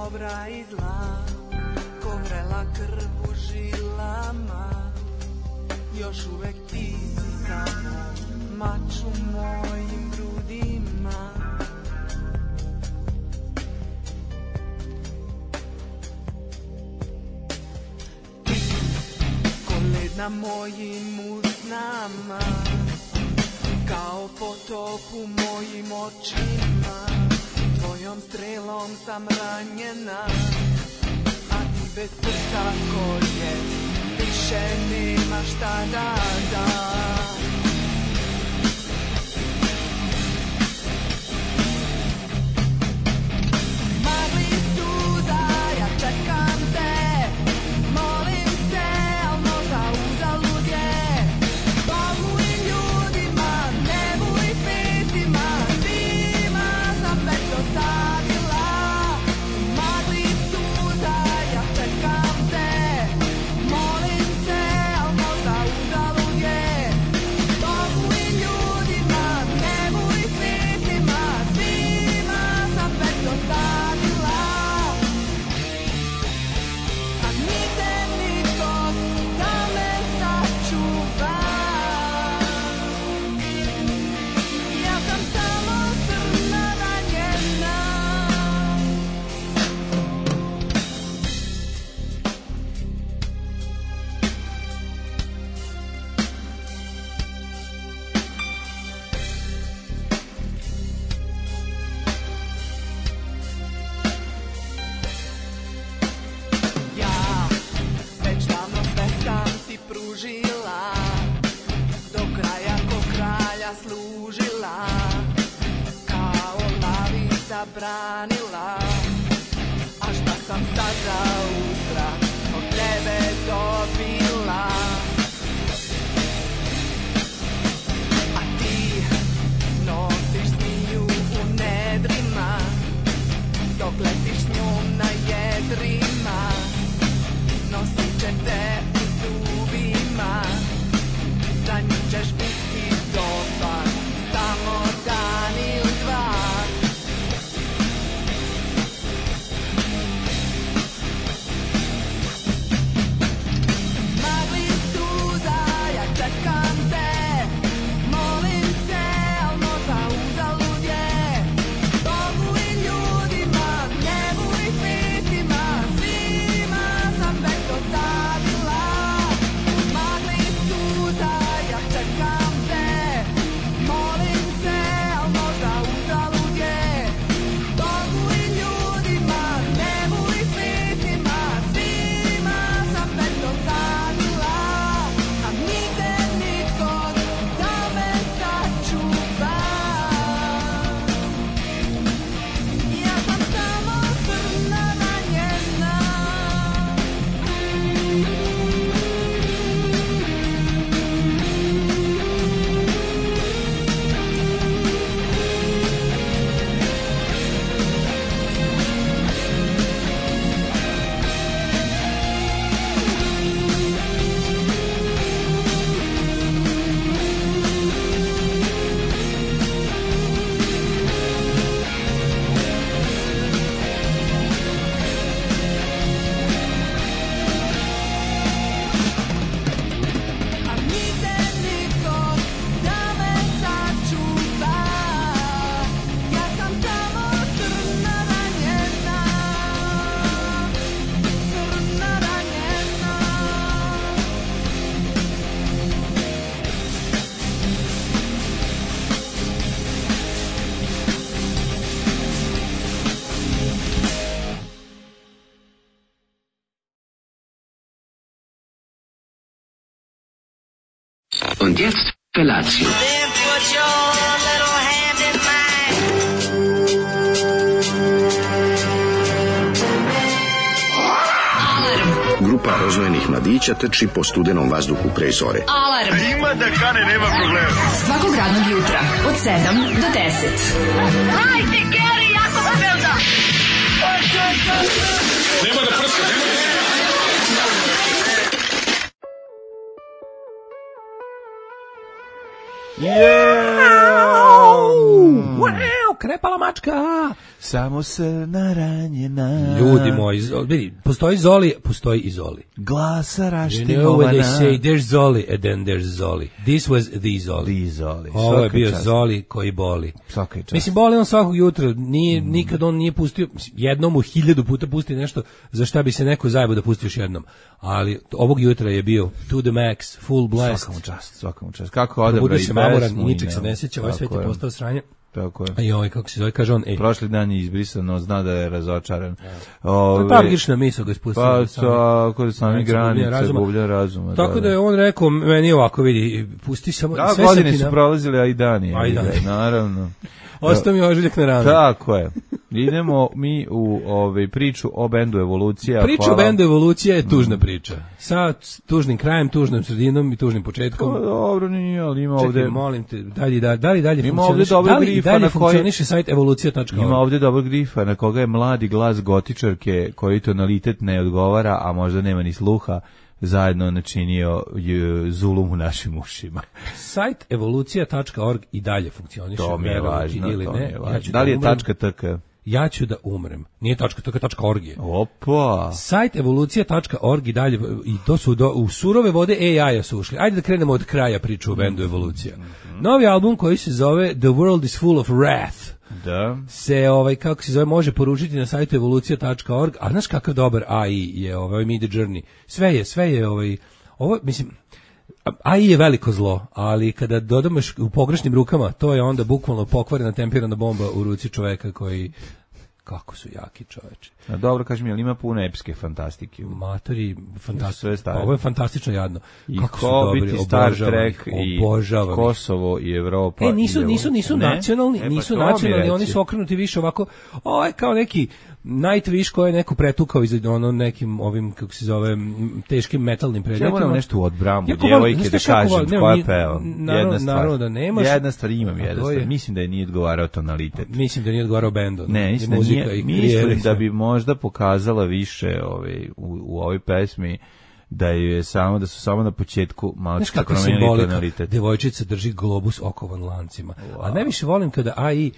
dobra i zla, ko vrela krv u žilama, još uvek ti si samo mač u mojim grudima. Ti, ko led na mojim usnama, kao potop u mojim očima, tvojom strelom sam ranjena, a ti bez srca koje više nema šta da da. Magli suza, ja čekam te, molim se, al možda uzalud je. Bogu i ljudima, nebu i pitima, svima sam već dosadila. Magli suza, ja čekam te, molim se, al možda uzalud je. Bogu i ljudima, nebu i pitima, svima sam već dosadila. A nigde nikog da me sačuva. Ja sam samo crna ranjena. Ja već davno sve sam ti pružila, do kraja ko kralja služila, kao lavica branila. A šta sam sad za utra od tebe dobila? A ti nosiš zmiju u nedrima, dok letiš s njom na jedrima. Nosit će te u zubima, za nju ćeš biti dobar samo dan ili dva. Magli suza, ja čekam te, molim se, al možda uzalud je. Bogu i ljudima, nebu i pitima, svima sam već dosadila. Magli suza, ja čekam te, molim se, al možda uzalud je. Bogu i ljudima, nebu i pitima, svima sam već dosadila. A nigde nikog da me sačuva. Ja sam samo crna ranjena. A nigde nikog da me sačuva. Ja sam samo crna ranjena. Crna ranjena. Und jetzt Felatio. Then put your little hand in mine. Grupa rozvojenih mladića trči po studenom vazduhu pre zore. Alarm. Ima da kane, nema problema. Svakog radnog jutra od 7 do 10. Hajde, Geri, jako se velda. Nema da prska, nema da... Wow, klepala mačka. Samo srna ranjena. Ljudi moji, vidi, postoji Zoli, postoji i Zoli. Glasa You know when they say there's Zoli and then there's Zoli. This was the Zoli. Ovo je bio Zoli koji boli. Svaka čast. Mislim, boli on svakog jutra, nikad on nije pustio, jednom u 1000 puta pusti nešto za šta bi se neko zajebao da pusti još jednom. Ali ovog jutra je bio to the max, full blast. Svakamu čast. Kako odabra i Budio se mamoran, pesmu ničeg se ne sjeća, ovaj svet je postao sranje. Tako je. A joj, kako se zove, kaže on, prošli dan je izbrisano, zna da je razočaran. Tragična misao ga spustio. Pa, tako da sami granice, gublja razuma. Tako da je on rekao, meni ovako, vidi, pusti samo... Da, godine su prolazile, a i dani. Naravno. Ostao mi ožiljak na ranu. Tako je. Idemo mi u priču o bendu Evolucija. Priča o bendu Evolucija je tužna priča. Sa tužnim krajem, tužnom sredinom i tužnim početkom. Dobro, nije, ali ima ovde... Čekaj, molim te, dalje funkcioniše sajt evolucija.org. Ima ovde dobro grifa na koga je mladi glas gotičarke koji tonalitet ne odgovara, a možda nema ni sluha, zajedno načinio zulum u našim ušima. Sajt evolucija.org i dalje funkcioniše. To mi je važno, ili ne. Da li je .tk? Ja ću da umrem. Nije .tk.org je. Opa! Sajt evolucija.org i dalje, i to su u surove vode AI-a su ušli. Ajde da krenemo od kraja priču o bendu Evolucija. Novi album koji se zove The World is Full of Wrath. Da. Se kako se zove može poručiti na sajtu evolucija.org. A znaš kakav dobar AI je Mid Journey. Sve je ovo mislim AI je veliko zlo, ali kada dodamo u pogrešnim rukama, to je onda bukvalno pokvarena tempirana bomba u ruci čoveka koji kako su jaki čoveče. A dobro, kažem, jel ima puno epske fantastike? Matori, fantastično. Ovo je fantastično jadno. I kako su dobri, Star Trek i Kosovo i Evropa. Nisu nacionalni, nacionalni, oni su okrenuti više ovako, kao neki Nightwish koji je neko pretukao iz nekim ovim, kako se zove, teškim metalnim predmetima. Ja moram nešto u odbramu djevojke da kažem koja peva. Naravno da nemaš. Jedna stvar imam, mislim da je nije odgovarao tonalitet. Mislim da nije odgovarao bendom. Ne, mislim da bi možda pokazala više u ovoj pesmi da su samo na početku malo promenili tonalitet. Devojčica drži globus okovan lancima. A najviše volim kada AI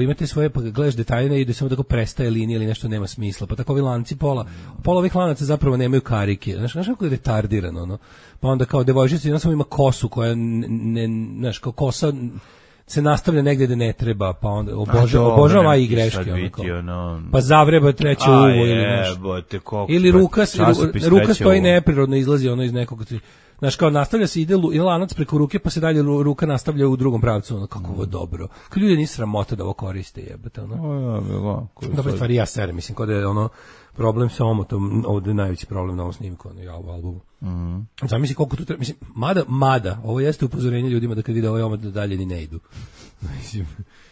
imate svoje, pa gledaš detaljne i da samo tako prestaje linija ili nešto nema smisla. Pa tako ovi lanci pola ovih lanaca zapravo nemaju karike. Znaš kako je retardirano, Pa onda kao devojčica jedna samo ima kosu koja znaš, kao kosa se nastavlja negdje da ne treba, pa onda obožavam AI greške. Pa zavreba treće uvo ili nešto. Ili ruka stoji neprirodno, izlazi iz nekog... Znaš, kao nastavlja se, ide lanac preko ruke, pa se dalje ruka nastavlja u drugom pravcu, kako ovo dobro. Kao ljudi nisu sramota da ovo koriste, jebate, Dobre stvari, ja serem, mislim, kod je problem sa omotom, ovdje je najveći problem na ovom snimku, u albumu. Zamisli koliko tu treba, mislim, mada, ovo jeste upozorenje ljudima da kad vide ovaj omot da dalje ni ne idu. Mislim,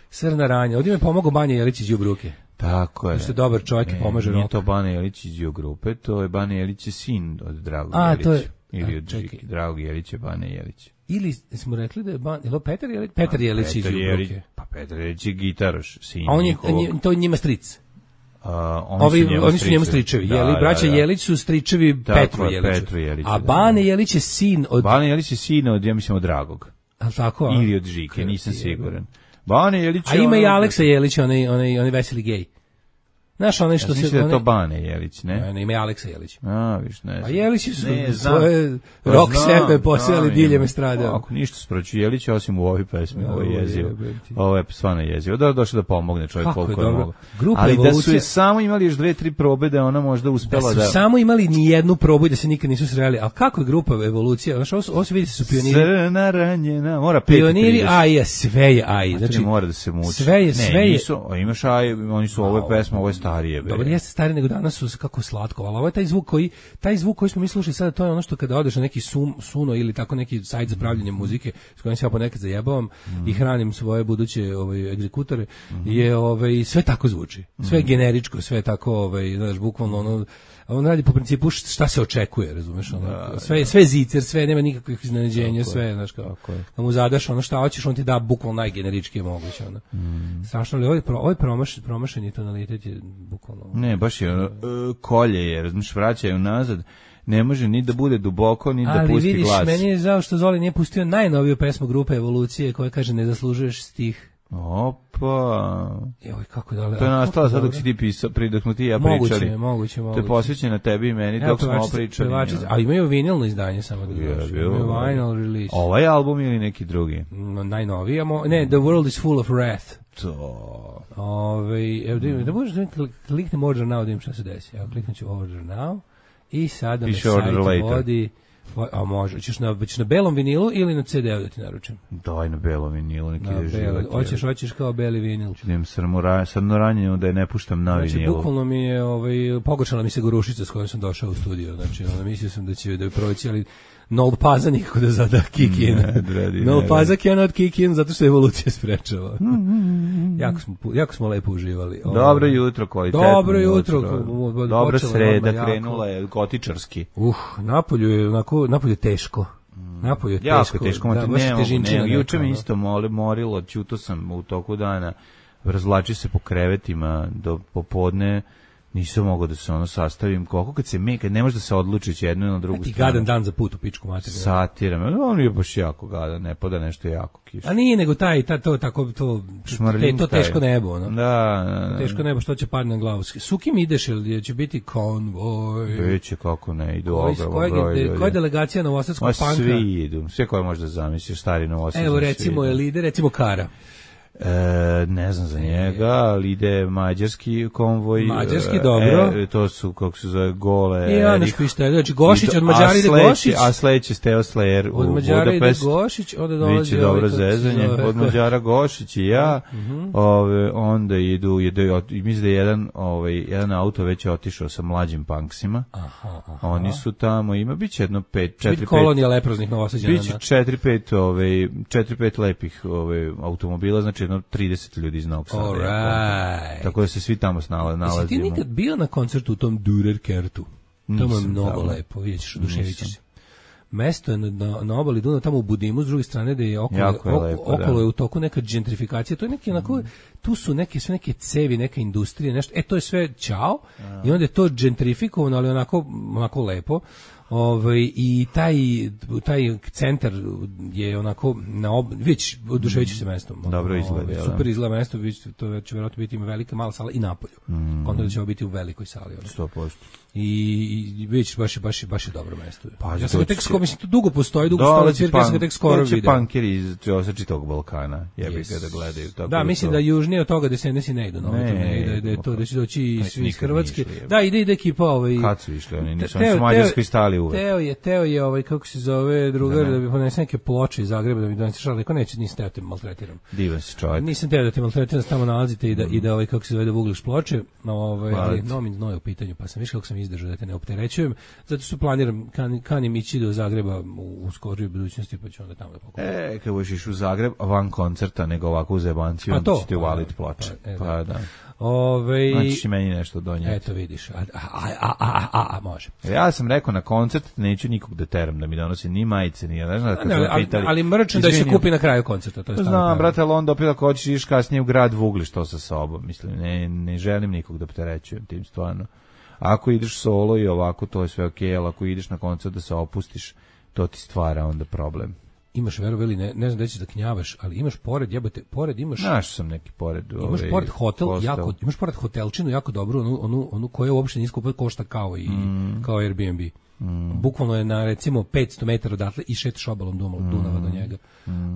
srna ranja, ovdje me pomogao Banja Jelić iz Đubruke. Tako je. Što je dobar čovjek i pomaže rock. Nije to Banja Jelić iz Đubruke, to je Banja Jelić sin od Dragog Jelića. To je... Ili od Dragog Jelića, Banja Jelić. Ili smo rekli da je Petar Jelić? Petar Jelić iz Đubruke. Pa Petar Jelić je gitaroš, sin. To je njima stric. Oni su njemu stričevi. Braća Jelić su stričevi Petru Jeliću. A Bane Jelić je sin od... Bane Jelić je sin od, ja mislim, od Dragog. Tako? Ili od Žike, nisam siguran. Bane Jelić je... A ima i Aleksa Jelić, onaj veseli gej. Znaš, onaj što se... Mislim da je to Bane Jelić, ne? Ne, ima i Aleksa Jelić. Viš, ne znam. A Jelići su svoje rock sebe posijali diljem estrade. Ako ništa sproću Jelića, osim u ovoj pesmi, ovo je jezivo. Ovo je stvarno jezivo. Došlo da pomogne čovjek koliko je mogo. Ali da su je samo imali još 2-3 probe da ona možda uspela da... Da su samo imali ni jednu probu i da se nikad nisu sreli. Ali kako je grupa Evolucija? Znaš, ovo se vidi su pioniri. Srna ranjena, mora 5-30. Pioniri AI, sve je AI. Znači, mora da se muči. Sve je. Imaš AI, oni su ovo pesma, ovo je starije. Dobro, jeste stari nego danas su kako slatko, ali ovo je taj zvuk koji smo mi slušali sada, to je ono što kada odeš na neki Suno ili tako neki sajt za pravljenje muzike s kojim se ja ponekad zajebavam i hranim svoje buduće egzekutore, je sve tako zvuči. Sve je generičko, sve je tako, znaš, bukvalno on radi po principu šta se očekuje, razumeš, sve je zicer, sve nema nikakvih iznenađenja, sve, znaš, kao da mu zadaš ono šta hoćeš, on ti da bukvalno najgeneričkije moguće, strašno, ali ovaj promašeni tonalitet je bukvalno... Ne, baš je kolje je, razumiješ, vraćaju nazad, ne može ni da bude duboko, ni da pusti glas. Ali vidiš, meni je žao što Zoli nije pustio najnoviju pesmu grupe Evolucije koja kaže ne zaslužuješ stih. Opa. Joj, kako da li... To je nastalo sad dok si ti pisao, dok smo ti ja pričali. Moguće. To je posvećeno tebi i meni dok smo pričali. A imaju vinilno izdanje samo da znaš. Imaju vinyl release. Ovaj album ili neki drugi? Najnoviji. Ne, The World is Full of Wrath. To. Evo da možeš da kliknem Order Now da im šta se desi. Evo kliknut ću Order Now i sada me sajt vodi... A može, ćeš na belom vinilu ili na CD-u da ti naručim? Daj na belom vinilu, neki ide život. Hoćeš kao beli vinil. Idem srno ranjenju da je ne puštam na vinilu. Znači, bukvalno mi je, pogoršala mi se gorušica s kojom sam došao u studio. Znači, mislio sam da će proći, ali Nold Paza nikako da zada kick in. Nold Paza cannot kick in zato što evolucija sprečava. Jako smo lepo uživali. Dobro jutro, kvalitetno. Dobro jutro. Dobra sreda, krenula je gotičarski. Napolju je teško. Napolju je jako teško. Juče mi neka, isto morilo, ćuto sam u toku dana, razvlači se po krevetima do popodne. Nisam mogao da se sastavim. Koliko kad ne može da se odlučiš jednu ili na drugu stranu. I gadan dan za put u pičku materiju. Satiram. On je baš jako gadan, ne pada nešto jako kiša. A nije nego to teško nebo. Da. Teško nebo, što će padne na glavu. Sukim ideš ili će biti konvoj? Biće kako ne, idu ogroman broj. Koja je delegacija novosadskog panka? Svi idu, sve koje možda zamisliš, stari novosadski. Evo recimo je lider, recimo Kara. Ne znam za njega, ali ide mađarski konvoj. Mađarski, dobro. To su, kako se zove, Gole. I Janoš Pištelj, znači Gošić, od Mađara ide Gošić. A sledeće Steo Slayer u Budapest. Od Mađara ide Gošić, onda dolazi... Biće dobro zezanje. Od Mađara Gošić i ja. Onda idu, mislim da je jedan auto već otišao sa mlađim punksima. Oni su tamo, biće jedno 4-5... Biti kolonija leproznih Novosađana. Biće 4-5 lepih automobila, znači jedno 30 ljudi iz Novog Sada. Tako da se svi tamo nalazimo. Jesi ti nikad bio na koncertu u tom Durerkertu? Tamo je mnogo lepo, vidjet ćeš, oduševit ćeš se. Mesto je na obali Dunava, tamo u Budimu, s druge strane da je okolo je u toku neka gentrifikacija, to je neki onako, tu su sve neke cevi, neka industrija, nešto, to je sve ćao, i onda je to gentrifikovano, ali onako lepo. I taj centar je onako već oduševići se mestom. Dobro izgleda. Super izgleda mesto, to će vjerojatno biti ima velika mala sala i napolju. Kontra da će biti u velikoj sali. 100%. I već baš je dobro mesto. Ja sam ga tek skoro, mislim, to dugo postoji, dugo stola cirka, ja sam ga tek skoro vidio. Punkeri iz čitog Balkana, jebi ga da gledaju. Da, mislim da južnije od toga da se ne idu, da je to, da će doći iz Hrvatske. Da, ide ekipa Kad su išli, oni nisu u Mađarskoj stali uvek. Teo je, kako se zove, drugar, da bi ponese neke ploče iz Zagreba, da bi doneseš, ali neko neće, nisam teo da te maltretiram. Divan si čovjek. Nisam teo da te maltretiram, tamo nalazite i da kako se zove, da vugliš ploče, ali nomin znoj u pitanju, pa sam viš kako sam izdržao da te ne opterećujem, zato što planiram, kanim ići do Zagreba u skorijoj budućnosti, pa ću onda tamo da pokupim. Kad budeš iš u Zagreb, van koncerta, nego ovako u zebanciju, onda ćete uvaliti ploče. Pa da. Znači ti meni nešto donijeti. Eto vidiš, može. Ja sam rekao na koncert neću nikog da teram da mi donosi ni majice, ni ali mrčan da se kupi na kraju koncerta. Znam, brate, ali onda opet ako hoćeš iš kasnije u grad vugliš to sa sobom. Mislim, ne želim nikog da opterećujem tim stvarno. Ako ideš solo i ovako, to je sve okej, ali ako ideš na koncert da se opustiš, to ti stvara onda problem. Imaš verovali, ne znam da ćeš da knjavaš, ali imaš pored imaš. Znaš sam neki pored. Imaš pored hotel, imaš pored hotelčinu jako dobro, onu koja uopšte nije skupa, košta kao Airbnb. Bukvalno je na recimo 500 metara odatle i šetaš obalom Dunava do njega.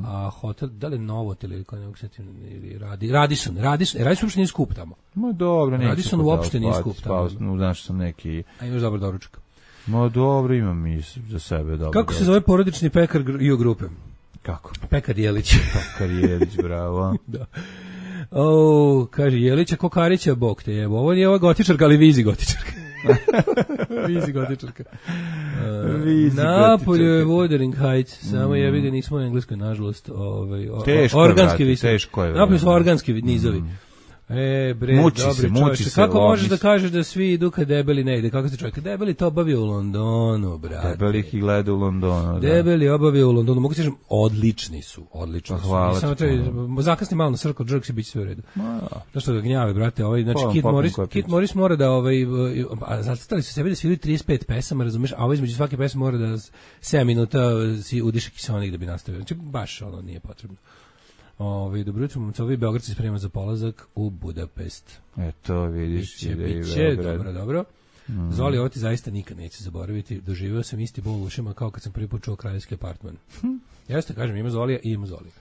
A hotel, da li je Novotel ili kao nekog setim, ili Radisson uopšte nije skup tamo. Ma dobro, neće. Radisson uopšte nije skup tamo. Znaš sam neki. A imaš dobar doručak. Ma dobro, imam i za sebe dobro. Kako se zove porodični pekar Rio grupe? Kako? Pekar Jelić. Pekar Jelić, bravo. Da. Kaže Jelića, Kokarića, bog te jebo. Ovo nije ova gotičarka, ali vizi gotičarka. Vizi gotičarka. Napolju je Wuthering Heights, samo jebi ga nismo u Engleskoj, nažalost. Organski visok. Teško je. Napolju su organski nizovi. Muči se. Kako možeš da kažeš da svi idu kad debeli ne ide? Kako se čovjek? Debeli to obavio u Londonu, brate. Debeli ih i gleda u Londonu. Debeli obavio u Londonu. Mogu ti kažem, odlični su. Hvala. Samo treba, zakasni malo na Circle Jerks i bit će sve u redu. Zašto ga gnjave, brate? Znači, Kit Morris mora da, zacrtali su sebi da sviraju 35 pesama, razumeš, a između svake pesme mora da 7 minuta si udiše kiseonik da bi nastavio. Znači, baš nije potrebno. Dobro jutro, momcovi, Beograd se sprema za polazak u Budapest. Eto, vidiš. Biće, dobro. Zoli, ovo ti zaista nikad neće zaboraviti. Doživeo sam isti bol u ušima kao kad sam prvi put čuo kraljevski apartman. Jeste, kažem, ima Zolija i ima Zolija.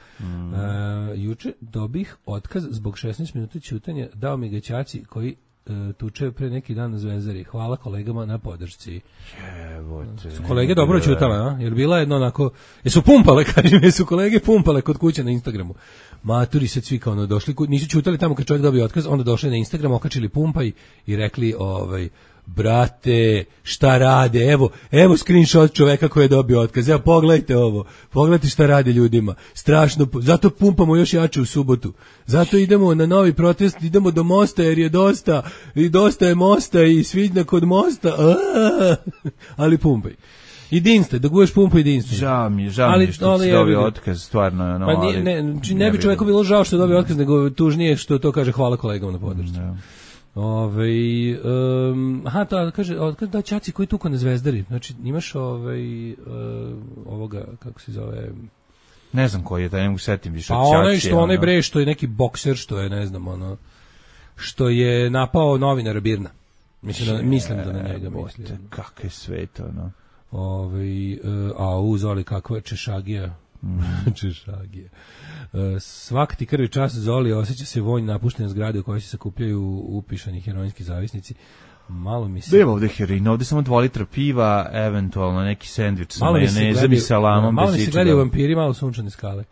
Juče dobih otkaz zbog 16 minuta ćutanja, dao mi ga ćaci koji tuče pre neki dan na Zvezdari. Hvala kolegama na podršci. Su kolege dobro ćutale, a? Jer bila jedno onako, jesu pumpale, kažem, jesu kolege pumpale kod kuće na Instagramu. Maturi se svi kao došli, nisu ćutali tamo kad čovjek dobio otkaz, onda došli na Instagram, okačili pumpaj i rekli, brate, šta rade, evo screenshot čoveka koji je dobio otkaz, evo pogledajte ovo, pogledajte šta rade ljudima, strašno, zato pumpamo još jače u subotu, zato idemo na novi protest, idemo do mosta jer je dosta, i dosta je mosta i svidna kod mosta, ali pumpaj. I dinste, dok budeš pumpa i dinste. Žao mi je što si dobio otkaz, stvarno. Ne bi čoveku bilo žao što je dobio otkaz, nego tužnije što to kaže hvala kolegama na podršci. Kaže da ćaci koji tuko na Zvezdari. Znači imaš ovoga kako se zove, ne znam koji je, da ne mogu setim više. Pa onaj bre što je neki bokser, što je ne znam što je napao novinara Birna. Mislim da na njega mislim. Kako je sve to, no. Zoli, kakva češagija. Češagija. Svak ti krvi čas, Zoli, osjeća se vonj napuštene zgrade u kojoj se sakupljaju upišani heroinski zavisnici. Malo mi se... Nema ovde heroina, ovde samo 2 litra piva, eventualno neki sendvič sa majonezom i salamom. Malo mi se gledaju vampiri, malo sunčane skale.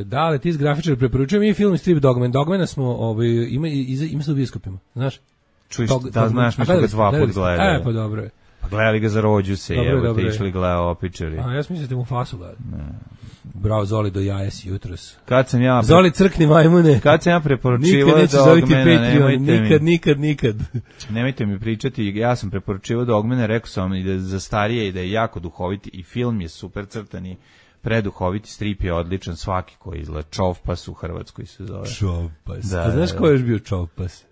Da, ali ti iz grafičara preporučujem i film i strip Dogman. Dogmana smo, ima se u bioskopima, znaš? Čuj, da znaš, mi smo ga 2 put gledali. Pa dobro je. Pa gledali ga za rođu se, evo te išli gledao opičari. Ja sam mislite mu fasu gledali. Bravo, Zoli, do jaja si jutros. Zoli, crkni majmune. Kad sam ja preporučivao Dogmana, nikad. Nemojte mi pričati, ja sam preporučivao Dogmana, rekao sam i da je za starije i da je jako duhoviti i film je super crtani, preduhoviti, strip je odličan, svaki koji izgleda. Čovpas u Hrvatskoj se zove. Čovpas. A znaš ko je još bio Čovpas?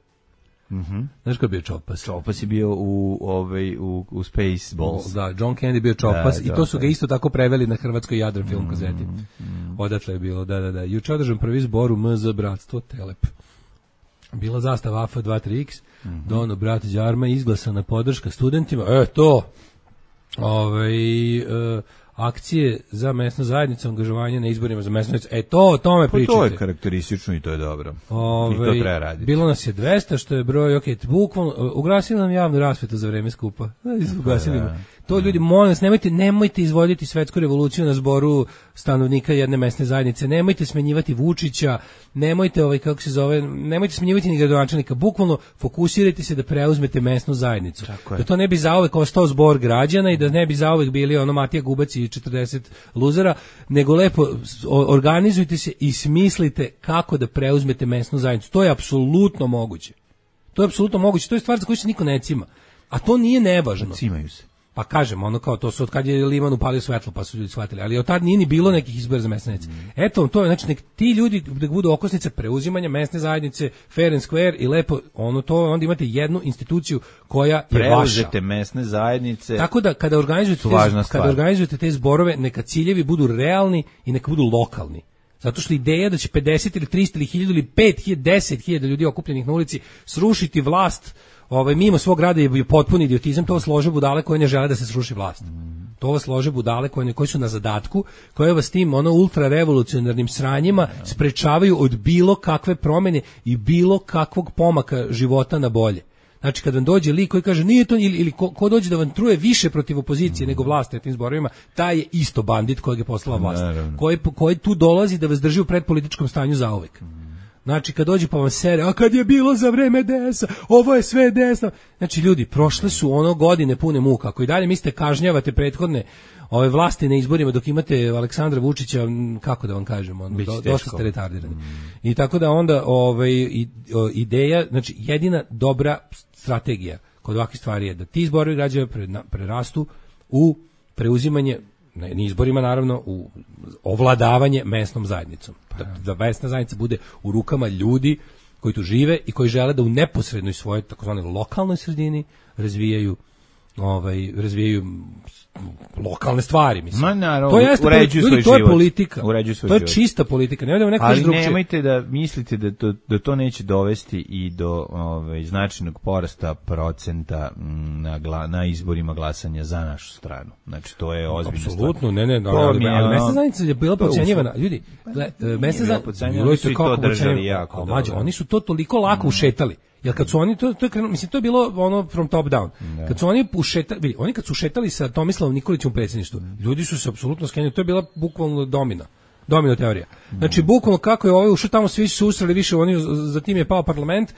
Znaš ko je bio Čovpas? Čovpas je bio u Spaceballs. Da, John Candy bio Čovpas i to su ga isto tako preveli na hrvatskoj Jadran film kazeti. Odatle je bilo, da. Juče održan prvi zbor u MZ Bratstvo Telep. Bila zastava AF 23X, Dono, brat Đarma, izglasana podrška studentima. Akcije za mesnu zajednicu, angažovanje na izborima za mesnu zajednicu. O tome pričate. To je karakteristično i to je dobro. I to treba raditi. Bilo nas je 200, što je broj, bukvalno, ugasili nam javnu rasvetu za vreme skupa. Ugasili nam. To ljudi, molim vas, nemojte izvoditi svetsku revoluciju na zboru stanovnika jedne mesne zajednice, nemojte smenjivati Vučića, nemojte nemojte smenjivati ni gradonačelnika, bukvalno fokusirajte se da preuzmete mesnu zajednicu. Da to ne bi zauvek ostao zbor građana i da ne bi zauvek bili Matija Gubac i 40 luzera, nego lepo organizujte se i smislite kako da preuzmete mesnu zajednicu. To je apsolutno moguće. To je stvar za koju se niko ne cima. A to nije nevažno. Cimaju se. Pa kažem, kao to su od kad je Liman upalio svetlo, pa su ljudi shvatili, ali od tad nije ni bilo nekih izbora za mesne zajednice. Eto, to je, znači, nek ti ljudi da budu okosnice preuzimanja mesne zajednice, fair and square i lepo, onda imate jednu instituciju koja je vaša. Preuzete mesne zajednice. Tako da, kada organizujete te zborove, neka ciljevi budu realni i neka budu lokalni. Zato što ideja da će 50 ili 300 ili 1000 ili 5000, 10.000 ljudi okupljenih na ulici srušiti vlast mimo svog grada je potpuni idiotizam, to vas lože budale koje ne žele da se sruši vlast. To vas lože budale koji su na zadatku, koje vas tim ultrarevolucionarnim sranjima sprečavaju od bilo kakve promjene i bilo kakvog pomaka života na bolje. Znači, kad vam dođe lik koji kaže nije to, ili ko dođe da vam truje više protiv opozicije nego vlasti na tim zborovima, taj je isto bandit kojeg je poslala vlast. Koji tu dolazi da vas drži u predpolitičkom stanju zauvek. Znači, kad dođe pa vam sere, a kad je bilo za vreme DS-a, ovo je sve desno. Znači, ljudi, prošle su godine pune muka. Ako i dalje mislite kažnjavate prethodne ove vlasti na izborima dok imate Aleksandra Vučića, kako da vam kažem, dosta ste retardirani. I tako da onda ideja, znači jedina dobra strategija kod ovakvih stvari je da ti zborovi građana prerastu u preuzimanje, na izborima naravno, u ovladavanje mesnom zajednicom. Da mesna zajednica bude u rukama ljudi koji tu žive i koji žele da u neposrednoj svojoj takozvanoj lokalnoj sredini razvijaju razvijaju lokalne stvari, mislim. Ma naravno, to jeste uređuju svoj to je život. politika. Uređuju svoj to je život. čista politika. Ne da neko ali drugčije. nemojte da mislite da to neće dovesti i do značajnog porasta procenta na izborima glasanja za našu stranu. Znači, to je ozbiljna stvar. Apsolutno, ne, ali mesna zajednica je bila podcenjivana. Ljudi, mesna zajednica, oni su i to držali jako. Oni su to toliko lako ušetali. Jer kad su oni to je krenulo, mislim to je bilo ono from top down. Da. Kad su oni kad su ušetali sa Tomislavom Nikolićem u predsjedništvu, ljudi su se apsolutno skenjali, to je bila bukvalno domino teorija. Znači bukvalno kako je ušao tamo, svi su usrali više, oni za tim je pao parlament,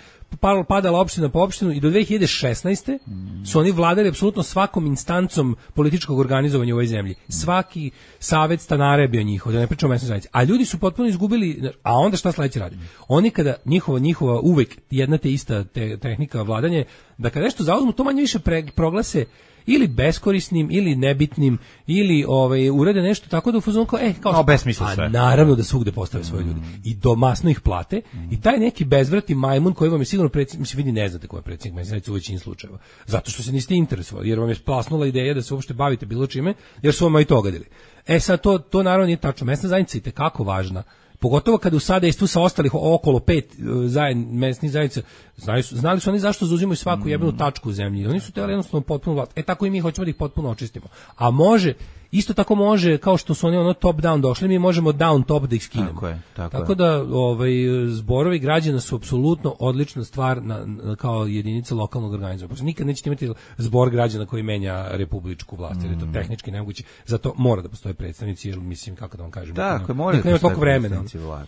padala opština po opštinu i do 2016. su oni vladali apsolutno svakom instancom političkog organizovanja u ovoj zemlji. Svaki savet stanara je bio njihov, da ne pričamo o mesnoj zajednici. A ljudi su potpuno izgubili, a onda šta sledeće radi? Oni kada njihova uvek jedna te ista tehnika vladanja, da kada nešto zauzmu, to manje više proglase ili beskorisnim ili nebitnim ili urede nešto tako da u fazonu kao besmisla sve. Naravno da svugde postave svoje ljudi i domasno ih plate i taj neki bezvrati majmun koji vam je sigurno mislim vidi ne znate ko je predsjednik mesne zajednice u većini slučajeva. Zato što se niste interesovali jer vam je splasnula ideja da se uopšte bavite bilo čime jer su vam i to gadili. Sad to naravno nije tačno. Mesna zajednica je itekako važna. Pogotovo kada u sadejstvu sa ostalih okolo 5 mesnih zajednica, znali su oni zašto zauzimaju svaku jebenu tačku u zemlji. Oni su htjeli jednostavno potpuno vlast. Tako i mi hoćemo da ih potpuno očistimo. A isto tako može, kao što su oni top down došli, mi možemo down top da ih skinemo. Tako da zborovi građana su apsolutno odlična stvar kao jedinica lokalnog organizma. Nikad nećete imati zbor građana koji menja republičku vlast, jer je to tehnički nemoguće. Zato mora da postoje predstavnici, jer mislim, kako da vam kažem, mora da toliko vremena.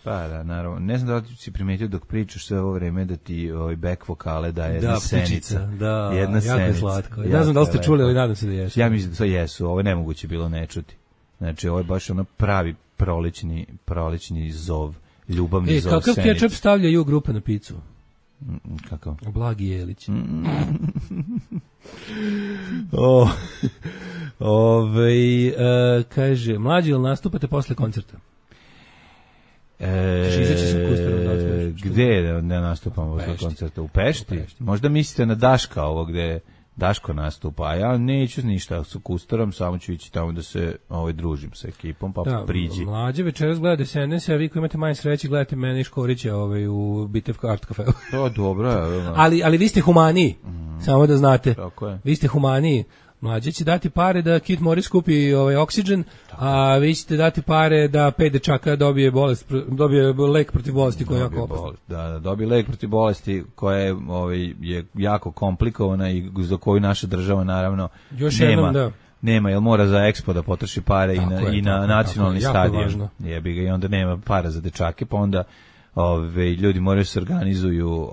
Pa da, naravno. Ne znam da li si primetio dok pričaš sve ovo vreme da ti back vokale daje jedna senica. Da, jedna jako je slatko. Ne znam da li ste čuli, ali nadam se da jesu. Ja mislim da to jesu, ovo je nemoguće bilo ne čuti. Znači, ovo je baš ono pravi prolećni zov, ljubavni zov kakav senice. kečap stavlja grupa na picu? Kako? Blagi Jelić. Kaže, mlađi, jel nastupate posle koncerta? Gde ne nastupamo posle koncerta? U Pešti? Možda mislite na Daška ovo gde Daško nastupa, a ja neću ništa sa Kustarom, samo ću ići tamo da se družim sa ekipom, pa priđi. Mlađe večeras gleda SNS, a vi koji imate manje sreće gledate mene i Škorića u Bitevka Art Cafeu. To dobro. ali vi ste humaniji, samo da znate. Tako je. Vi ste humaniji. Mlađe će dati pare da Kit Morris kupi oksigen, a vi ćete dati pare da 5 dečaka dobije lek protiv bolesti koja je jako opasna. Da, dobije lek protiv bolesti koja je jako komplikovana i za koju naša država naravno nema, jer mora za Expo da potroši pare i na nacionalni stadion. Jebi ga, i onda nema para za dečake, pa onda ljudi moraju se organizuju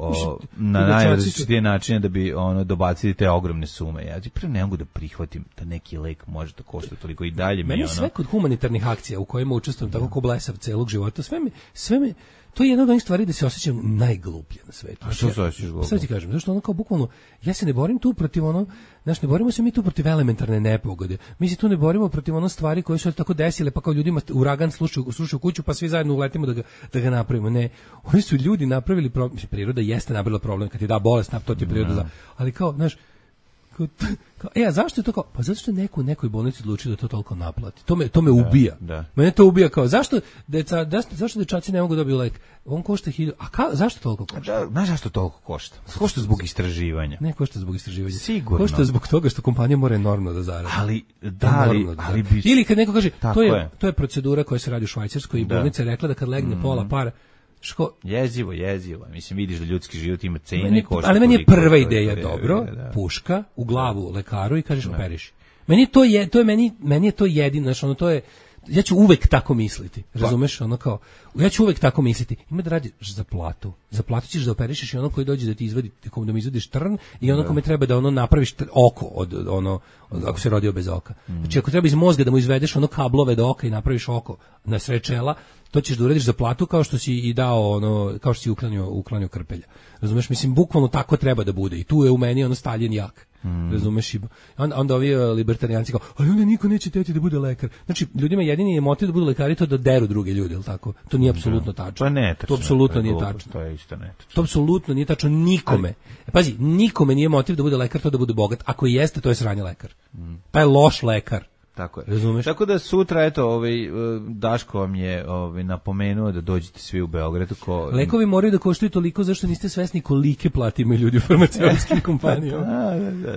na najrazličitije načine da bi dobacili te ogromne sume. Ja prvo ne mogu da prihvatim da neki lek može da košta toliko i dalje. Meni sve kod humanitarnih akcija u kojima učestvujem tako ko blesav celog života, sve me to je jedna od onih stvari da se osjećam najgluplje na svetu. A što se osjećaš glupo? Sad ti kažem, zašto kao bukvalno, ja se ne borim tu protiv ne borimo se mi tu protiv elementarne nepogode. Mi se tu ne borimo protiv stvari koje su tako desile, pa kao ljudima uragan slušaju kuću, pa svi zajedno uletimo da ga napravimo. Ne, oni su ljudi napravili problem, priroda jeste napravila problem, kad ti da bolest, to ti je priroda, ali kao, znaš, a zašto je to kao? Pa zato što je neko u nekoj bolnici odlučio da to toliko naplati. To me ubija. Da. Mene to ubija kao, zašto dečaci ne mogu dobiti lek? On košta 1000. Zašto toliko košta? Znaš zašto toliko košta? Košta zbog istraživanja. Ne košta zbog istraživanja. Sigurno. Košta zbog toga što kompanija mora enormno da zaradi. Ali ili kad neko kaže, to je procedura koja se radi u Švajcarskoj i bolnica je rekla da kad legne pola para jezivo. Mislim, vidiš da ljudski život ima cenu i košta. Ali meni je prva ideja dobro, puška u glavu lekaru i kažeš operiši. Meni je to jedino, znači to je, ja ću uvek tako misliti, razumeš, ja ću uvek tako misliti, ima da radiš za platu, ćeš da operišeš i koji dođe da ti izvadi, da mi izvadiš trn i kome treba da napraviš oko ako se rodio bez oka. Znači ako treba iz mozga da mu izvedeš kablove do oka i napraviš oko na sred čela, to ćeš da uradiš za platu kao što si i dao kao što si uklanio krpelja. Razumeš, mislim, bukvalno tako treba da bude i tu je u meni Stalin jak. razumeš, i onda ovi libertarijanci kao, ali onda niko neće teti da bude lekar. Znači, ljudima jedini je motiv da budu lekari to da deru druge ljude, je li tako? To nije apsolutno tačno. Pa ne, to apsolutno nije tačno. To je isto netačno. To apsolutno nije tačno nikome. Pazi, nikome nije motiv da bude lekar to da bude bogat. Ako jeste, to je sranje lekar. Pa je loš lekar. Tako je. Razumeš? Tako da sutra, eto, Daško vam je napomenuo da dođete svi u Beograd. Lekovi moraju da koštaju toliko zašto niste svesni kolike plate imaju ljudi u farmaceutskim kompanijama.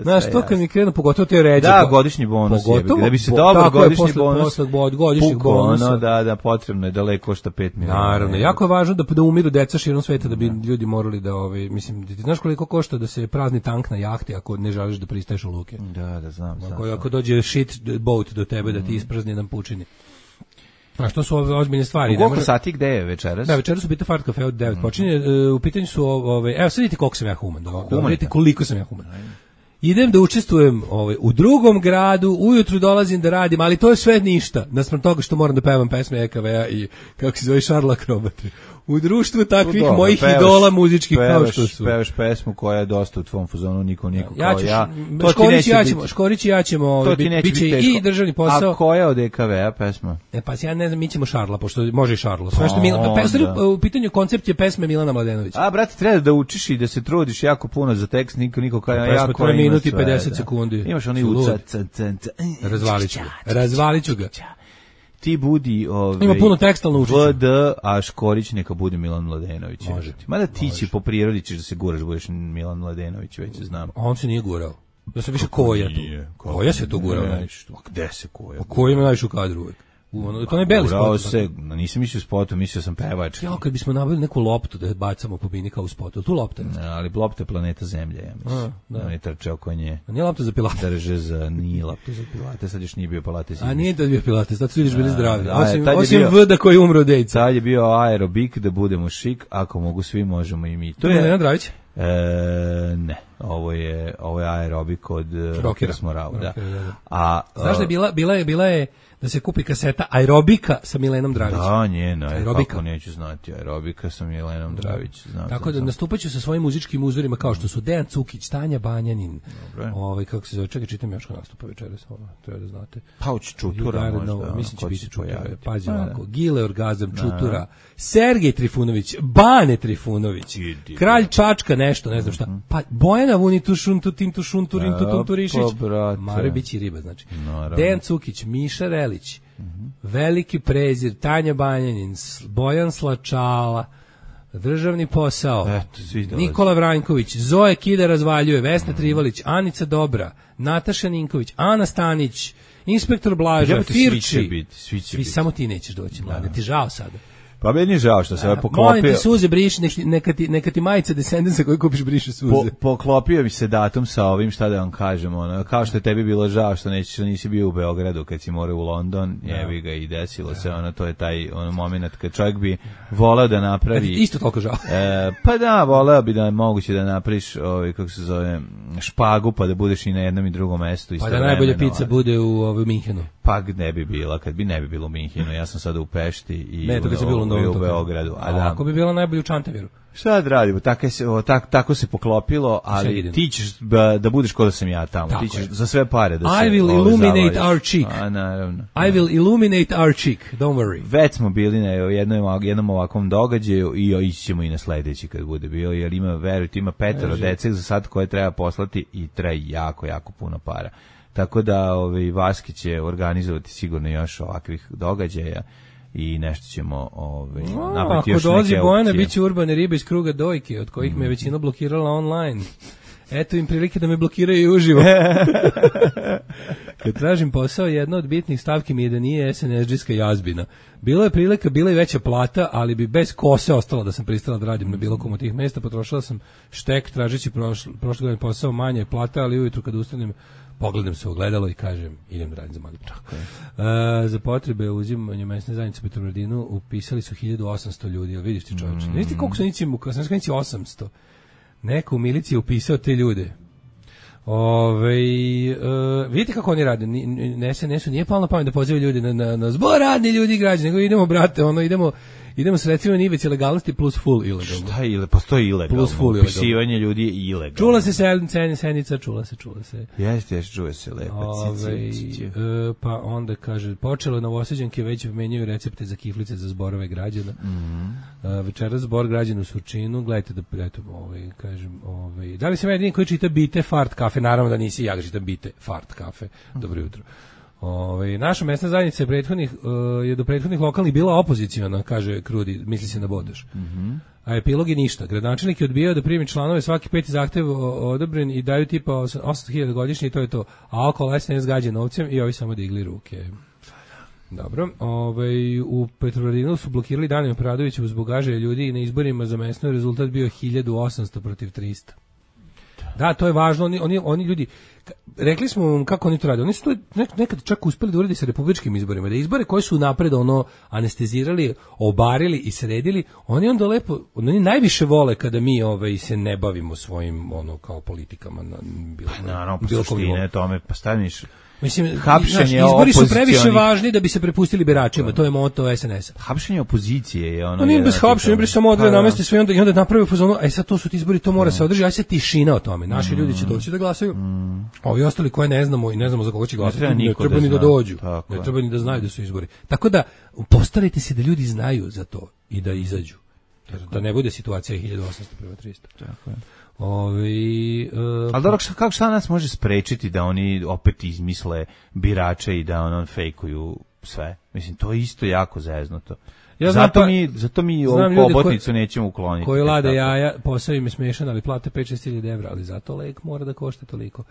Znaš, to kad mi krenu, pogotovo te ređe. Da, godišnji bonus je. Da bi se dobar godišnji bonus. Godišnjih bonusa. Da, potrebno je da lek košta 5 miliona. Naravno, jako je važno da umiru deca širom sveta da bi ljudi morali da, mislim, ti znaš koliko košta da se prazni tank na jahti ako ne želiš da pristaješ u luke. Da, znam. Ako dođe shit boat do tebe da ti isprazni jedan pučini. A što su ove ozbiljne stvari? U koliko sati gde je večeras? Da, večeras su Bita Fart kafe od 9 počinje. U pitanju su evo sad vidite koliko sam ja human. Vidite koliko sam ja human. Idem da učestvujem u drugom gradu, ujutru dolazim da radim, ali to je sve ništa. Naspram toga što moram da pevam pesme EKV-a i kako se zove Šarla Akrobatri. U društvu takvih mojih idola muzičkih kao što su. Pevaš pesmu koja je dosta u tvom fazonu, niko kao ja. Škorić i ja ćemo, biće i državni posao. A koja od EKV-a pesma? Pa ja ne znam, mi ćemo Šarla, pošto može i Šarlo. Sve što u pitanju koncept je pesme Milana Mladenovića. A, brate, treba da učiš i da se trudiš jako puno za tekst, niko kao ja. Pesma 3 minuti i 50 sekundi. Imaš onaj Razvalit ću ga. Ti budi ima puno tekstalno učiće. VD, a Škorić neka bude Milan Mladenović. Može. Mada ti će po prirodi ćeš da se guraš, budeš Milan Mladenović, već znam. On se nije gurao. Ja sam više Koja tu. Koja se to gurao najviše. Gde se Koja? Koja ima najviše u kadru uvek. To ne beli spot. Se, nisam mislio spotu, mislio sam pevač. Ja, kad bismo nabavili neku loptu da bacamo po bini kao u spotu, tu lopta je. Ali lopta je planeta Zemlja, ja mislim. Da. Ne trče oko nje. A nije lopta za pilate. Drže za, nije lopta za pilate, sad još nije bio pilates. A nije da bio pilates, sad su vidiš bili zdravi. Osim VD koji umro dejca. Sad je bio aerobik da budemo šik, ako mogu svi, možemo i mi. To je Nenad Dravić? Ne, ovo je aerobik od Rockera Smorau, da. A znaš da bila je da se kupi kaseta aerobika sa Milenom Dravićem. Da, njeno, kako neću znati, aerobika sa Milenom Dravić. Tako da nastupaću sa svojim muzičkim uzorima kao što su Dejan Cukić, Tanja Banjanin, kako se zove, čekaj, čitam još ko nastupa večeras, treba da znate. Pauć Čutura možda. Mislim će biti Čutura, pazi ovako, Gile Orgazam, Čutura, Sergej Trifunović, Bane Trifunović, Kralj Čačka, nešto, ne znam šta, pa Bojana Vuni Tušuntu, Tim Tušuntu, Rim Tutum Turišić, Maro Bići Riba, znači, Dejan Cukić, Miša Relić, Veliki Prezir, Tanja Banjanin, Bojan Slačala, Državni posao, Nikola Vranjković, Zoe Kida razvaljuje, Vesna Trivalić, Anica Dobra, Nataša Ninković, Ana Stanić, Inspektor Blaža, Firči. Svi samo ti nećeš doći, mlade, ti žao sada. Pa meni je žao što se poklopio. Molim ti suze briši, neka ti majica Descendensa koju kupiš briše suze. Poklopio bi se datum sa ovim, šta da vam kažem, kao što je tebi bilo žao što nisi bio u Beogradu kad si morao u London, jebi ga i desilo se, to je taj moment kad čovjek bi voleo da napravi. Isto toliko žao. Pa da, voleo bi da moguće da napraviš, kako se zove, špagu, pa da budeš i na jednom i drugom mestu. Pa da najbolja pizza bude u Minhenu. Pa ne bi bila, kad bi ne bi bilo u Minhenu, ja sam sada u Pešti i u Beogradu. Ako bi bila najbolje u Čantaviru. Šta da radimo, tako se poklopilo, ali ti ćeš da budeš ko da sam ja tamo, ti ćeš za sve pare da se I will illuminate our cheek. Naravno. I will illuminate our cheek, don't worry. Već smo bili na jednom ovakvom događaju i ići ćemo i na sledeći kad bude bio, jer verujte, ima 5 dece za sad koje treba poslati i treba jako, jako puno para. Tako da Vaski će organizovati sigurno još ovakvih događaja i nešto ćemo napraviti još neke opcije. Ako dolazi Bojana, bit će urbane ribe iz kruga dojke, od kojih me većina blokirala online. Eto im prilike da me blokiraju i uživo. Kad tražim posao, jedna od bitnih stavki mi je da nije SNSD-ska jazbina. Bila je prilika, bila je veća plata, ali bi bez kose ostalo da sam pristala da radim na bilo kom od tih mesta. Potrošila sam štek, tražeći prošle godine posao, manje plata, ali ujutru kad ustanem, pogledam se u ogledalo i kažem, idem da radim za Magdu. Za potrebe uzimanja mesne zajednice u Petrovaradinu upisali su 1800 ljudi, jel vidiš ti čovječe? Ne vidite koliko su nici, kad sam skrenici 800. Neko u miliciji je upisao te ljude. Vidite kako oni rade, SNS-u nije palo na pamet da pozivaju ljudi na zbor radni ljudi i građani, nego idemo, brate, Idemo sredstvima na ivici legalnosti plus full ilegalno. Šta je postoji ilegalno? Plus full ilegalno. Upisivanje ljudi je ilegalno. Čula se Senica, čula se. Jeste, čuje se lepo. Pa onda kaže, počelo Novosađanke već menjaju recepte za kiflice za zborove građana. Večeras zbor građana u Surčinu, gledajte da, eto, kažem, da li sam jedini koji čita Bite Fart kafe? Naravno da nisi, ja ga čitam Bite Fart kafe. Dobro jutro. Naša mesna zajednica je do prethodnih lokalnih bila opoziciona, kaže Krudi, misli se na Bodoš. A epilog je ništa. Gradonačelnik je odbijao da primi članove, svaki peti zahtev odobren i daju tipa 800.000 godišnje i to je to. A okolo SNS gađa novcem i ovi samo digli ruke. Dobro, u Petrovaradinu su blokirali Danijom Pradovićevu zbog gaženja ljudi i na izborima za mesno rezultat bio 1800 protiv 300. Da, to je važno, oni ljudi, rekli smo vam kako oni to rade, oni su to nekad čak uspeli da uredi sa republičkim izborima, da izbore koje su napred anestezirali, obarili i sredili, oni onda lepo, oni najviše vole kada mi se ne bavimo svojim kao politikama. Naravno, po suštine tome, pa staviš... Mislim, izbori su previše važni da bi se prepustili biračima, to je moto SNS-a. Hapšenje opozicije je ono... Nije bez hapšenja, bre samo odre namesti sve i onda naprave fazonu, sad to su ti izbori, to mora se održati, aj se tišina o tome. Naši ljudi će doći da glasaju, ovi ostali koje ne znamo i ne znamo za koga će glasati, ne treba ni da dođu, ne treba ni da znaju da su izbori. Tako da, postarajte se da ljudi znaju za to i da izađu. Da ne bude situacija 1800 prema 300. Tako je. Ali dobro, kako šta nas može sprečiti da oni opet izmisle birače i da fejkuju sve? Mislim, to je isto jako zeznuto. Zato mi ovu hobotnicu nećemo ukloniti. Koji lade jaja, posao im je smešan, ali plate 5-6 evra, ali zato lek mora da košta toliko.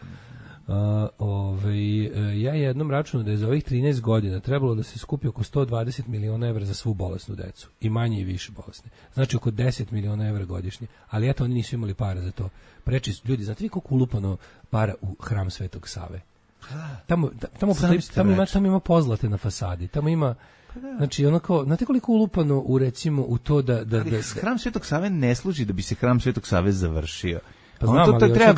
Ja jednom računam da je za ovih 13 godina trebalo da se skupi oko 120 miliona evra za svu bolesnu decu. I manje i više bolesne. Znači oko 10 miliona evra godišnje. Ali eto, oni nisu imali para za to. Preči ljudi, znate vi koliko ulupano para u hram Svetog Save? Tamo ima pozlate na fasadi. Tamo ima... Znači, znate koliko ulupano recimo u to da hram Svetog Save ne služi da bi se hram Svetog Save završio. Pa znam, to treba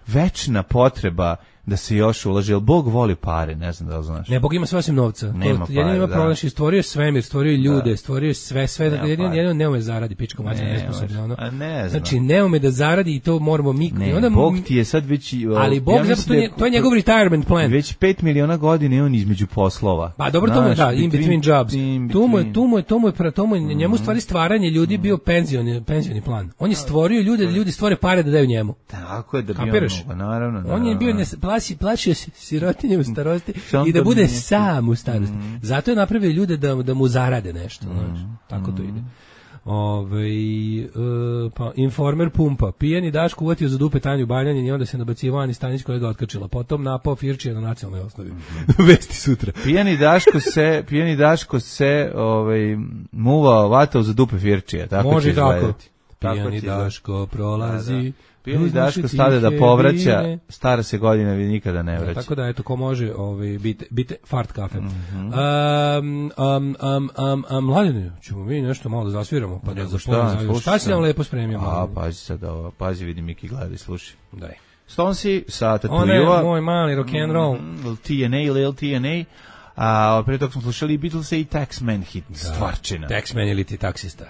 večna potreba da se još ulaže, jer Bog voli pare, ne znam da li znaš. Ne, Bog ima sve osim novca. Jedino ima problem, stvorio je svemir, stvorio je ljude, stvorio je sve, jedino ne ume zaradi, pičko mađa, nesposobno. Znači, ne ume da zaradi i to moramo mi... Ne, Bog ti je sad već... Ali Bog, to je njegov retirement plan. Već 5 miliona godina je on između poslova. Pa dobro, to mu je, da, in between jobs. To mu je njemu stvari stvaranje ljudi bio penzioni plan. On je stvorio ljude, da ljudi stvore pare da daju njemu. Tako je da bi on, naravno. On je bio plašio se sirotinje u starosti i da bude sam u starosti. Zato je napravio ljude da mu zarade nešto. Tako to ide. Pa Informer pumpa. Pijani Daško uvatio za dupe Tanju Baljanin i onda se nabacivo Ani Stanić koja ga otkačila. Potom napao Firčija na nacionalnoj osnovi. Vesti sutra. Pijani Daško se muvao, vatao za dupe Firčija. Tako može tako. Pijani Daško prolazi. Pijani Daško stade da povraća, stara se godina vi nikada ne vraća. Tako da, eto, ko može, bite fart kafe. Mladine, ćemo mi nešto malo da zasviramo, pa da zapovedamo. Šta si nam lepo spremio? Pazi sad ovo, pazi, vidi Miki gleda i sluši. Daj. Stonsi sa Tatuiva. Ona je moj mali rock'n'roll. Lil TNA. A prije toga smo slušali Beatlese i Taxman hit, stvarčina. Taxman ili ti taksista.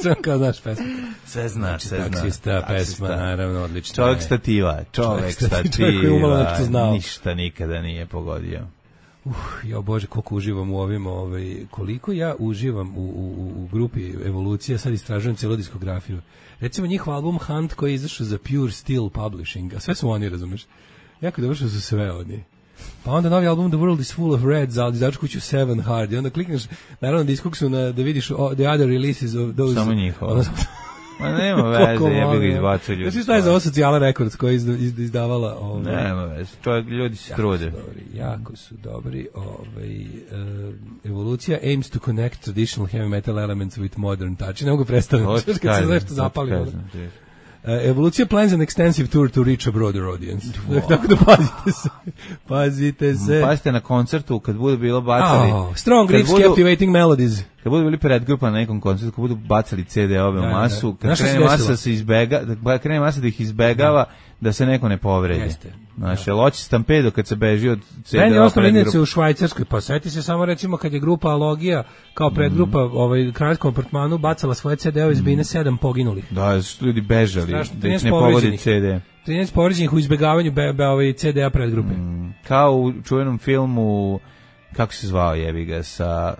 Sve kao znaš pesma. Sve znaš. Taksista, pesma, naravno, odlično. Čovjek stativa. Ništa nikada nije pogodio. Ja Bože, koliko uživam u ovim, koliko ja uživam u grupi Evolucija, sad istražujem cijelu diskografiju. Recimo njihov album Hunt koji je izašao za Pure Steel Publishing, a sve su oni, razumeš? Jako dobro što su sve oni. Pa onda novi album The World is Full of Reds, ali izađu kuću Seven Hard i onda klikneš naravno diskoksu da vidiš the other releases of those. Samo njihovo. Ma nema veze, jebi ga izbacio ljudi. Znači šta je za ovo Socijala Records koja je izdavala? Nema veze, ljudi se trude. Jako su dobri. Evolucija aims to connect traditional heavy metal elements with modern touch. Ne mogu predstaviti. Kad se nešto zapali. Evolucija plans an extensive tour to reach a broader audience. Tako da pazite se. Pazite na koncertu kad budu bilo bacali. Strong riffs, captivating melodies. Kad budu bili predgrupa na nekom koncertu, kad budu bacali CD-ove u masu, kad krene masa da ih izbegava, da se neko ne povredi. Znaš, jel hoće Stampedo kad se beži od CD-a Meni je ostalo predgrupa? inače u Švajcarskoj, pa seti se samo recimo kad je grupa Alogija kao predgrupa kraljskom apartmanu bacala svoje CD-ove iz Bine 7 poginulih. Da, su ljudi bežali, Strašno, da ih 13 ne pogodi povređenih. CD. 13 povređenih u izbegavanju CD-a predgrupe. Kao u čuvenom filmu, kako se zvao jebi ga, sa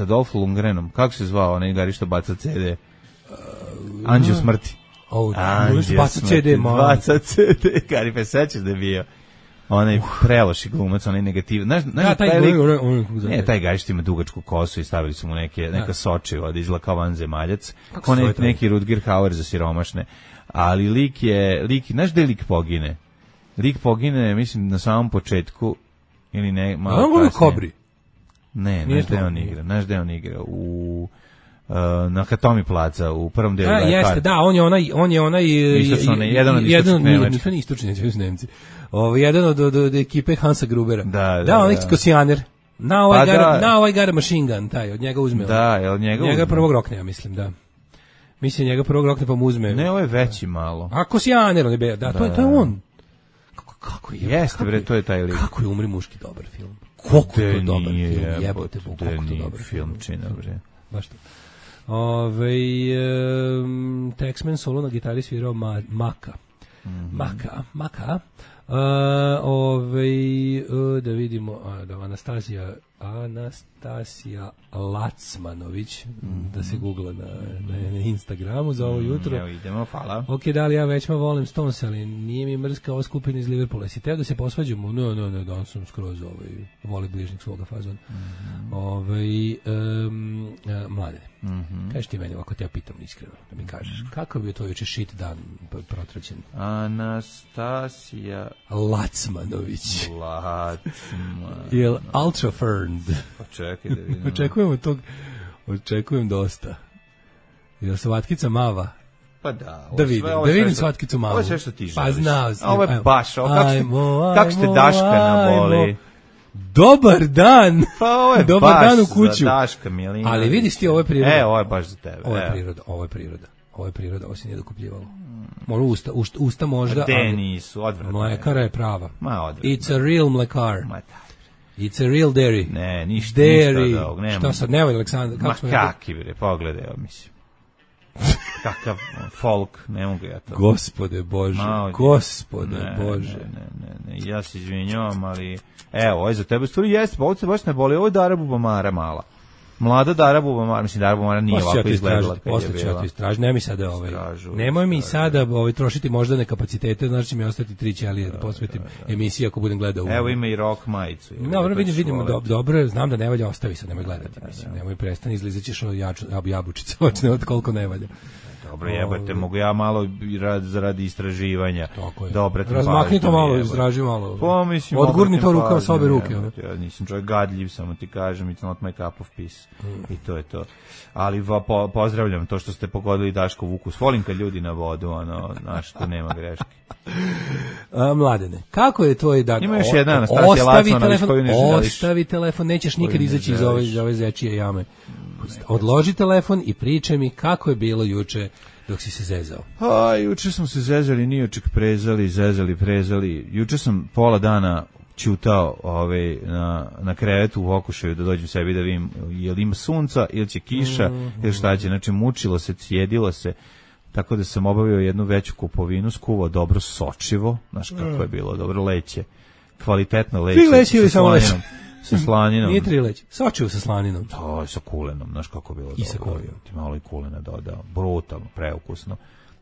Dolph Lundgrenom, kako se zvao onaj gari što baca CD? Anđeo smrti. Baca CD, baca CD, gari, pa sećaš da je bio onaj preloši glumac, onaj negativ. Znaš, taj gari što ima dugačku kosu i stavili su mu neka sočiva da izgleda kao vanzemaljac, kao neki Rutger Hauer za siromašne. Ali lik, znaš gde lik pogine? Lik pogine, mislim, na samom početku, ili ne, malo kasnije. Kobri. Ne, znaš gde on igra? Na Hatomi placa, u prvom delu. Jeste, da, on je onaj jedan od istočnih Nemačka. Nisu ni istočni, neće Nemci. Jedan od ekipe Hansa Grubera. Da, onaj kosijaner. Now I got a machine gun, taj, od njega uzme. Da, jel njega uzme? Njega prvog rokne, ja mislim, da. Mislim, njega prvog rokne pa mu uzme. Ne, ovo je veći malo. A kosijaner, on je, da, to je on. Kako je? Jeste, bre, to je taj lik. Kako je Umri muški dobar film? Koliko je dobar film, jebote, koliko je dobar film čina, bre. Baš to. Texman solo na gitari svirao Maka. Maka. Da vidimo, Anastasija Lacmanović, da se googla na Instagramu za ovo jutro. Evo idemo, hvala. Ok, da li ja većma volim Stones, ali nije mi mrska ova skupina iz Liverpoola. Si teo da se posvađamo? Ne, danas sam skroz voli bližnjeg svoga fazona. Mlade, kažeš ti meni ovako, te ja pitam iskreno, da mi kažeš, kakav je to juče shit dan protraćen? Anastasija Lacmanović. Jel ultra ferned? Pa čekaj da vidimo. Očekujem dosta. Jel svatkica mava? Pa da. Da vidim svatkicu mavu. Ovo je sve što ti želiš. Pa znao si. Ovo je baš, kako ste Daška naboli. Dobar dan. Pa ovo je dobar baš dan u kuću. Za Daška Milina. Ali vidiš ti, ovo je priroda. Ovo je baš za tebe. Ovo je priroda, ovo se nije dokupljivalo. Možda usta možda. De nisu, odvratno. Mlekara je prava. Ma odvratno. It's a real mlekar. It's a real dairy. Ne, ništa dairy. od ovog. Šta sad, nemoj Aleksandar. Ma kaki bre, pogledaj, mislim. Kakav folk, ne mogu ja to. Gospode Bože, Ne, ja se izvinjavam, ali evo, ovo je za tebe stvari jeste, pa ovo se baš ne boli, ovo je Dara Bubamara mala. Mlada Dara Bubamara, mislim Dara Bubamara nije ovako izgledala kad je bila. Posle ću ja to istražiti, nemoj mi sada nemoj mi sada trošiti moždane kapacitete, znači će mi ostati 3 ćelije da posvetim emisiji ako budem gledao. Evo ima i rock majicu. Dobro, vidimo, dobro, znam da ne valja, ostavi sad, nemoj gledati, mislim, nemoj prestani, izlizaćeš jabučice, očne od koliko ne valja. Dobro, jebate, mogu ja malo radi istraživanja. Dobro, razmakni to malo, izraži malo. Pa, mislim, odgurni to ruka sa obe ruke. Ja nisam čovjek gadljiv, samo ti kažem, it's not my cup of peace. I to je to. Ali pozdravljam to što ste pogodili Daškov ukus. Volim kad ljudi na vodu, znaš, tu nema greške. Mladene, kako je tvoj dan? Ima još jedna Anastasija Lacmanović koju ne želiš. Ostavi telefon, nećeš nikad izaći iz ove zečije jame. Odloži telefon i pričaj mi kako je bilo juče dok si se zezao. Juče smo se zezali, nioček prezali. Juče sam pola dana ćutao na krevetu u okušaju da dođem sebi da vidim jel ima sunca ili će kiša ili šta će. Znači mučilo se, cijedilo se. Tako da sam obavio jednu veću kupovinu, skuvao dobro sočivo, znaš kako je bilo, dobro leće, kvalitetno leće. 3 leće ili samo leće? Sa slaninom. Nije 3 leće, sočivo sa slaninom. To je sa kulenom, znaš kako je bilo. I sa kulenom. Ti malo i kulena dodao, brutalno, preukusno.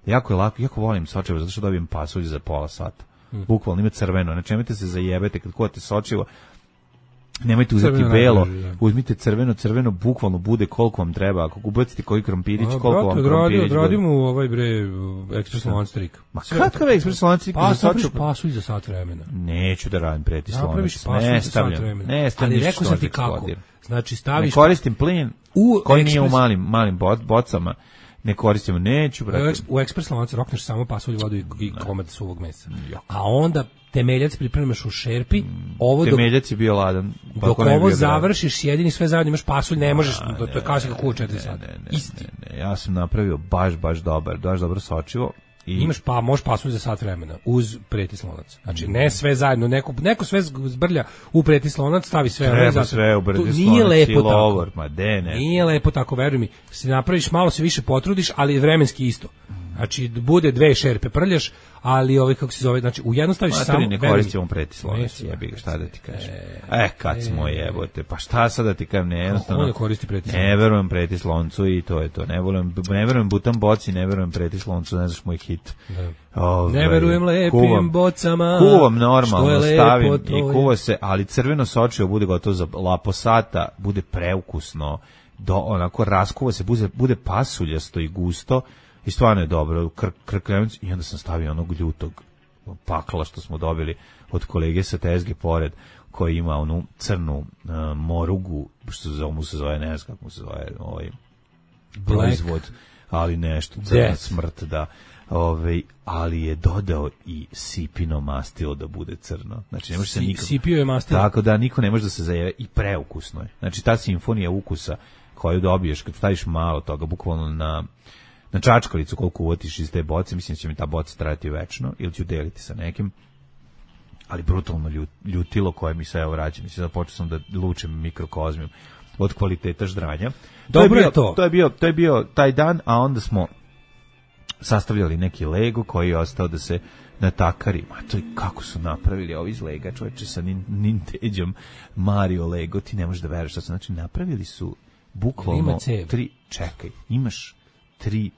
Jako je lako, jako volim sočivo, zato što dobijem pasulj za pola sata. Bukvalno ima crveno, znači nemojte se zajebete kad kuvate sočivo. Nemojte uzeti belo, uzmite crveno bukvalno bude koliko vam treba. Ako ubacite koji krompirić, koliko vam krompirić bude. Radimo ovaj ekspres lancstrik. Ma kakav ekspres lancstrik? Pasulj za sat vremena. Neću da radim preti slonac. Napraviš pasulj za sat vremena. Ali rekao sam ti kako. Znači staviš... Ne koristim plin koji nije u malim bocama. Ne koristimo, neću, brate. U ekspres lanac rokneš samo pasulj, vodu i komad suvog mesa. A onda temeljac pripremaš u šerpi. Temeljac je bio ladan. Dok ovo završiš, sjedini sve zajedno, imaš pasulj, ne možeš, to je kao si kako u 4 sata. Ne, ja sam napravio baš dobro sočivo Imaš možeš pasnuti za sat vremena uz preti slonac. Znači ne sve zajedno, neko sve zbrlja u preti slonac, stavi sve treba sve u preti slonac. Nije lepo tako. Nije lepo tako, veruj mi. Se napraviš, malo se više potrudiš, ali vremenski isto. Znači bude 2 šerpe prljaš, ali kako se zove, znači u jedno staviš samo. Ne koristimo preti slonac, jebi ga, šta da ti kažem. Kad smo jebote, pa šta sad da ti kažem, ne, jednostavno. Ko ne koristi preti slonac? Ne verujem preti sloncu i to je to. Ne verujem Butan boci, ne verujem preti sloncu, ne znaš moj hit. Ne verujem lepim bocama. Kuvam normalno, stavim i kuva se, ali crveno sočivo bude gotovo za lapo sata, bude preukusno, onako raskuva se, bude pasuljasto i gusto. I stvarno je dobro, krkljavic, i onda sam stavio onog ljutog pakla što smo dobili od kolege sa tezge pored, koji ima onu crnu morugu, što mu se zove, ne znam kako mu se zove, proizvod, ali nešto, crna smrt, da. Ali je dodao i sipino mastilo da bude crno. Znači ne može se nikako. Sipio je mastilo. Tako da niko ne može da se zajeve i preukusno je. Znači ta simfonija ukusa koju dobiješ kad staviš malo toga, bukvalno na čačkalicu koliko uvotiš iz te boce, mislim da će mi ta boca trajati večno, ili ću deliti sa nekim, ali brutalno ljutilo koje mi se vraća. Mislim da počeo sam da lučem mikrokozmijom od kvaliteta ždranja. Dobro je to. To je bio taj dan, a onda smo sastavljali neki Lego koji je ostao da se natakari. Ma to je kako su napravili ovi iz Lega, čoveče, sa Nintendom Mario Lego, ti ne možeš da veruješ šta su. Znači, napravili su bukvalno imaš 3D,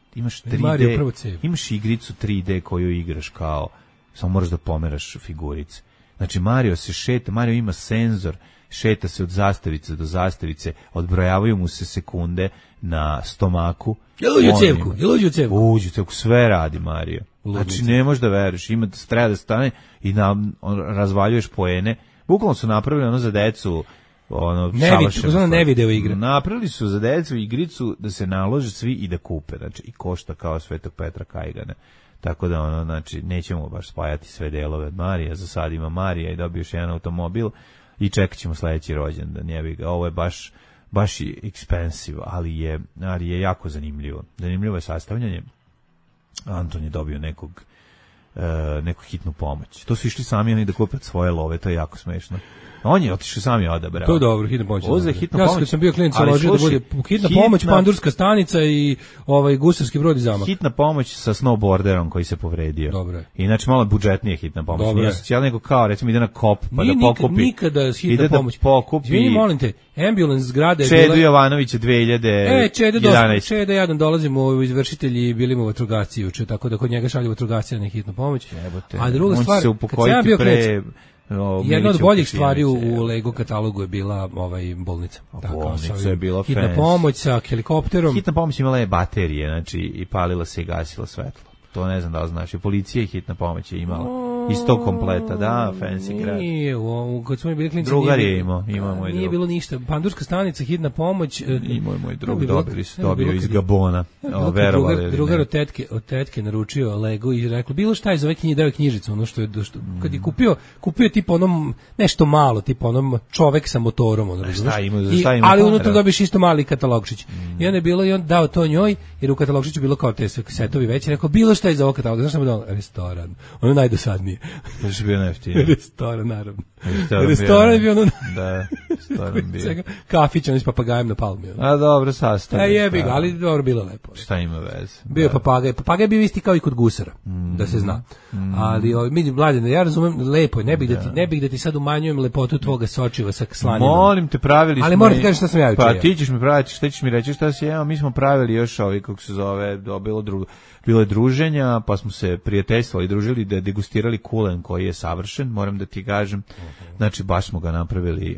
imaš igricu 3D koju igraš kao, samo moraš da pomeraš figurice. Znači Mario se šeta, Mario ima senzor, šeta se od zastavice do zastavice, odbrojavaju mu se sekunde na stomaku. Jel uđu u cevku? Uđu u cevku, sve radi Mario. Znači ne možeš da veruješ, treba da stane i razvaljuješ poene. Bukvalno su napravili ono za decu, ne video igra. Napravili su za decu igricu da se nalože svi i da kupe, znači i košta kao Svetog Petra Kajgana. Tako da znači nećemo baš spajati sve delove od Marija, za sad ima Marija i dobio još jedan automobil i čekat ćemo sledeći rođendan, jebi ga. Ovo je baš expensive, ali je jako zanimljivo. Zanimljivo je sastavljanje. Anton je dobio neku hitnu pomoć. To su išli sami oni da kupe svoje love, to je jako smešno. On je otišao sam je odabrao. To je dobro, hitna pomoć. Ja kad sam bio klinac, ložio da bude hitna pomoć, pandurska stanica i gusarski brod i zamak. Hitna pomoć sa snowboarderom koji se povredio. Dobro. Inače malo budžetnije hitna pomoć. Dobro. Nije socijal nego kao, recimo ide na kop pa da pokupi. Nikada hitna pomoć. Da pokupi. Izvini, molim te, ambulance zgrada je bila... Čedu Jovanovića 2011. Čeda jedan dolazimo u izvršitelji, bili mu vatrogasci juče, tako da kod njega šalju vatrogascija na hitnu pomoć. A druga stvar, kad sam bio klinac, jedna od boljih stvari u Lego katalogu je bila bolnica. Bolnica je bila hitna pomoć sa helikopterom. Hitna pomoć imala je baterije, znači i palila se i gasila svetlo. To ne znam da li znaš. I policija i hitna pomoć je imala. Iz tog kompleta, da, fancy grad. Nije, kad smo bili klinci... Drugar je imao moj drug. Nije bilo ništa. Pandurska stanica, hitna pomoć... Imao je moj drug, dobio iz Gabona. Drugar od tetke naručio Lego i rekao, bilo šta iz ove knjige, dao je knjižicu, ono što je... Kad je kupio tipa onom, nešto malo, tipa onom čovek sa motorom, ono, šta ima? Ali unutra dobiš isto mali katalogčić. I onda je bilo, i on dao to njoj, jer u katalogčiću bilo kao te setovi veći, rekao, bilo šta iz ovog kataloga, znaš šta mu dao? Restoran. Ono najdosadnije. Znači bio najjeftiniji. Restoran, naravno. Restoran je bio ono... Da, restoran bio. Kafić, ono s papagajem na palmi. A dobro, sastavlja. Jebi ga, ali dobro, bilo lepo. Šta ima veze? Bio papagaj. Papagaj bio isti kao i kod gusara, da se zna. Ali, mi mladine, ja razumem, lepo je, ne bih da ti sad umanjujem lepotu tvoga sočiva sa slaninom. Molim te, pravili smo... Ali moram ti kažeš šta sam ja učio. Pa ti ćeš mi praviti, šta ćeš mi reći šta si jeo, mi smo pravili još kako se zove, bilo je druženja, pa smo se prijateljstvovali, družili, da degustirali kulen koji je savršen, moram da ti kažem. Znači, baš smo ga napravili,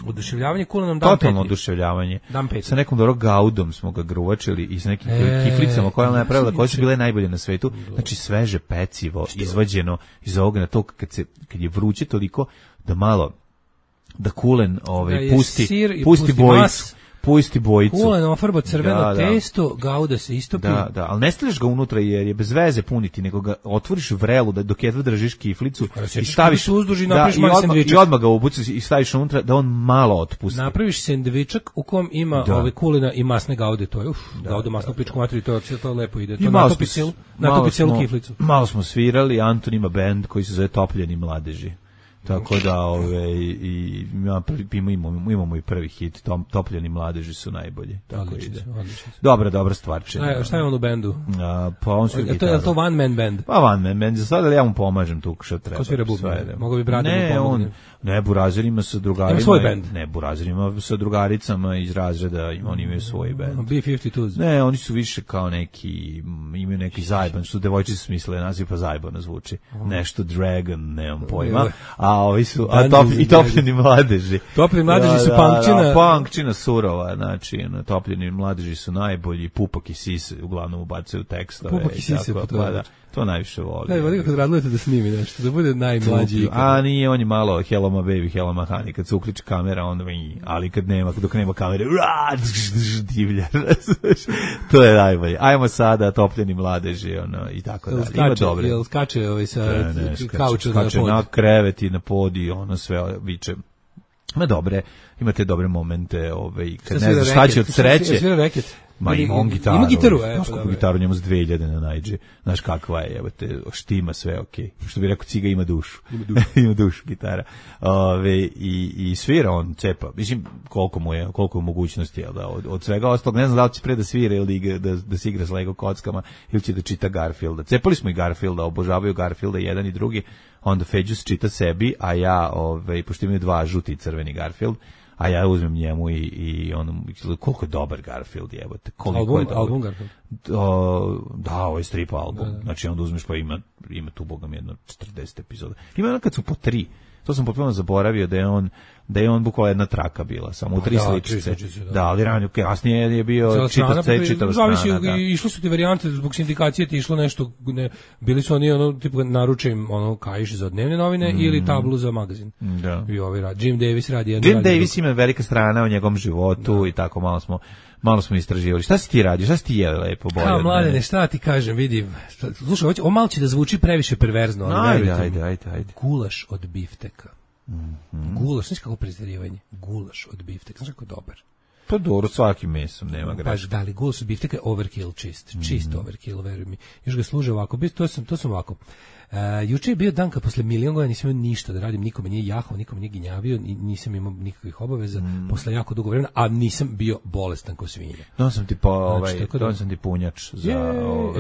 oduševljavanje kulenom dan totalno oduševljavanje. Sa nekom dobro gaudom smo ga gruvačili i sa nekim kiflicama koje ona napravila, koje su bile najbolje na svetu. Znači, sveže pecivo, izvađeno iz ovoga na to, kad je vruće toliko, da malo, da kulen pusti bojicu. pusti bojicu. Kulen ofarba crveno testo, gauda se istopi. Da, ali ne stavljaš ga unutra jer je bez veze puniti, nego ga otvoriš vrelu da dok jedva držiš kiflicu i staviš uzduž i napraviš mali sendvičak. I odmah ga ubuciš i staviš unutra da on malo otpusti. Napraviš sendvičak u kom ima ove kulena i masne gaude, to je gauda masnu pličku materiju, to lepo ide. To natopi celu kiflicu. Malo smo svirali, Anton ima bend koji se zove Topljeni mladeži. Tako da i imamo i prvi hit, Topljeni mladeži su najbolji. Tako ide. Dobra stvarčina. Šta je on u bendu? Pa on svira gitaru. Je to one man band? Pa one man band, za sada ja mu pomažem tu što treba. Ko svira bubnje? Mogu bi brati mu pomoći? Ne, Burazer ima sa drugarima. Ima svoj band? Ne, Burazer ima sa drugaricama iz razreda, oni imaju svoj band. B-52s? Ne, oni su više kao neki, imaju neki zajban, što devojčice smisle naziv, pa zajbano zvuči. Nešto Dragon, nemam pojma. A ovi su, i Topljeni mladeži. Topljeni mladeži su punkčina. Punkčina surova, znači, Topljeni mladeži su najbolji, Pupak i Sise uglavnom ubacuju tekstove. Pupak i Sise, to najviše voli. Ne, vodi kad radujete da snimi nešto, da bude najmlađi. A nije, on je malo Hello my baby, Hello my honey, kad se uključi kamera, onda ali dok nema kamere, divlja. To je najbolje. Ajmo sada Topljeni mladeži, i tako dalje. Ima dobre. Jel skače sa kauča na pod? Skače na krevet i na pod i sve viče. Ima dobre, imate dobre momente, kad ne znaš šta će od sreće. Svira reket. Ma ima on gitaru. Ima gitaru, znaš koliko gitaru njemu s 2000 na najđe. Znaš kakva je, štima sve, okej. Što bi rekao, Ciga ima dušu. Ima dušu gitara. I svira on, cepa. Mislim, koliko mogućnosti je od svega ostalog. Ne znam da li će pre da svira ili da se igra s Lego kockama ili će da čita Garfielda. Cepali smo i Garfielda, obožavaju Garfielda jedan i drugi. Onda Feđus čita sebi, a ja, pošto imaju dva, žuti i crveni Garfield, a ja uzmem njemu i on, koliko je dobar Garfield, jebote. Album Garfield? Da, ovo je strip album. Da. Znači onda uzmeš pa ima tu bogam jedno 40 epizoda. Ima ono kad su po 3. To sam potpuno zaboravio da je on bukvalno jedna traka bila, samo u 3 sličice. Da, ali ranije, kasnije je bio čitava strana. Išli su ti varijante, zbog sindikacije ti išlo nešto, bili su oni tipa naručujem kaiš za dnevne novine ili tablu za magazin. Da. I Jim Davis radi jedno. Jim Davis ima velika strana o njegovom životu i tako malo smo istraživali. Šta si ti radio? Šta si ti jeli lepo bolje? Kao mladene, šta ti kažem, vidi. Slušaj, ovo malo će da zvuči previše perverzno, ali ajde. Gulaš od bifteka. Gulaš, znaš kako prezirivanje? Gulaš od bifteka, znaš kako dobar. Pa dobro, svakim mesom, nema greške. Da li gulaš od bifteka je overkill čist overkill, veruj mi. Još ga služe ovako, to sam ovako. Juče je bio dan kad posle milion godina nisam imao ništa da radim, nikome nije jahao, nikome nije ginjavio, nisam imao nikakvih obaveza, posle jako dugo vremena, a nisam bio bolestan kao svinja. Sam ti punjač za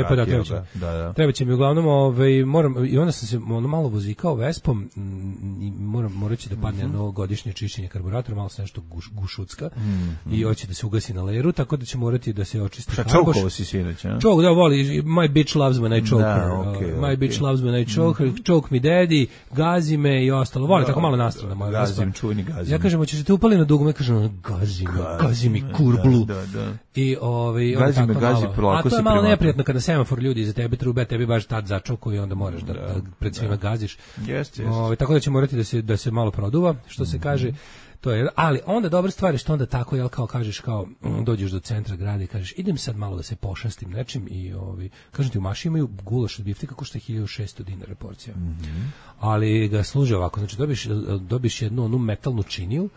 pa da, treba će mi uglavnom, moram, i onda sam se malo vozikao Vespom, i morat će da padne jedno godišnje čišćenje karburatora, malo se nešto gušucka, i hoće da se ugasi na leru, tako da će morati da se očisti karboš. Čaukovo si sinoć, a? Da, voli, my bitch loves when I choke her, my bitch loves when I choke me daddy, gazi me i ostalo. Voli tako malo nastrana moja Vespa. Gazim. Ja kažem, hoćeš te upali na dugme, kažem, gazi mi kurblu. Da. I gazi polako. A to je malo neprijatno kada semafor ljudi iza tebe trube, tebi baš tad začoku i onda moraš da pred svima gaziš. Jeste. Tako da će morati da se malo produva, što se kaže. To je, ali onda dobra stvar je što onda tako, jel, kao kažeš, kao dođeš do centra grada i kažeš idem sad malo da se pošastim nečim i kažem ti u Maši imaju gulaš od bifteka košta 1600 dinara porcija. Ali ga služe ovako, znači dobiš jednu onu metalnu činiju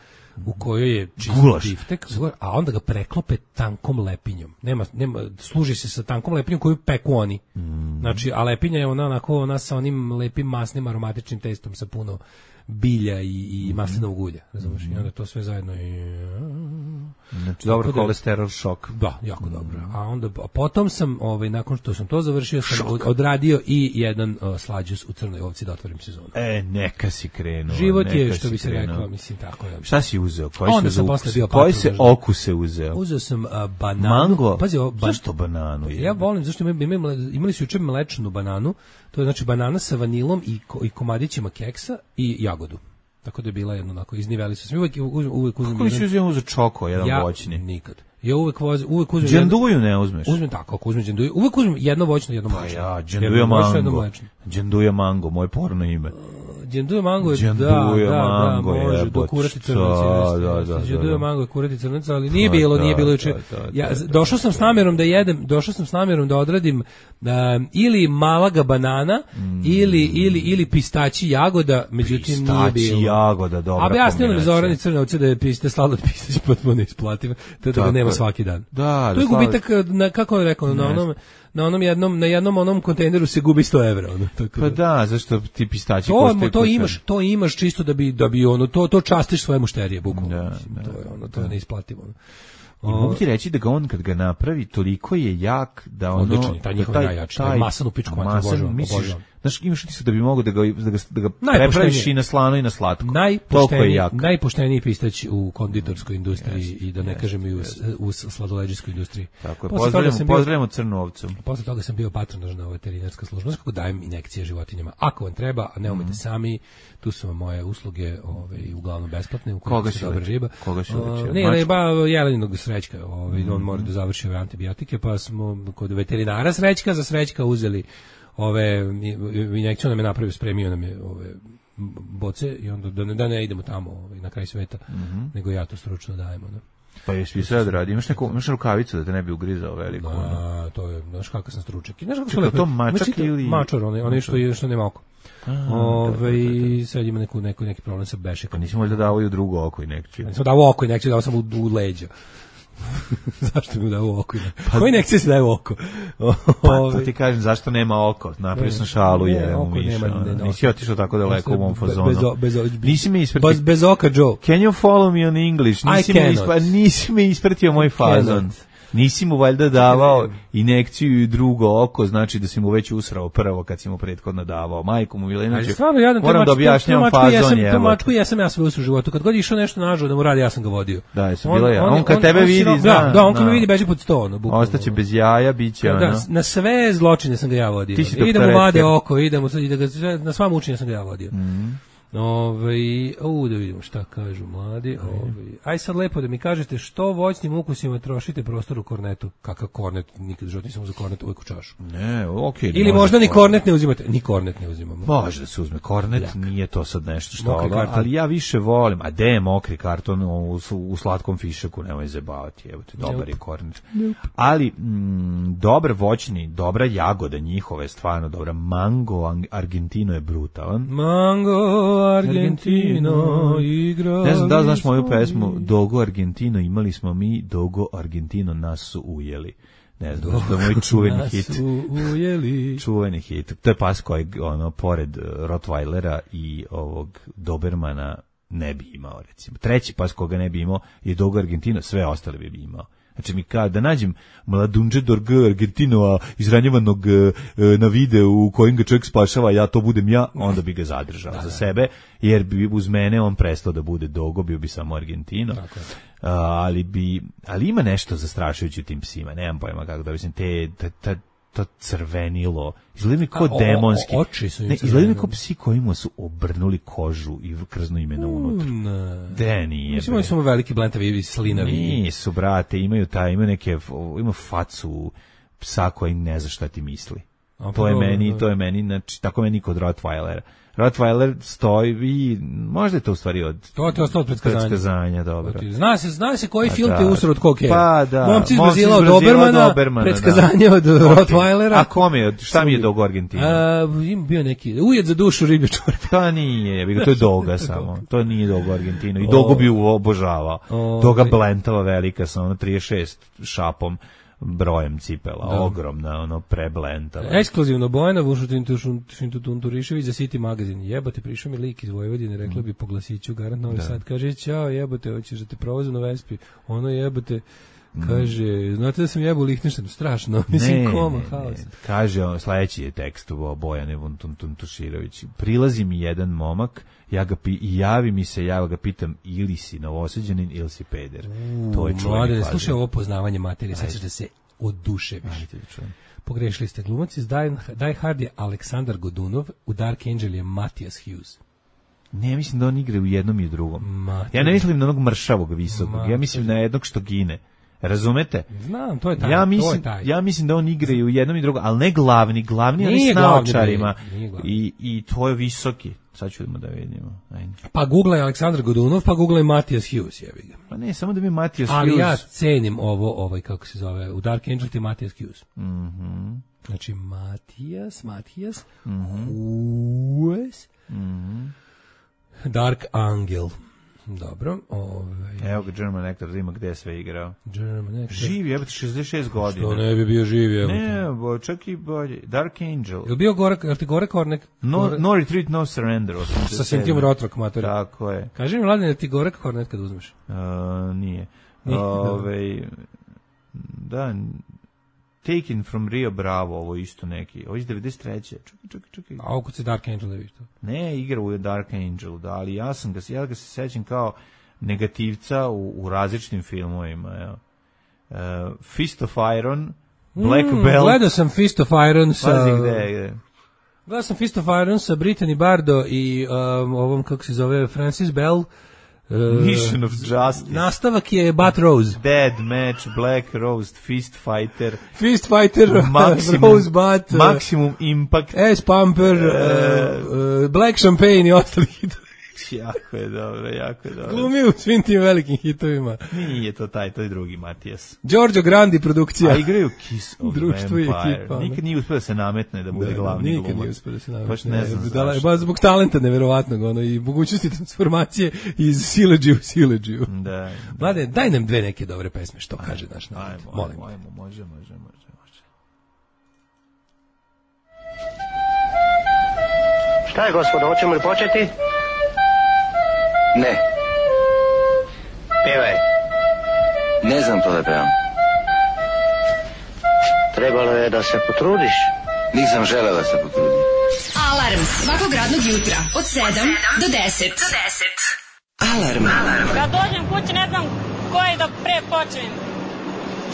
u kojoj je čist biftek, a onda ga preklope tankom lepinjom. Nema, služi se sa tankom lepinjom koju peku oni. Znači, a lepinja je ona sa onim lepim masnim aromatičnim testom sa puno bilja i maslinovog ulja, razumiješ? I onda to sve zajedno znači, dobro kolesterol šok. Da, jako dobro. A potom sam, nakon što sam to završio, sam odradio i jedan slađus u Crnoj Ovci da otvorim sezonu. Neka si krenuo. Život je, što bi se rekao, mislim tako. Šta si uzeo? Koji se okuse uzeo? Uzeo sam bananu. Mango? Pazi, zašto bananu? Ja volim, zašto imali su juče mlečnu bananu, to je znači banana sa vanilom i komadićima keksa i jagodu. Tako da je bila jedno onako, izniveli su se. Uvek uzmem. Kako si uzeo čoko, jedan voćni? Nikad. Ja uvek uzmem. Dženduju ne uzmeš? Uzmem tako, ako uzmem dženduju. Uvek uzmem jedno voćno, jedno mlečno. Dženduja mango. Dženduja mango, moje porno ime. Đanduja mango je, Đanduja mango je, može, do kurati crnac. Đanduja mango je kurati crnac, ali nije bilo juče. Ja došao sam s namjerom da jedem, da odradim ili malaga banana, ili pistaći jagoda, međutim nije bilo. Pistaći jagoda, dobra kombinacija. A objasnilo mi Zorani Crnovce da je sladoled pistać potpuno isplativ, da ga nema svaki dan. Da, to je gubitak, kako je rekao, na jednom onom kontejneru se gubi 100 evra. Pa da, zašto ti pistaći koštaju? To imaš čisto da bi to častiš svoje mušterije, bukvalno. To je neisplativo. I mogu ti reći da ga on kad ga napravi toliko je jak da ono odličan, taj njihov najjači, taj masan u pičku mater, obožavam. Znaš, imaš ti da bi mogu da ga prepraviš i na slano i na slatko. Najpošteniji pistać u konditorskoj industriji i da ne kažem i u sladoleđijskoj industriji. Tako je, pozdravljamo Crnu ovcu. Posle toga sam bio patronažna veterinarska služba. Znaš kako dajem injekcije životinjama. Ako vam treba, a ne umete sami, tu su vam moje usluge uglavnom besplatne. Koga si leči? Ne, jeleninog srećka. On mora da završi ove antibiotike, pa smo kod veterinara srećka za srećka uzeli ove injekcije, nam je napravio, spremio nam je ove boce i onda da ne idemo tamo na kraj sveta, nego ja to stručno dajem. Pa jesi sve da radi? Imaš rukavicu da te ne bi ugrizao veliko? To je, znaš kakav sam stručak. Čekaj, to mačak ili... Mačar, onaj što nema oko. Sad ima neki problem sa bešekom. Pa nisi možda dao i u drugo oko injekciju? Nisam dao oko injekciju, dao sam u leđa. Zašto mi dao oko? Koji injekcije se daje u oko? Pa ti kažem, zašto nema oko? Napravio sam šalu, jevemu miša. Nisi otišao tako daleko u mom fazonu. Nisi mi ispratio. Bez oka, Joe. Can you follow me on English? Nisi mi ispratio moj fazon. Nisi mu valjda davao injekciju i drugo oko, znači da si mu već usrao prvo kad si mu prethodno davao. Majku mu ili inače, moram da objašnjam fazon je. Tu mačku jesam ja sve u životu. Kad god je išao nešto nažao da mu radi, ja sam ga vodio. Da, jesam bila ja. On kad tebe vidi, zna. Da, on kad me vidi beži pod sto. Ostaće bez jaja, bit će ono. Na sve zločine sam ga ja vodio. Idem mu vade oko, na sva mučenja sam ga ja vodio. Da vidimo šta kažu mladi. Aj sad lepo da mi kažete što voćnim ukusima trošite prostor u kornetu. Kakav kornet? Nikad život nisam za kornet, uvijek u čašu. Ne, okej. Ili možda ni kornet ne uzimate? Ni kornet ne uzimamo. Može da se uzme kornet, nije to sad nešto što, ali ja više volim, a de mokri karton u slatkom fišaku, nemoj zabavati, evo te, dobar je kornet. Ali dobar voćni, dobra jagoda njihova je stvarno dobra. Mango Argentino je brutalan. Mango Argentino igra. Ne znam da znaš moju pesmu Dogo Argentino, imali smo mi Dogo Argentino, nas su ujeli. Ne znam, to je moj čuveni hit. Čuveni hit. To je pas koji pored Rottweilera i ovog Dobermana ne bi imao, recimo. Treći pas koga ne bi imao je Dogo Argentino, sve ostale bi imao. Znači mi da nađem mladunđe Dorg Argentinova izranjevanog na videu u kojim ga čovjek spašava, ja to budem ja, onda bi ga zadržao za sebe, jer bi uz mene on prestao da bude Dogo, bio bi samo Argentino. Ali ima nešto zastrašujuće u tim psima, nemam pojma kako da mislim, to crvenilo, izgleda mi kao demonski. Oči su im crvenilo. Izgleda mi kao psi kojima su obrnuli kožu i krznu imena unutra. De nije. Mislim, oni su veliki blentavi, slinavi. Nisu, brate, imaju facu psa koji ne zna šta ti misli. To je meni, znači, tako meni kod Rottweilera. Rottweiler stoji i možda je to u stvari od... To ti je ostalo od predskazanja, dobro. Zna se koji film ti je usro od koke. Pa da. Momci iz Brazila od Dobermana, predskazanje od Rottweilera. A kome je, šta mi je Dogo Argentina? Im bio neki, ujed za dušu riblje čorbe. To nije, to je Doga samo. To nije Dogo Argentina. I Dogo bi obožavao. Doga blentava velika sa 36 šapom. Brojem cipela, ogromna, preblentava. Ekskluzivno Bojana Vušutin-Tunturišević za City Magazine. Jebote, prišao mi lik iz Vojvodine, rekla bi po glasiću, garant Novi Sad. Kaže, ćao, jebote, hoćeš da te provozu na Vespi. Ono jebote, kaže, znate da sam jebo u Lihtenštejnu, strašno. Mislim, koma, haos. Kaže, sledeći je tekst u Bojane Vušutin-Tunturišević. Prilazi mi jedan momak, javi mi se, ja ga pitam, ili si Novosađanin ili si peder. To je čuveni fazon. Slušaj ovo poznavanje materije, sad ćeš da se oduševiš. Pogrešili ste, glumac iz Die Hard je Aleksandar Godunov, u Dark Angel je Matthias Hughes. Ne, mislim da on igra u jednom i u drugom. Ja ne mislim na onog mršavog visokog, ja mislim na jednog što gine. Razumete? Znam, to je taj. Ja mislim da on igra i u jednom i drugom, ali ne glavni oni s naočarima. I to je visoki. Sad ćemo da vidimo. Ajde. Pa googlaj Aleksandar Godunov, pa googlaj Matijas Hughes, jebi ga. Pa ne, samo da mi Matijas Hughes. Ali ja cenim ovo, kako se zove, u Dark Angel ti Matijas Hughes. Znači Matijas, Hughes, Dark Angel. Dobro, Evo ga German Actor, da ima gde sve igrao. German Actor. Živi, jebate, 66 godina. Što ne bi bio živi, jebate. Ne, čak i bolje. Dark Angel. Je li bio gore, je li ti gore Kornek? No Retreat, No Surrender. Sa Sintim Rotrok, mater. Tako je. Kaži mi, Mladen, je ti gore Kornet kad uzmeš? Nije. Da, Taken from Rio Bravo, ovo isto neki. Ovo iz 93. Čekaj. A ovo kod se Dark Angel, da viš to? Ne, igra u Dark Angel, da, ali ja ga se sećam kao negativca u različitim filmovima. Evo. Fist of Iron, Black Belt. Gledao sam Fist of Iron sa... Pazi gde. Gledao sam Fist of Iron sa Brittany Bardo i ovom, kako se zove, Francis Bell. Mission of Justice. Nastavak je Bat Rose. Dead Match, Black Rose, Fist Fighter, Rose Bat, Maximum Impact, Ass Pumper, Black Champagne i ostali hitovi. Jako je dobro. Glumi u svim tim velikim hitovima. Nije to to je drugi Matijas. Giorgio Grandi produkcija. A igraju Kiss of Društvo Vampire. Ekipa, nikad nije uspio da se nametne da bude glavni glumac. Nikad nije uspio da se nametne. Baš ne znam zašto. Zbog talenta neverovatnog, i mogućnosti transformacije iz sileđiju u sileđiju. Da. Mlade, daj nam dve neke dobre pesme, što kaže naš narod. Ajmo, može. Šta je, gospodo, hoćemo li početi? Ne. Pevaj. Ne znam to da pevam. Trebalo je da se potrudiš. Nisam želeo da se potrudim. Alarm svakog radnog jutra od 7 do 10. Alarm. Kad dođem kući ne znam koje da pre počnem.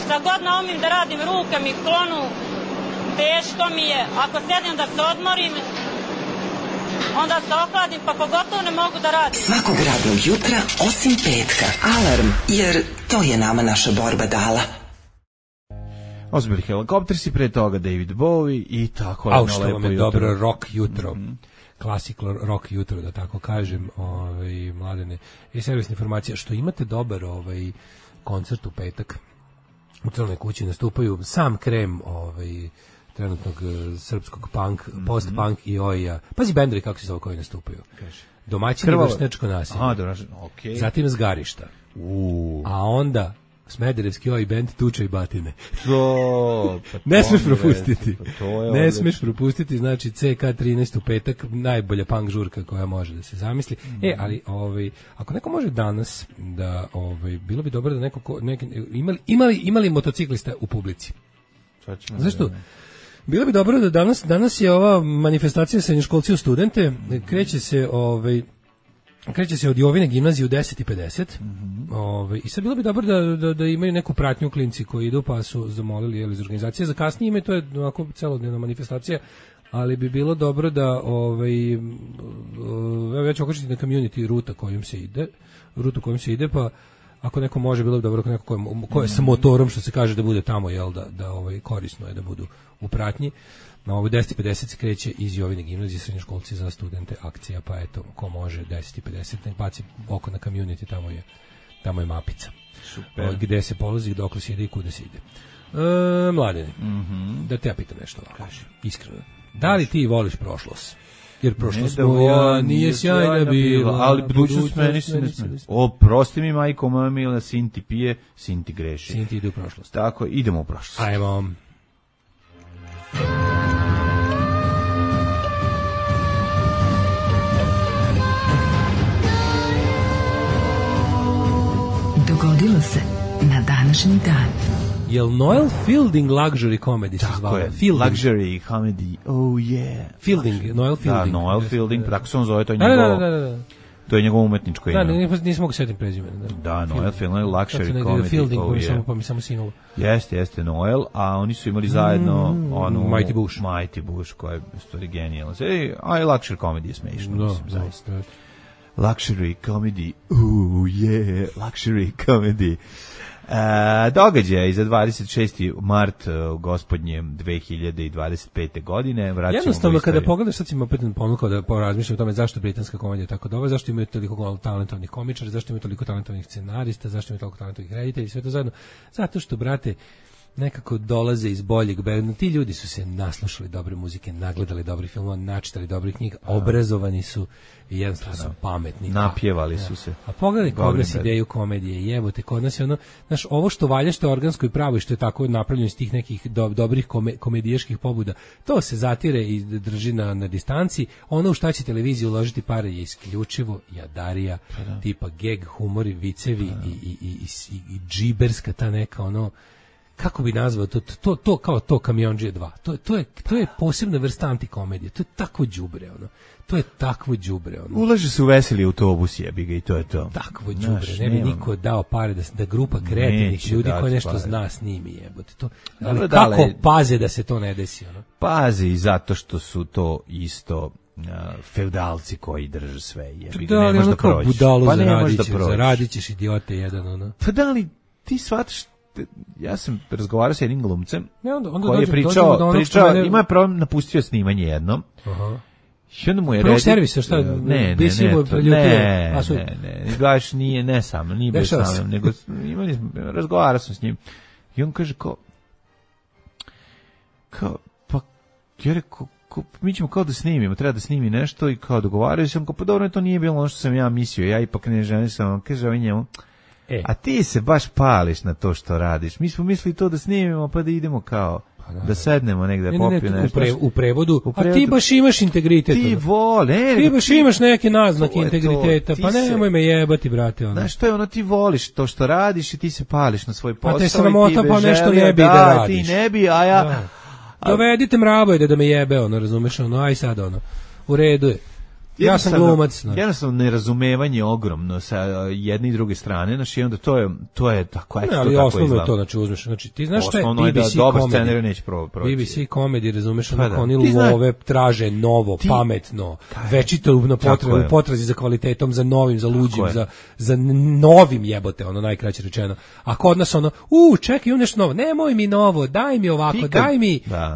Šta god naumim da radim, ruke mi klonu, teško mi je. Ako sedim da se odmorim, onda se ohladim, pa pogotovo ne mogu da radim. Svakog radnog jutra, osim petka. Alarm, jer to je nama naša borba dala. Ozbili Helikoptersi, pre toga David Bowie i tako je. A što vam je dobro rock jutro. Klasik rock jutro, da tako kažem, Mladene. I servisna informacija, što imate dobar koncert u petak. U Crnoj kući nastupaju sam krem trenutnog srpskog punk, post-punk i oja. Pazi bendovi kako se zove koji nastupaju. Domaćini vršnjačko nasilje. Okay. Zatim Zgarišta. A onda Smederevski oj band Tuča i batine. Ne smeš propustiti. Ne smeš propustiti, znači CK13 u petak, najbolja punk žurka koja može da se zamisli. Ali ako neko može danas da bilo bi dobro da neko imali motociklista u publici. Zašto? Bilo bi dobro da danas je ova manifestacija srednjoškolci u studente, kreće se od Jovine gimnazije u 10:50. I sad bilo bi dobro da imaju neku pratnju klinci koji idu, pa su zamolili iz organizacije. Za kasnije ime, to je ovako celodnevna manifestacija, ali bi bilo dobro da ja ću okačiti na community rutu kojom se ide, pa ako neko može, bilo bi dobro neko ko je sa motorom, što se kaže, da bude tamo, da korisno je da budu u pratnji. Na ovo 10:50 se kreće iz Jovine gimnazije, srednjoškolci za studente akcija, pa eto, ko može 10:50, nek baci oko na community, tamo je mapica. Super. Gde se polazi, dokle se ide i kuda se ide. Mladene, da te ja pitam nešto ovako, iskreno. Da li ti voliš prošlost? Jer prošlost moja nije sjajna bila, ali budućnost meni se ne smije. Oprosti mi, majko moja mila, sin ti pije, sin ti greši. Sin ti ide u prošlost. Tako, idemo u prošlost. Ajmo. Dogodilo se na današnji dan. Jel Noel Fielding luxury comedy se zvala? Tako je, luxury comedy, oh yeah. Noel Fielding. Da, Noel Fielding, tako se on zove, to je njegovo. Da. To je njegovo umetničko ime. Da, nisam mogu setim prezime. Da, Noel Fielding, luxury comedy, Fielding, oh yeah. Pa mi samo sinulo. Jeste Noel, a oni su imali zajedno onu Mighty Bush, koja je stvari genijalna. A i luxury comedy je smešno, mislim, zaista. luxury comedy, luxury comedy. Događaj za 26. mart gospodnje 2025. godine. Jednostavno kada pogledaš, sad si mi opet ponukao da porazmišljam o tome zašto britanska komedija tako dobra, zašto imaju toliko talentovnih komičara, zašto imaju toliko talentovnih scenarista, zašto imaju toliko talentovnih reditelja i sve to zajedno. Zato što, brate, nekako dolaze iz boljeg berga. Ti ljudi su se naslušali dobre muzike, nagledali dobrih filmova, načitali dobrih knjiga, obrazovani su i jednostavno su pametni. Napjevali su se. A pogledaj kod nas ideju komedije, jebote, kod nas je ono, znaš, ovo što valja, što je organsko i pravo i što je tako napravljeno iz tih nekih dobrih komedijaških pobuda, to se zatire i drži na distanci. Ono u šta će televizija uložiti pare je isključivo jadarija, tipa geg, humori, vicevi i džiberska ta neka ono, kako bi nazvao to kao to Kamiondžije 2. To je posebna vrsta antikomedije. To je takvo đubre, ono. To je takvo đubre, ono. Ulaže se u veseli autobus, jebi ga, i to je to. Takvo đubre, ne bi niko dao pare da grupa kreativnih ljudi koji nešto zna snimi, jebote. To, ali kako paze da se to ne desi, ono? Paze i zato što su to isto feudalci koji drže sve, jebi ga, da, ne može da prođe. Pa ne može da prođe. Zaradit ćeš, idiote jedan, ono. Pa da li ti shvataš, ja sam razgovarao sa jednim glumcem koji je pričao, ima je problem, napustio snimanje jednom. Aha. I onda mu je Prvog servisa, šta? Ne, baš nije sa mnom, nije bio sa mnom, nego razgovarao sam s njim. I on kaže kao, pa, ja rekao, mi ćemo kao da snimimo, treba da snimi nešto i kao dogovaraju sam, kao, pa dobro, to nije bilo ono što sam ja mislio, ja ipak ne želim sam, kaže ovaj njemu, a ti se baš pališ na to što radiš. Mi smo mislili to da snimimo, pa da idemo kao da sednemo negde da popiju nešto. U prevodu, a ti baš imaš integritet. Ti ti baš imaš neke naznake integriteta, pa nemoj me jebati, brate. Ono. Znaš što je ono, ti voliš to što radiš i ti se pališ na svoj posao. Pa te sramota, pa nešto ne bi da radiš. Ti ne bi, a ja... Dovedite mrabojde da me jebe, ono, razumeš, ono, aj sad, ono, u redu je. Ja sam glumac. Jednostavno nerazumevanje ogromno sa jedne i druge strane, znači onda to je tako, eto, ali osnovno je to, znači uzmeš, znači ti znaš šta je BBC komedija, neće proći. BBC komedija, razumeš, onako oni love traže novo, pametno, večito na potrazi za kvalitetom, za novim, za luđim, za novim, jebote, ono najkraće rečeno. A kod nas ono, čekaj, imam nešto novo, nemoj mi novo, daj mi ovako,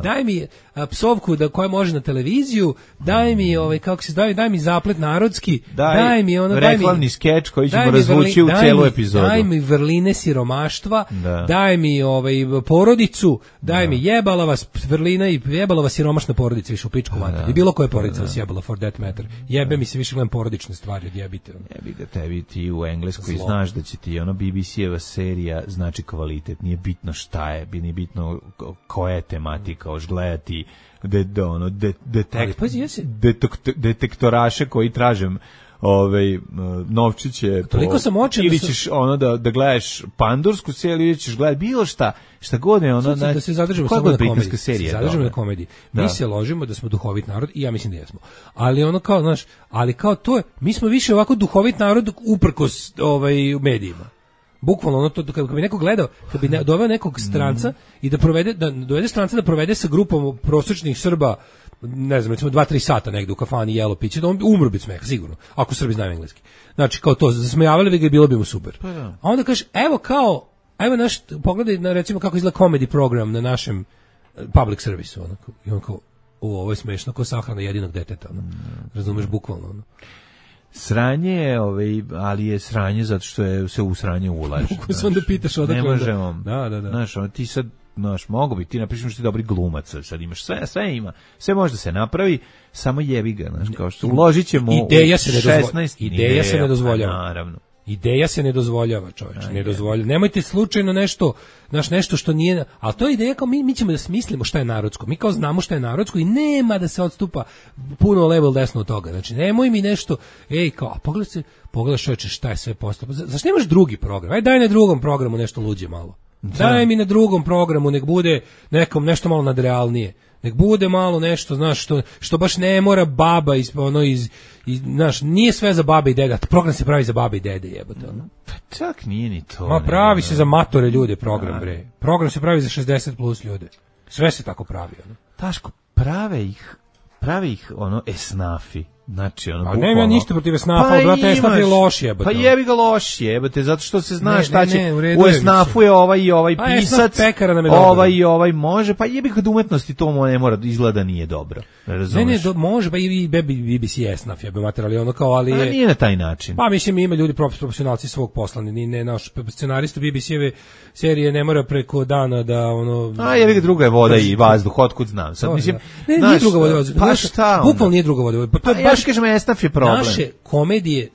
daj mi psovku koja može na televiziju, daj mi kako se daj mi zaplet narodski, daj mi ono, reklamni skeč koji ćemo razvući u celu epizodu. Daj mi vrline siromaštva, daj mi porodicu, daj mi jebala vas vrlina i jebala vas siromašna porodica, više u pičku mater. I bilo koja porodica vas jebala, for that matter. Jebe mi se više gledam porodične stvari od jebite. Jebi ga tebi, ti u Engleskoj znaš da će ti ono BBC-eva serija znači kvalitet, nije bitno šta je, nije bitno koja je tematika, hoš gledati detektoraše koji tražem novčiće ili ćeš ono da gledaš pandursku seriju ili ćeš gledati bilo šta god je ono, da se zadržimo samo na komediji. Mi se ložimo da smo duhovit narod i ja mislim da jesmo, ali ono kao, znaš, ali kao to je, mi smo više ovako duhovit narod uprkos medijima. Bukvalno ono to, kad bi neko gledao, kad bi doveo nekog stranca i da dovede stranca da provede sa grupom prosječnih Srba, ne znam, recimo 2-3 sata negde u kafani jelo piće, da on umro bi smeha, sigurno, ako Srbi znaju engleski. Znači, kao to, zasmejavali bi ga i bilo bi mu super. A onda kažeš, evo naš, pogledaj, recimo, kako izgleda comedy program na našem public servisu, onako, i on kao, ovo je smešno, kao sahrana jedinog deteta, ono, razumeš, bukvalno, ono. Sranje je, ali je sranje zato što je se u sranje ulaže. Kako se onda pitaš odakle? Ne možemo. Da. Znaš, ti sad, mogu bi, ti napišeš što ti dobri glumac, sad imaš sve ima. Sve može da se napravi, samo jebi ga, znaš, kao što uložit ćemo ideja se ne dozvoljava. Naravno. Ideja se ne dozvoljava, čoveče, ne dozvoljava. Nemojte slučajno nešto što nije, ali to je ideja kao mi ćemo da smislimo šta je narodsko. Mi kao znamo šta je narodsko i nema da se odstupa puno level desno od toga. Znači, nemoj mi nešto, kao, a pogledaj čoveče šta je sve postalo. Zašto nemaš drugi program? Aj daj na drugom programu nešto luđe malo. Daj mi na drugom programu, nek bude nešto malo nadrealnije. Nek bude malo nešto, znaš, što baš ne mora baba znaš, nije sve za babe i dede, program se pravi za babe i dede, jebote, ono. Pa čak nije ni to. Ma pravi se za matore ljude program, bre. Program se pravi za 60 plus ljude. Sve se tako pravi, ono. Taško, prave ih, esnafi. Znači, ono, A nema ništa protiv esnafa, brate, esnaf je loš jebote. Pa jebi ga loš jebote, zato što se zna šta će. U esnafu je ovaj i ovaj pisac, ovaj i ovaj može, pa jebi ga umetnosti to ne mora, izgleda nije dobro. Razumeš? Ne, može, pa i BBC esnaf je materijal, ono kao, ali je... A nije na taj način. Pa mislim, ima ljudi profesionalci svog posla, ne naš scenarista BBC-eve serije ne mora preko dana da ono... A jebi ga, druga je voda i vazduh, otkud znam. Sad, mislim, nije druga voda, pa šta? Bukvalno nije druga voda. Pa to je baš, kažem, esnaf je problem. Naše komedije,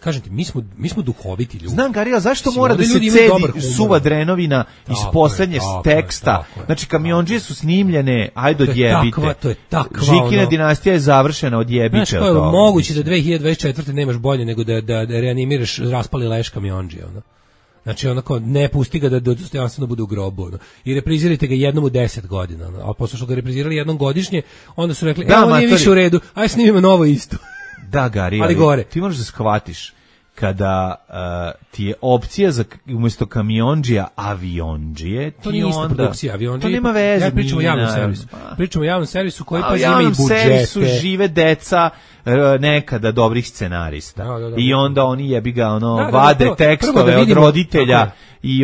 kažem ti, mi smo duhoviti ljudi. Znam, Garija, zašto mora da se cedi suva drenovina iz poslednjeg teksta? Znači, Kamiondžije su snimljene, ajde odjebite. To je takva. Žikina dinastija je završena, odjebite. Znaš, to je moguće da 2024. nemaš bolje nego da reanimiraš raspali leš Kamiondžije, ono. Znači, onako, ne pusti ga da dostojanstveno bude u grobu, ono. I reprizirajte ga jednom u 10 godina, ono. A posle što ga reprizirali jednom godišnje, onda su rekli, ovo nije više u redu, aj snimimo novo isto. Da, Gari, ali ti možeš da shvatiš kada ti je opcija za umjesto Kamiondžija aviondžije, to nije ista produkcija, aviondžije. To nema veze. Ja pričam o javnom servisu. Pričam o javnom servisu koji pa ima i javnom budžete. Servisu žive deca nekada dobrih scenarista. I onda oni jebi ga vade tekstove od roditelja i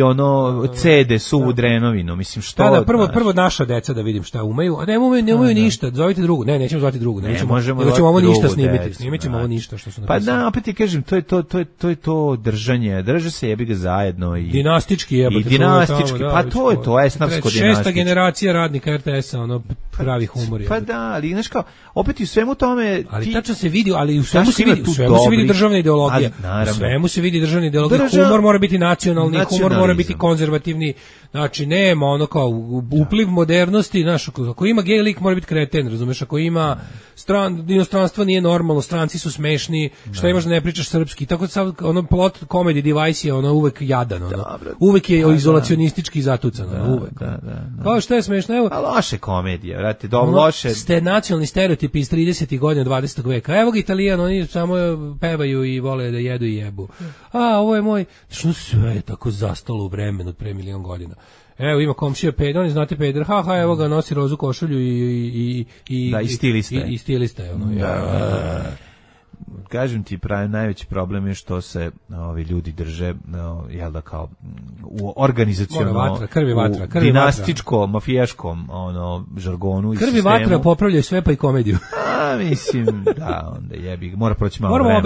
cede suvu drenovinu. Mislim što. Da, prvo naša deca da vidim šta umeju, a ne umeju ništa. Zovite drugu. Ne, nećemo zvati drugu. Nećemo ovo ništa snimiti. Snimećemo ovo ništa što su napisali. Pa da, opet ti kažem, to je to držanje. Drže se jebi ga zajedno i dinastički jebote. I dinastički. Pa to je to, esnafsko dinastički. 6. generacija radnika RTS-a, pravi humor je. Pa da, ali znaš kao, opet i u svemu tome ali tačno se vidi, ali u svemu se vidi državna ideologija. U svemu se vidi državna ideologija. Humor mora biti nacionalni, humor mora biti konzervativni. Znači, nema ono kao upliv modernosti, znaš, ako ima gej lik mora biti kreten, razumeš, ako ima inostranstvo nije normalno, stranci su smešni, šta imaš da ne pričaš srpski, tako sad, plot comedy device je uvek jadan, uvek je izolacionistički zatucan, uvek. Kao šta je smešno, evo. A loše komedije, vrati, loše. Ste nacionalni stereotipi iz 30. godina 20. veka, evo ga Italijan, oni samo pevaju i vole da jedu i jebu. A, ovo je moj, što sve je tako zastalo u vremenu od pre milion godina. Evo ima komšija peder, oni znate peder, evo ga nosi rozu košulju i stilista je. I stilista je ono. Kažem ti, najveći problem je što se ovi ljudi drže, jel da kao u organizacionalno, dinastičko, mafijaškom žargonu i sistemu. Krvi vatra popravljaju sve pa i komediju. A mislim, da, onda jebi, mora proći malo vremena.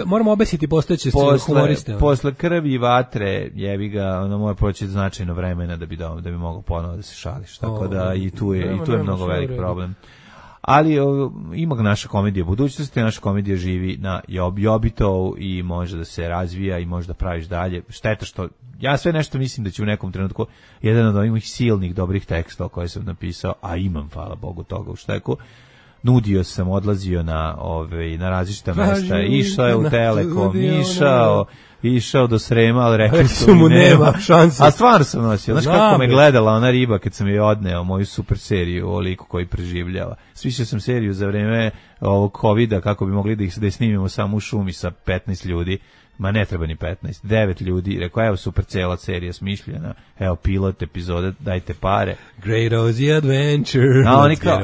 Moramo obesiti postojeće humoriste. Posle krvi vatre jebi ga, mora proći značajno vremena da bi mogao ponovo da se šališ. Tako da i tu je mnogo velik problem. Ali ima naša komedija budućnosti, naša komedija živi na Jobitovu i može da se razvija i može da praviš dalje. Šteta što ja sve nešto mislim da će u nekom trenutku jedan od ovih silnih dobrih tekstova koje sam napisao, a imam, hvala Bogu, toga u šteku, nudio sam, odlazio na različita mesta, išao je u Telekom, išao do Srema, ali rekli su mi nema šanse. A stvarno sam nosio. Znaš kako me gledala ona riba kad sam je odneo moju super seriju o liku koji preživljava. Svišao sam seriju za vreme ovog covida kako bi mogli da je snimimo samo u šumi sa 15 ljudi. Ma ne treba ni 15, 9 ljudi. Rekao, evo super cela serija smišljena. Evo pilot epizode, dajte pare. Great Ozzy Adventure. A oni kao,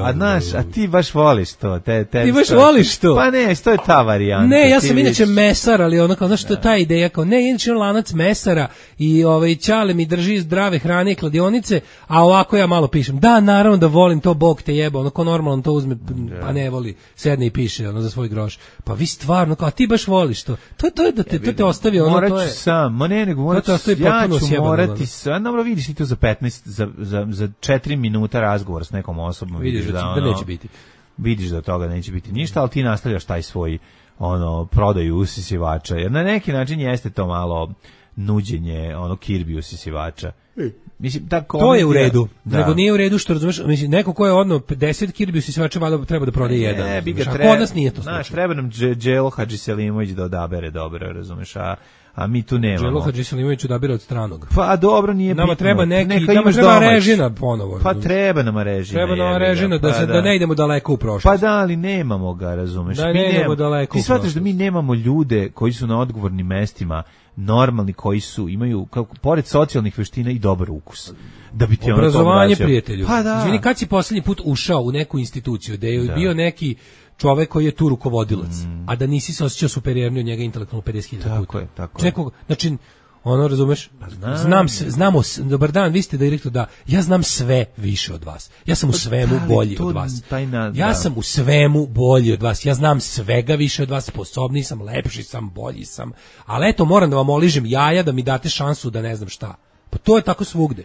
a ti baš voliš to. Ti baš voliš to? Pa ne, to je ta varijanta. Ne, ja sam inače mesar, ali ono kao, znaš što je ta ideja, kao ne, inače lanac mesara i Ćale mi drži zdrave hrane i kladionice, a ovako ja malo pišem. Da, naravno da volim to, Bog te jeba, ono ko normalno to uzme, pa ne voli, sedne i piše za svoj groš. Pa vi stvarno, kao, a ti baš voliš to. To je da te ostavi ono, to je. Ja ću morati sam, dobro vidiš ti to za 15, za 4 minuta razgovor s nekom osobom. Vidiš da neće biti. Vidiš da toga neće biti ništa, ali ti nastavljaš taj svoj prodaju usisivača, jer na neki način jeste to malo nuđenje Kirby usisivača. Mislim, to je u redu, nego nije u redu što razumeš, mislim, neko ko je 50 Kirby usisivača valjda treba da prodaje jedan. Kod nas nije to slučaj. Treba nam Đelo Hadžiselimović da odabere dobro, razumeš, a mi tu nemamo. Đelo Hadžiselimović odabira od stranog. Pa dobro, nije bitno. Nama treba nama treba režina ponovo. Pa treba nama režina. Treba nama režina da ne idemo daleko u prošlost. Pa da, ali nemamo ga, razumeš. Da ne idemo daleko. Ti shvataš da mi nemamo ljude koji su na odgovornim mestima, normalni, koji imaju pored socijalnih veština i dobar ukus. Da bi ti obrazovanje, prijatelju. Pa da. Izvini, kad si poslednji put ušao u neku instituciju da je bio neki čovek koji je tu rukovodilac, a da nisi se osjećao superiornije od njega intelektualno 50.000 puta. Tako je. Znači, ono, razumeš? Znamo, dobar dan, vi ste direktor, da, ja znam sve više od vas. Ja sam u svemu bolji od vas. Ja sam u svemu bolji od vas. Ja znam svega više od vas, sposobniji sam, lepši sam, bolji sam. Ali eto, moram da vam oližem jaja da mi date šansu da ne znam šta. Pa to je tako svugde.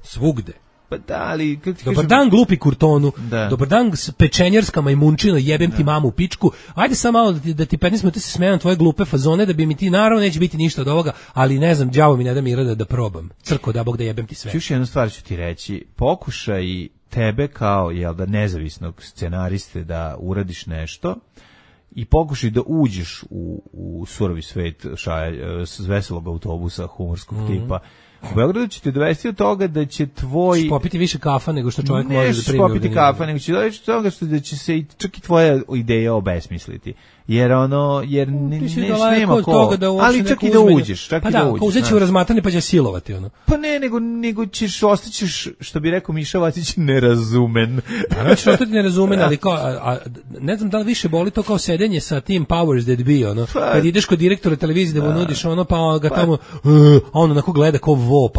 Svugde. Pa da, ali... Dobar dan, glupi kurtonu. Dobar dan, pečenjarska majmunčina, jebem ti mamu u pičku. Ajde sam malo da ti 15 minuta se smejem tvoje glupe fazone, da bi mi ti, naravno, neće biti ništa od ovoga, ali ne znam, đavo mi ne da mira da probam. Crko, da Bog da jebem ti sve. Još jednu stvar ću ti reći. Pokušaj tebe kao, nezavisnog scenariste da uradiš nešto i pokušaj da uđeš u surovi svet s veselog autobusa humorskog tipa. U Beogradu će te dovesti od toga da će tvoj... popiti više kafa nego što čovjek može da primi. Nećeš popiti kafa, nego će dovesti od toga da će se čak i tvoja ideja obesmisliti. Jer nema ko. Ali čak i da uđeš. Pa da, ko uzet će u razmatranje pa će silovati. Pa ne, nego ostaćeš, što bi rekao Miša Vacić, nerazumen. Naravno ćeš ostati nerazumen, ali kao, ne znam da li više boli to kao sedenje sa tim powers that be, kad ideš kod direktora televizije da mu nudiš pa ga tamo, on onako gleda kao vo,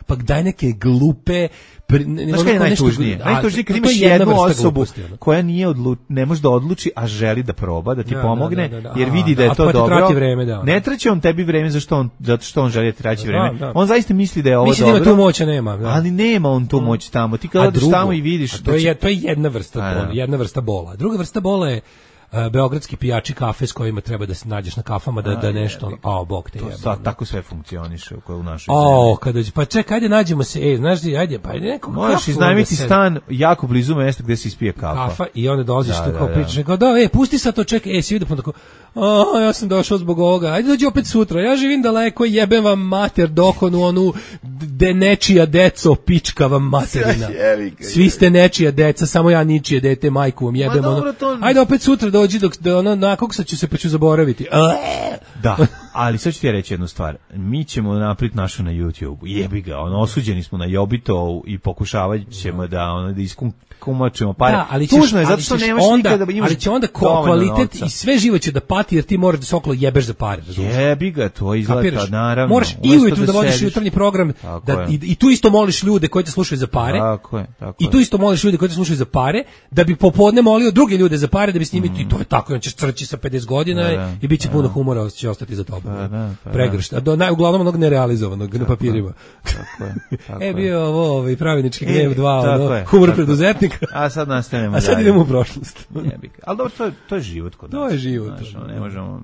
pa daj neke glupe. Znaš kada je najtužnije? Najtužnije kad imaš jednu osobu koja ne može da odluči, a želi da proba, da ti pomogne, jer vidi da je to dobro. Ne traći on tebi vreme zato što on želi da ti traći vreme. On zaista misli da je ovo dobro. Misli da ima tu moć, a nema. Ali nema on tu moć tamo. Ti kada odeš tamo i vidiš... To je jedna vrsta bola. Druga vrsta bola je beogradski pijači kafe s kojima treba da se nađeš na kafama da nešto, bog te jebe. Tako sve funkcioniše u našoj zemlji. Kada pa čekaj, ajde nađemo se, znaš ti, ajde, pa neko možeš iznajmiti stan jako blizu mesta gde se ispije kafa i onda dolaziš tu kao pričaš, kao pusti sad to, čekaj, si vidi pa tako, ja sam došao zbog ovoga, ajde dođi opet sutra, ja živim daleko, jebem vam mater dokonu onu nečija deco, pička vam materina. Svi ste nečija deca, samo ja ničije dete, majku vam jebem, ajde opet sutra dođi dok nakoksa ću se pa ću zaboraviti. Da, ali sad ću ti reći jednu stvar. Mi ćemo napraviti našu na YouTube. Jebi ga, osuđeni smo na Jobito i pokušavat ćemo da iskumačimo pare. Da, ali tužno je, zato što nemaš nikada da imaš. Ali će onda kvalitet i sve živo će da pati, jer ti moraš da se okolo jebeš za pare. Jebi ga, to izgleda, naravno. Moraš i ujutru da vodiš jutarnji program i tu isto moliš ljude koji te slušaju za pare. Tako je. I tu isto moliš ljude koji te slušaju za pare, da bi popodne molio druge ljude za pare, da bi s njimi, i to je tako, on će crći sa 50 godina i bit će puno humora, će ostati za tobom. Pregršt. Uglavnom onog nerealizovanog na papirima. Tako je. Bio ovo pravednički gnev 2, humor preduzetnika. A sad nastavljamo. A sad idemo u prošlost. Ali dobro, to je život kod nas. To je život. Ne možemo,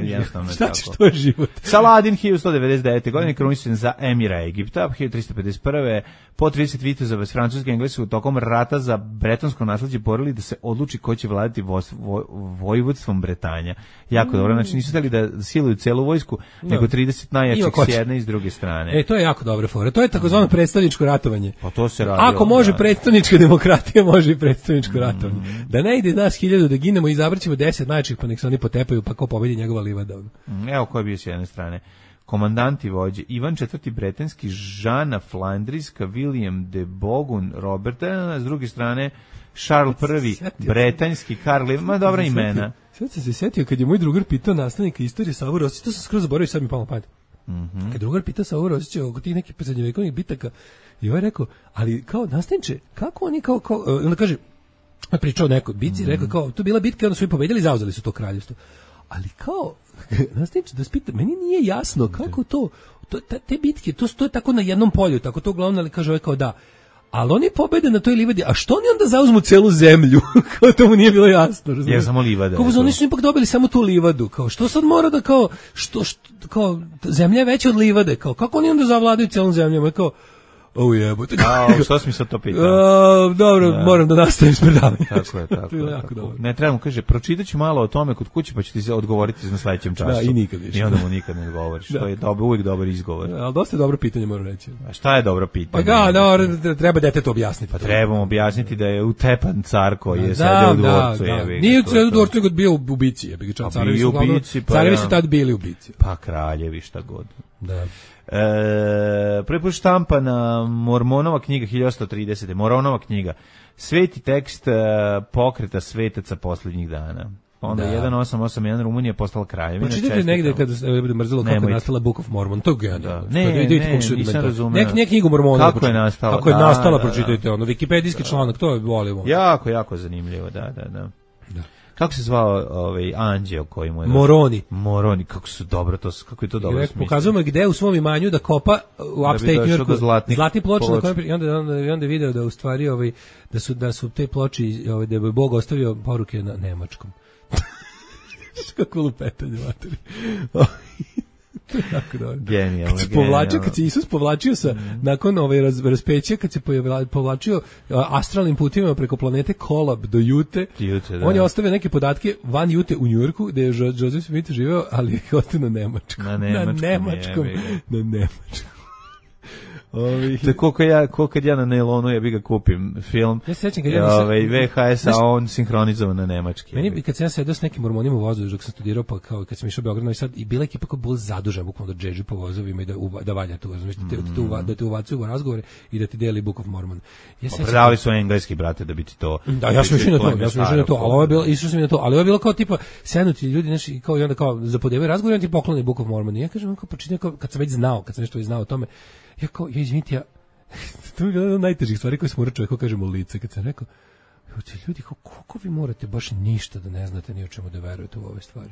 jednostavno šta ćeš, to je život. Saladin 1199. godine kruničen za emira Egipta, 1351. po 30 vitezova s Francuske i Engleske tokom rata za bretonsko nasleđe borili da se odluči ko će vladati vojvodstvom Bretanja. Jako dobro, znači nisu hteli da siluju celu vojsku, nego 30 najjačih s jedne i s druge strane. To je jako dobra fora. To je takozvano predstavničko ratovanje. Pa to se radi. Ako može predstavnička demokratija, može i predstavničko ratovanje. Da ne ide nas 1000 da ginemo i izabraćemo 10 najjačih, pa nek se oni potepaju, pa ko pobedi njegova livada. Evo ko je bio s jedne strane. Komandanti vođe Ivan IV. Bretanski, Žana Flandrijska, William de Bogun, Roberta, s druge strane Charles I. Bretanjski, Karl, ma dobra imena. Sad sam se setio kad je moj drugar pitao nastavnika istorije Savu Rosića, to sam skroz zaboravio, sad mi palo pamet. Kad drugar pitao Savu Rosića oko tih nekih srednjovekovnih bitaka, i ovaj rekao, ali kao nastavniče, kako oni kao onda kaže, pričao neko bitci, rekao kao, to je bila bitka, onda su i pobedili, zauzeli su to kraljevstvo. Ali kao, nastavniče, da spita, meni nije jasno kako to te bitke, to je tako na jednom polju, tako to uglavnom, ali kaže ovaj kao da, ali oni pobede na toj livadi, a što oni onda zauzmu celu zemlju? Kao to mu nije bilo jasno, razumiješ? Jer samo livada. Kao oni su ipak dobili samo tu livadu, kao što sad mora da kao, kao zemlja je veća od livade, kao kako oni onda zavladaju celom zemljom, kao jebote. Što si mi sad to pitao? Dobro, moram da nastavim s predavanjem. Tako je. Ne trebamo, kaže, pročitaću malo o tome kod kuće, pa ću ti se odgovoriti na sledećem času. Da, i nikad više. I onda mu nikad ne odgovoriš. To je uvijek dobar izgovor. Ali dosta je dobro pitanje, moram reći. A šta je dobro pitanje? Pa treba detetu objasniti. Pa trebamo objasniti da je utepan car koji je sedeo u dvorcu. Nije u dvorcu, nego bio u bici. Carevi su tad bili u bici. Pa kraljevi, šta god. Da. Prvi put štampana Mormonova knjiga 1130. Mormonova knjiga. Sveti tekst pokreta svetaca posljednjih dana. Onda 1881 Rumunija postala kraljevina. Pročitajte negde kada bude mrzelo kako je nastala Book of Mormon. To je genijalno. Nisam razumeo. Ne knjigu Mormona. Kako je nastala? Kako je nastala, pročitajte ono. Wikipedijski članak, to volimo. Jako zanimljivo, da. Kako se zvao anđeo koji mu je... Moroni, kako su dobro to, kako je to dobro smislio. Pokazujemo gde u svom imanju da kopa u upstate New Yorku zlatni ploče na kojem i onda video da u stvari da su te ploče da je Bog ostavio poruke na nemačkom. Kako lupetanje materi. Tako dobro. Genijalno. Kad se Isus povlačio nakon raspeća, kad se povlačio astralnim putima preko planete Kolab do Jute, on je ostavio neke podatke van Jute u Njujorku, gde je Joseph Smith živeo, ali je ostao na nemačkom. Na nemačkom. Koliko kad ja na Nelonu ja bi ga kupim film. Ja se sećam kad VHS, a on sinhronizovan na nemački. Meni kad sam ja sedao s nekim mormonima u vozu dok sam studirao, pa kao kad sam išao u Beograd, Novi Sad, i bila ekipa koja bila zadužena bukvalno da džedži po vozovima i da valja tu, da te uvacuju u razgovore i da ti deli Book of Mormon. Predavali su engleski, brate, da bi ti to... Da, ja sam išao na to, ali ovo je bilo, išao sam i na to, ali ovo je bilo kao tipa sednuti ljudi, znaš, i onda kao zapodevaju razgovor i on ti pokloni Book of Mormon. I ja kažem, kad sam nešto već znao o tome, izvinite, to je jedna od najtežih stvari koje smo mora čovjeku kažemo u lice, kad sam rekao, ljudi, koliko vi morate baš ništa da ne znate ni o čemu da verujete u ove stvari?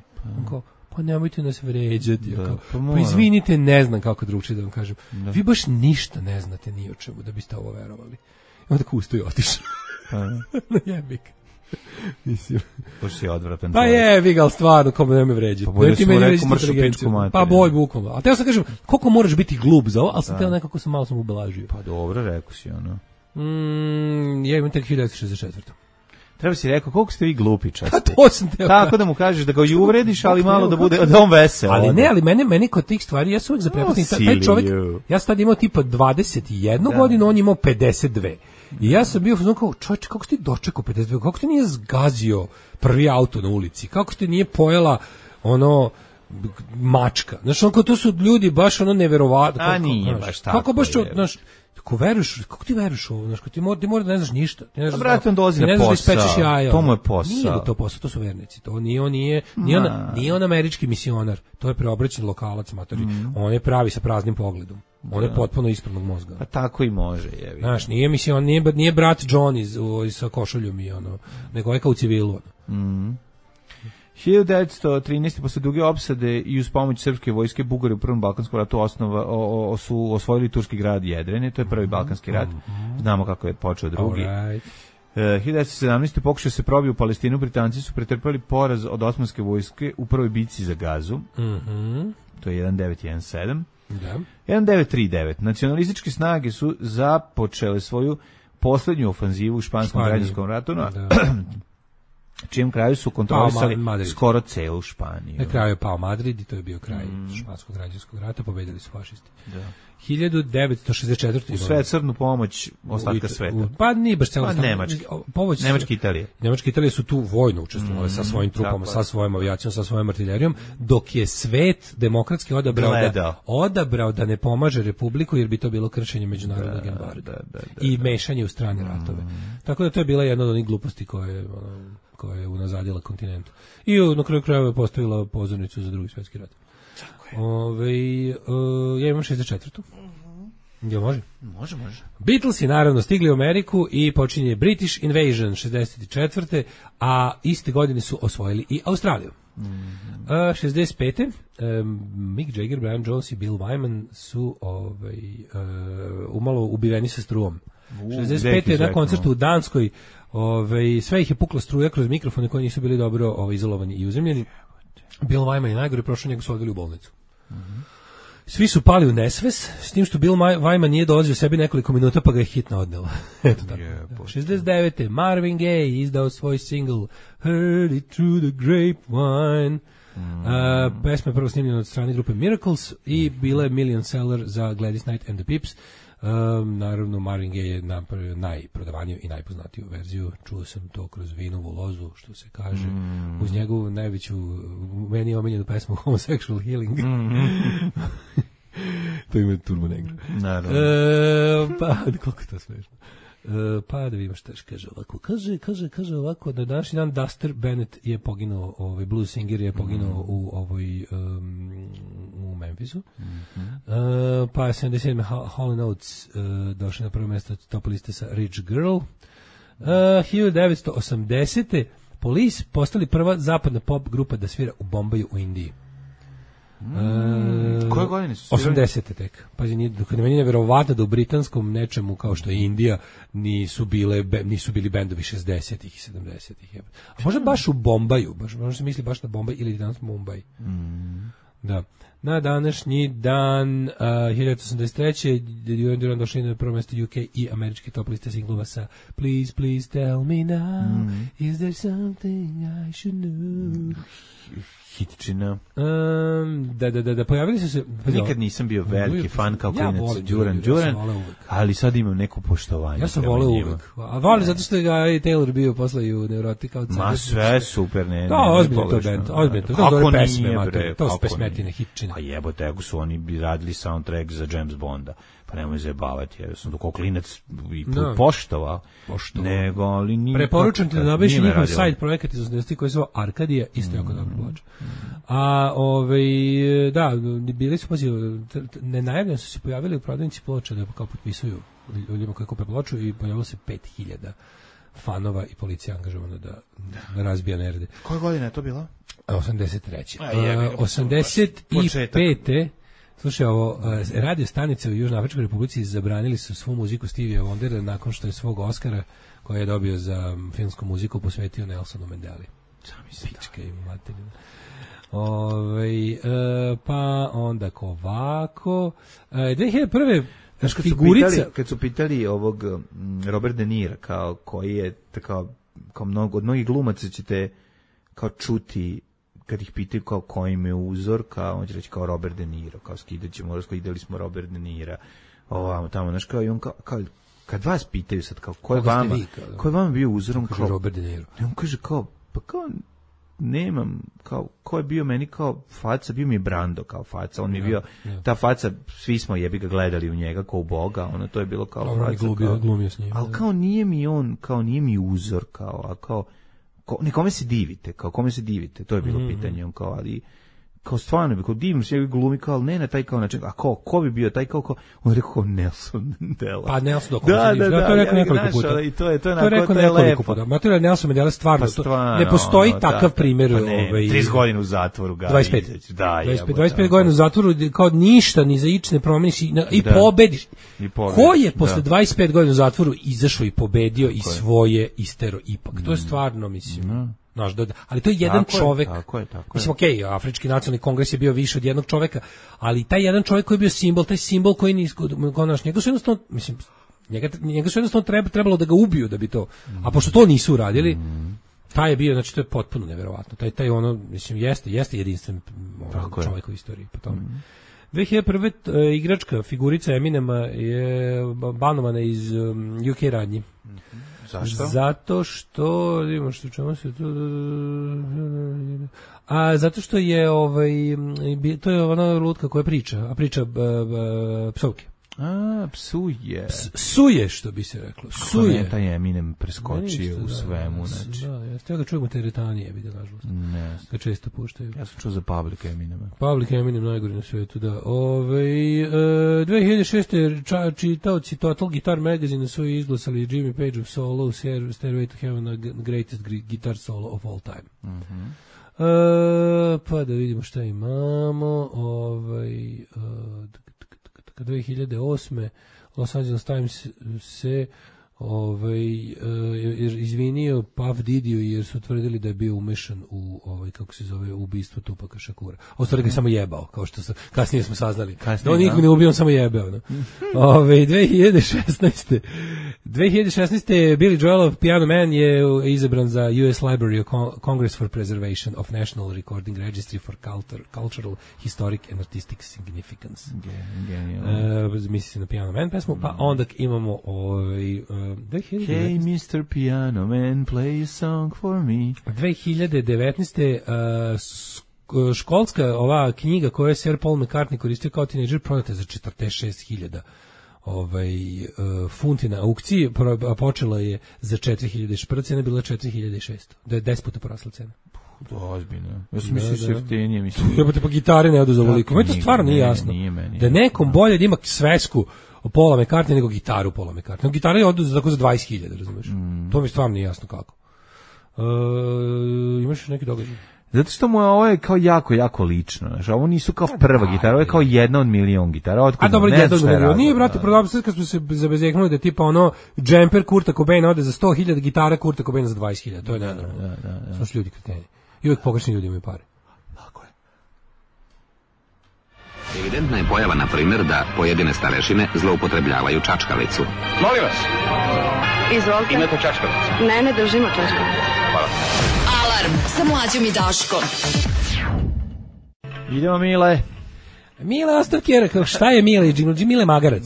Pa nemojte nas vređati. Pa izvinite, ne znam kako drugčije da vam kažem. Vi baš ništa ne znate ni o čemu da biste ovo verovali. I onda kusto je otišao. Jebik. Mislim. Pošto si odvratan. Pa jebi ga, ali stvarno, kome ne me vređati. Pa bolje su mu rekao mršu pičku materiju. Pa boj, bukvalno. A teo sam kažem, koliko moraš biti glup za ovo, ali sam teo nekako malo sam ubelažio. Pa dobro, rekao si ono. Ja imam tek 1964. Treba si rekao, koliko ste vi glupi časti. Pa to sam teo. Tako da mu kažeš da ga i uvrediš, ali malo da bude da on vesel. Ali ne, ali meni kod tih stvari, ja sam uvijek zaprepašten. Taj čovjek, ja sam tad imao tipa 21 godinu, on imao 52. I ja sam bio kao, čovječe, kako ste dočekao 52, kako ste nije zgazio prvi auto na ulici, kako ste nije pojela mačka. Znaš, to su ljudi baš neverovatno. A nije baš tako. Kako baš, znaš, kako ti veruješ ovo, znaš, ti mora da ne znaš ništa. A brate, on dolazi na posao, to mu je posao. Nije to posao, to su vernici, to nije on američki misionar, to je preobraćen lokalac, matori. On je pravi sa praznim pogledom. On je potpuno ispravnog mozga. Pa tako i može, jevi. Znaš, nije brat John sa košuljom i nego je kao u civilu. 1913. posle duge opsade i uz pomoć srpske vojske Bugari u Prvom balkanskom ratu su osvojili turski grad Jedrene, to je prvi balkanski rat. Znamo kako je počeo drugi. 1917. pokušao se probio u Palestinu, Britanci su pretrpeli poraz od osmanske vojske u prvoj bici za Gazu. To je 1917. Da. 1939. Nacionalističke snage su započele svoju posljednju ofanzivu u španskom građanskom ratu, čijem kraju su kontrolisali skoro celu Španiju. Na kraju je pao Madrid i to je bio kraj španskog građanskog rata, pobedili su fašisti. Da. 1964. U sve crnu pomoć ostatka sveta. Pa nije baš celo. Nemačka Italija. Nemačka Italija su tu vojno učestvovali sa svojim trupama, sa svojom avijacijom, sa svojom artiljerijom, dok je svet demokratski odabrao da ne pomaže Republiku, jer bi to bilo kršenje međunarodnog embarga i mešanje u strane ratove. Tako da to je bila jedna od onih gluposti koja je unazadila kontinent. I na kraju krajeva je postavila pozornicu za Drugi svjetski rat. Ja imam 64. Jel može? Može. Beatlesi naravno stigli u Ameriku i počinje British Invasion 64. A iste godine su osvojili i Australiju. 65. Mick Jagger, Brian Jones i Bill Wyman su umalo ubiveni sa strujom. 65. na koncertu u Danskoj sve ih je pukla struja kroz mikrofone koji nisu bili dobro izolovani i uzemljeni. Bill Wyman je najgore, prošao, njega su odveli u bolnicu. Svi su pali u nesves, s tim što Bill Wyman nije dolazio sebi nekoliko minuta, pa ga je hitna odnela. Eto tako. 69. Marvin Gaye izdao svoj single Heard It Through the Grapevine. Pesma je prvo snimljena od strane grupe Miracles i bila je million seller za Gladys Knight and the Pips. Naravno, Marvin Gaye je napravio najprodavaniju i najpoznatiju verziju. Čuo sam to kroz vinovu lozu, što se kaže, uz njegovu najveću, meni omiljenu pesmu Homosexual Healing. To ima Turbo Negro. Naravno. Pa, koliko je to smešno. Pa da vidimo šta kaže ovako. Kaže ovako, da današnji dan Duster Bennett je poginuo, blues singer je poginuo u Memphisu. Pa 77. Hall & Oates došli na prvo mjesto top liste sa Rich Girl. 1980. Police postali prva zapadna pop grupa da svira u Bombaju u Indiji. Koje godine su 80. tek. Pazi, meni je neverovatno da u britanskom nečemu kao što je Indija nisu bili bendovi 60-ih i 70-ih. A možda baš u Bombaju, možda se misli baš na Bombaj ili danas Mumbai. Da. Na današnji dan 1983. Duran Duran došli na prvo mjesto UK i američki top liste singlova sa Please, Please Tell Me Now, Is There Something I Should Know? Hitčina. Da, pojavili su se... Nikad nisam bio veliki fan kao klinac Duran Duran, ali sad imam neko poštovanje. Ja sam voleo uvek. A voli zato što ga i Taylor bio posle i u Neurotika. Ma sve super, ne. Da, ozbiljno to band, ozbiljno. To dobre pesme, to su pesmetine, hitčine. Pa jebote, ako su oni bi radili soundtrack za James Bonda. Pa nemoj zajebavati, jer sam dok klinac i poštovao. Nego, ali nije... Preporučam ti da nabaviš njihov sajt projekat iz 80 koji se zove Arkadija, isto jako dobro ploča. A, da, bili su, nenajavljeno su se pojavili u prodavnici ploča da kao potpisuju ljudima koji kupe ploču i pojavilo se 5000 fanova i policija angažovana da razbija nerde. Koje godine je to bilo? 83. 85. Slušaj, ovo, radio stanice u Južnoafričkoj Republici zabranili su svu muziku Stevie Wondera nakon što je svog Oscara, koji je dobio za filmsku muziku, posvetio Nelsonu Mandeli. Pička i materina. Pa onda ovako. 2001. Znaš, kad su pitali ovog Robert De Nira, kao koji je kao od mnogih glumaca ćete kao čuti kad ih pitaju kao koji im je uzor, kao on će reći kao Robert De Niro, kao skidaćemo, ideli smo Robert De Nira, ovamo tamo, znaš, kao i on kao kad vas pitaju sad kao ko je vama bio uzorom, kao Robert De Niro. On kaže kao, pa kao nemam, kao ko je bio meni kao faca, bio mi je Brando kao faca, on mi je bio, ta faca, svi smo jebi ga gledali u njega kao u Boga, ono to je bilo kao faca, glumio s njim. Ali kao nije mi on, kao nije mi uzor, kao, a kao kome se divite, to je bilo pitanje, on kao, ali kao stvarno, kao divim se glumi, kao, ne na taj kao način, a ko bi bio taj kao, on rekao kao Nelson Mandela. Pa Nelson dok to je rekao nekoliko puta. I to je lepo. Materija Nelson Mandela stvarno, ne postoji takav primjer. 30 godina u zatvoru. 25 godina u zatvoru, kao ništa, ni za ič ne promeniš i pobediš. Ko je posle 25 godina u zatvoru izašao i pobedio i svoje istero ipak? To je stvarno, mislim... ali to je jedan čovek. Mislim, okej, Afrički nacionalni kongres je bio više od jednog čoveka, ali taj jedan čovek koji je bio simbol, taj simbol koji njega su jednostavno, mislim, njega su jednostavno trebalo da ga ubiju da bi to, a pošto to nisu uradili, taj je bio, znači to je potpuno neverovatno, taj ono, mislim, jeste jedinstven čovek u istoriji po tome. 2001. Igračka figurica Eminema je banovana iz UK radnji. Zašto? Zato što, vidimo što čemu se to... zato što je to je ona lutka koja priča, a priča psovke. Psuje. Psuje, što bi se reklo. Psuje. Kako taj Eminem preskočio u svemu, znači. Da, ja ga čujem u teretanije, vidio, nažalost. Ne. Ga često puštaju. Ja sam čuo za Public Eminema. Public Eminem najgori na svijetu, da. 2006. čitaoci Total Guitar Magazine su izglasali Jimmy Page of solo, Stairway to Heaven, greatest guitar solo of all time. Pa da vidimo šta imamo. 2008. Los Angeles Times se izvinio Puff Didiju jer su tvrdili da je bio umešan u kako se zove ubistvo Tupaka Šakura. Ostalo ga samo jebao, kao što kasnije smo saznali. Da on nikog ne ubio, on samo jebao. No? 2016. Billy Joelov Piano Man je izabran za US Library of Congress for Preservation of National Recording Registry for Cultural, Historic and Artistic Significance. Misli se na Piano Man pesmu, pa onda imamo 2019. Hey Mr. Piano Man, play a song for me. 2019. školska ova knjiga koju je Sir Paul McCartney koristio kao tinejdžer prodata za 46.000 funti na aukciji, a počela je za 4.000, prva cena je bila 4.600, da je 10 puta porasla cena. Ozbiljno. Ja sam mislio se jeftinije, mislim. Jebote, pa gitare ne odu za ovoliko. Meni to stvarno nije jasno. Da nekom bolje da ima svesku Paula McCartney nego gitaru Paula McCartney. Gitara je odu za 20.000, razumeš? To mi stvarno nije jasno kako. Imaš neki događaj? Zato što mu je ovo kao jako lično. Znači, ovo nisu kao prva gitara, ovo je kao jedna od milion gitara. A dobro, jedna od milion. Nije, brate, prodavno sad kad smo se zabezeknuli da tipa ono džemper Kurta Cobaina ode za 100.000, gitara Kurta Cobaina za 20.000. To je nenormalno. Samo što ljudi kreteni. I uvijek pogrešni ljudi imaju pare. Tako je. Evidentna je pojava, na primjer, da pojedine starešine zloupotrebljavaju čačkalicu. Molim vas. Izvolite. Imate čačkalicu? Ne držimo čačkalicu. Hvala. Alarm sa Mlađom i Daškom. Idemo, Mile. Mile Ostavkjera, šta je Mile? Mile Magarac.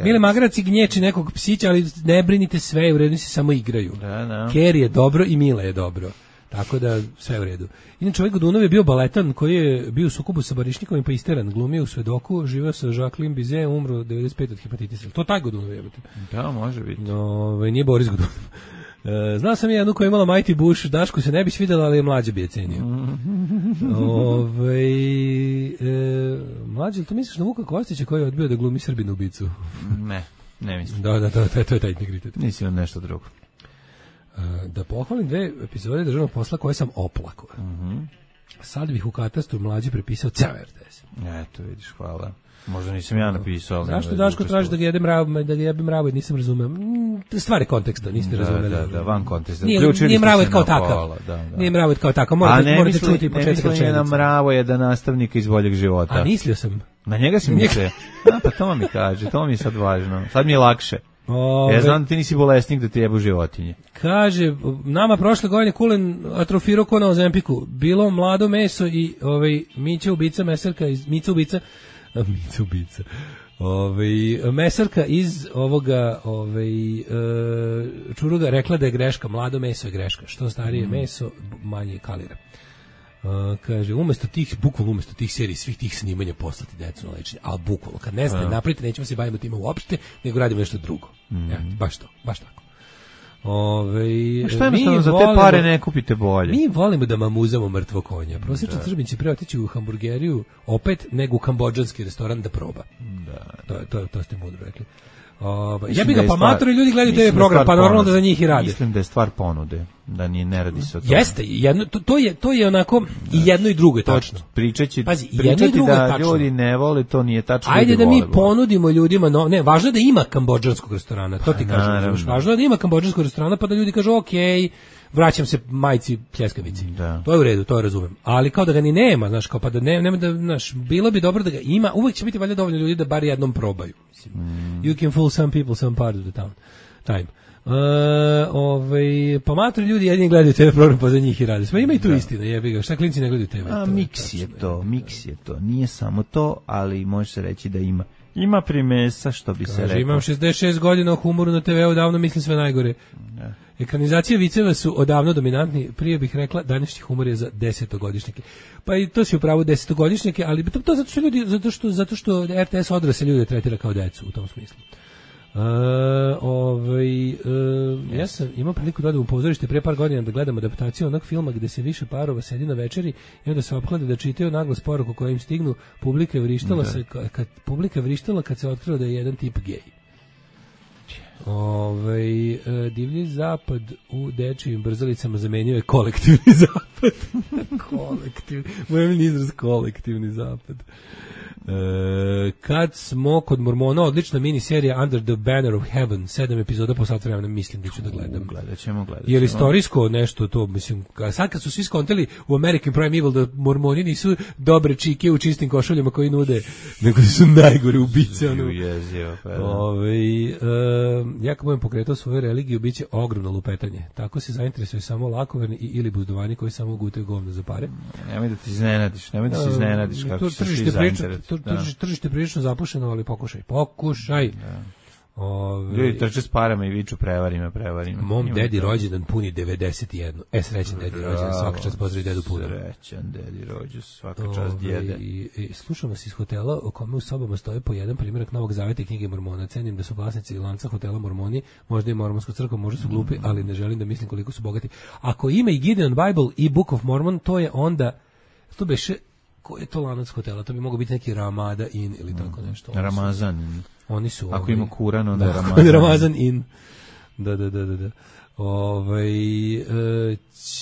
Mile Magarac i gnječi nekog psića, ali ne brinite, sve je u redu, se samo igraju. Kerry je dobro i Mile je dobro. Tako da sve u redu. Inače, ovaj Godunov je bio baletan koji je bio u sukobu sa Barišnikom i pa isteran. Glumio u Svedoku, živeo sa Jacqueline Bizet, umro 95 od hepatitisa. To taj Godunov je. Da, može biti. Nije Boris Godunov. Znao sam jednu koja je imala Mighty Bush, Dašku se ne bi svidjela, ali je mlađe bi je cenio. Mlađe, ali to misliš na Vuka Kostića koji je odbio da glumi Srbinu ubicu? Ne mislim. Da, to je taj integritet. Nisi on nešto drugo. Da pohvalim 2 epizode državnog posla koje sam oplakao. Sad bih u katastru Mlađe prepisao ceo RTS. Eto, vidiš, hvala. Možda nisam ja napisao. Zašto Daško traži da ga jebem mravojed, nisam razumeo. Stvari konteksta, niste razumeli. Da, van konteksta. Nije mravojed kao takav. Nije mravojed kao takav. Morate čuti početak rečenice. Ne na mravojeda nastavnika iz Boljeg života. A mislio sam. Na njega si mislio? Pa to mi kaže, to mi je sad važno. Sad mi je lakše. Ja znam da ti nisi bolesnik da ti jebu životinje. Kaže, nama prošle godine Kulen atrofirao ko na Ozempiku. Bilo mlado meso i Mića ubica, meserka iz Mica ubica. Mesarka iz ovoga Čuruga rekla da je greška, mlado meso je greška. Što starije meso, manje kalira. Kaže, umesto tih serij, svih tih snimanja poslati decu na lečenje, ali bukvalno, kad ne znate napravite, nećemo se baviti time uopšte, nego radimo nešto drugo. Baš tako. Šta jednostavno za te pare ne kupite bolje? Mi volimo da mamuzamo mrtvo konja. Prosječan Srbin će pre otići u hamburgeriju opet nego u kambodžanski restoran da proba. To ste mudro rekli. Ja bih ga pa matro i ljudi gledaju TV program, pa normalno da za njih i radi. Mislim da je stvar ponude, da ne radi se o tome. Jeste, to je onako i jedno i drugo je tačno. Pričati da ljudi ne vole, to nije tačno. Ajde da mi ponudimo ljudima, važno je da ima kambodžanskog restorana, to ti kažem. Važno je da ima kambodžanskog restorana, pa da ljudi kažu okej, vraćam se majci pljeskavici. To je u redu, to razumem. Ali kao da ga ni nema, znaš, kao pa da nema da, znaš, bilo bi dobro da ga ima, uvijek će biti valjda dovoljno ljudi da bar jednom probaju. Mislim. You can fool some people some part of the time. Pa matri ljudi jedini gledaju TV program, pa za njih i rade. Ima i tu istina, jebi ga, šta klinci ne gledaju TV. Miks je to, nije samo to, ali može se reći da ima primesa, što bi se rekao. Imam 66 godina o humoru na TV-u, davno mislim sve najgore. Ekranizacije viceva su odavno dominantni, prije bih rekla današnji humor je za 10-godišnjake. Pa i to si upravo 10-godišnjake, ali to zato što RTS odrasle ljude tretira kao decu u tom smislu. Ja sam imao priliku da odem u pozorište pre par godina da gledam adaptaciju onog filma gde se više parova sedi na večeri i onda se opklade da čitaju naglas poruku koja im stignu. Publika je vrištala kad se otkrilo da je jedan tip gej. Divlji zapad u dečijim brzalicama zamenio je kolektivni zapad. Mojem izraz kolektivni zapad. Kad smo kod Mormona, odlična miniserija Under the Banner of Heaven, 7 epizoda po sat vremena, mislim da ću da gledam. Gledat ćemo. Jer istorijsko nešto to, mislim, sad kad su svi skontali u American Prime Evil da Mormoni nisu dobre čike u čistim košuljama koji nude, nego su najgore ubice. Ja kad budem pokretao svoju religiju, bit će ogromno lupetanje. Tako se zainteresuje samo lakoverni ili buzdovani koji samo gutaju govno za pare. Nemoj da ti iznenadiš kako će svi zainteresovati. Tržište prilično zapušeno, ali pokušaj. Ljudi trče s parama i viču prevarima. Mom dedi rođendan puni 91. Srećan dedi rođendan, svaka čast pozdravi dedu puno. Srećan dedi rođendan, svaka čast djede. I slušam vas iz hotela u kome u sobama stoje po jedan primjerak Novog Zaveta i knjige Mormona. Cenim da su vlasnici lanca hotela Mormoni, možda i Mormonsku crkvu, možda su glupi, ali ne želim da mislim koliko su bogati. Ako ima i Gideon Bible i Book of Mormon, to je onda, to beše, koji je to lanac hotela? To bi mogao biti neki Ramada Inn ili tako nešto. Ramazan. Oni su ako ima Kuran, onda je Ramazan Inn. Da.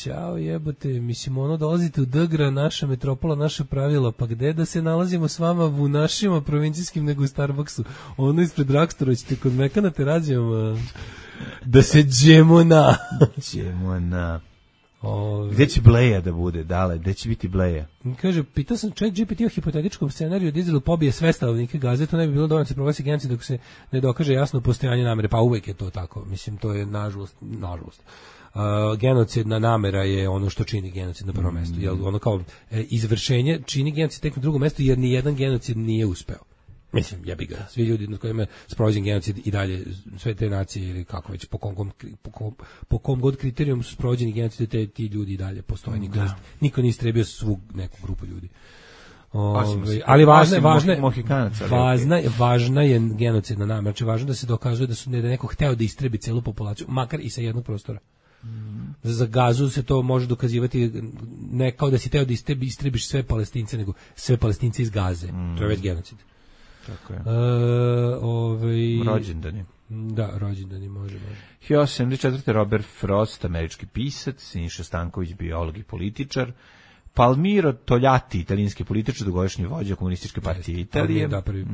Ćao jebote, mislim ono dolazite u Dgra, naša metropola, naša pravila, pa gde da se nalazimo s vama u našima provincijskim nego u Starbucksu, ono ispred Dragstora, ćete kod Mekana te rađemo da se džemo na. Gde će Bleja da bude, dale, gde će biti Bleja? Kaže, pitao sam ChatGPT o hipotetičkom scenariju da Izrael pobije sve stanovnike Gaze, to ne bi bilo dovoljno se proglasi genocid dok se ne dokaže jasno postojanje namere, pa uvek je to tako, mislim, to je nažalost. Genocidna namera je ono što čini genocid na prvom mestu, jer ono kao izvršenje čini genocid tek na drugom mestu, jer ni jedan genocid nije uspeo. Mislim, jebi ga, svi ljudi nad kojima je sprovođen genocid i dalje, sve te nacije ili kako već, po kom god kriterijum su sprovođeni genocid, ti ljudi i dalje postoje, niko nije istrebio svu neku grupu ljudi. Ali važna je genocidna namera, znači važno da se dokazuje da su neko hteo da istrebi celu populaciju, makar i sa jednog prostora. Za Gazu se to može dokazivati ne kao da si hteo da istrebiš sve Palestince, nego sve Palestince iz Gaze. To je već genocid. Tako je. Rođendani. Da, rođendani, može. 1874. Robert Frost, američki pisac, Siniša Stanković, biolog i političar, Palmiro Togliatti, italijanski političar, dugogodišnji vođa komunističke partije Italije. Prvi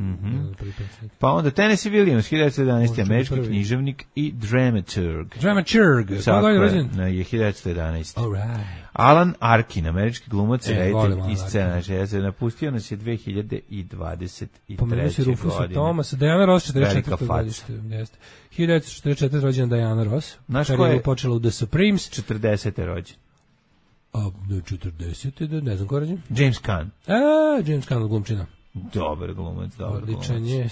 pa onda Tennessee Williams, 1911. američki književnik i dramaturg. Tako je 1911. Alan Arkin, američki glumac, reditelj i scenar. Napustio nas je 2023. Pomenuo si Rufusa Thomasa, Diana Ross, 44. godište. 1944. rođena Diana Ross. Znaš ko je počela u The Supremes. 40. rođen. 40. ne znam ko rođen. James Caan. James Caan od glumčina. Dobar glumac. Odličan je.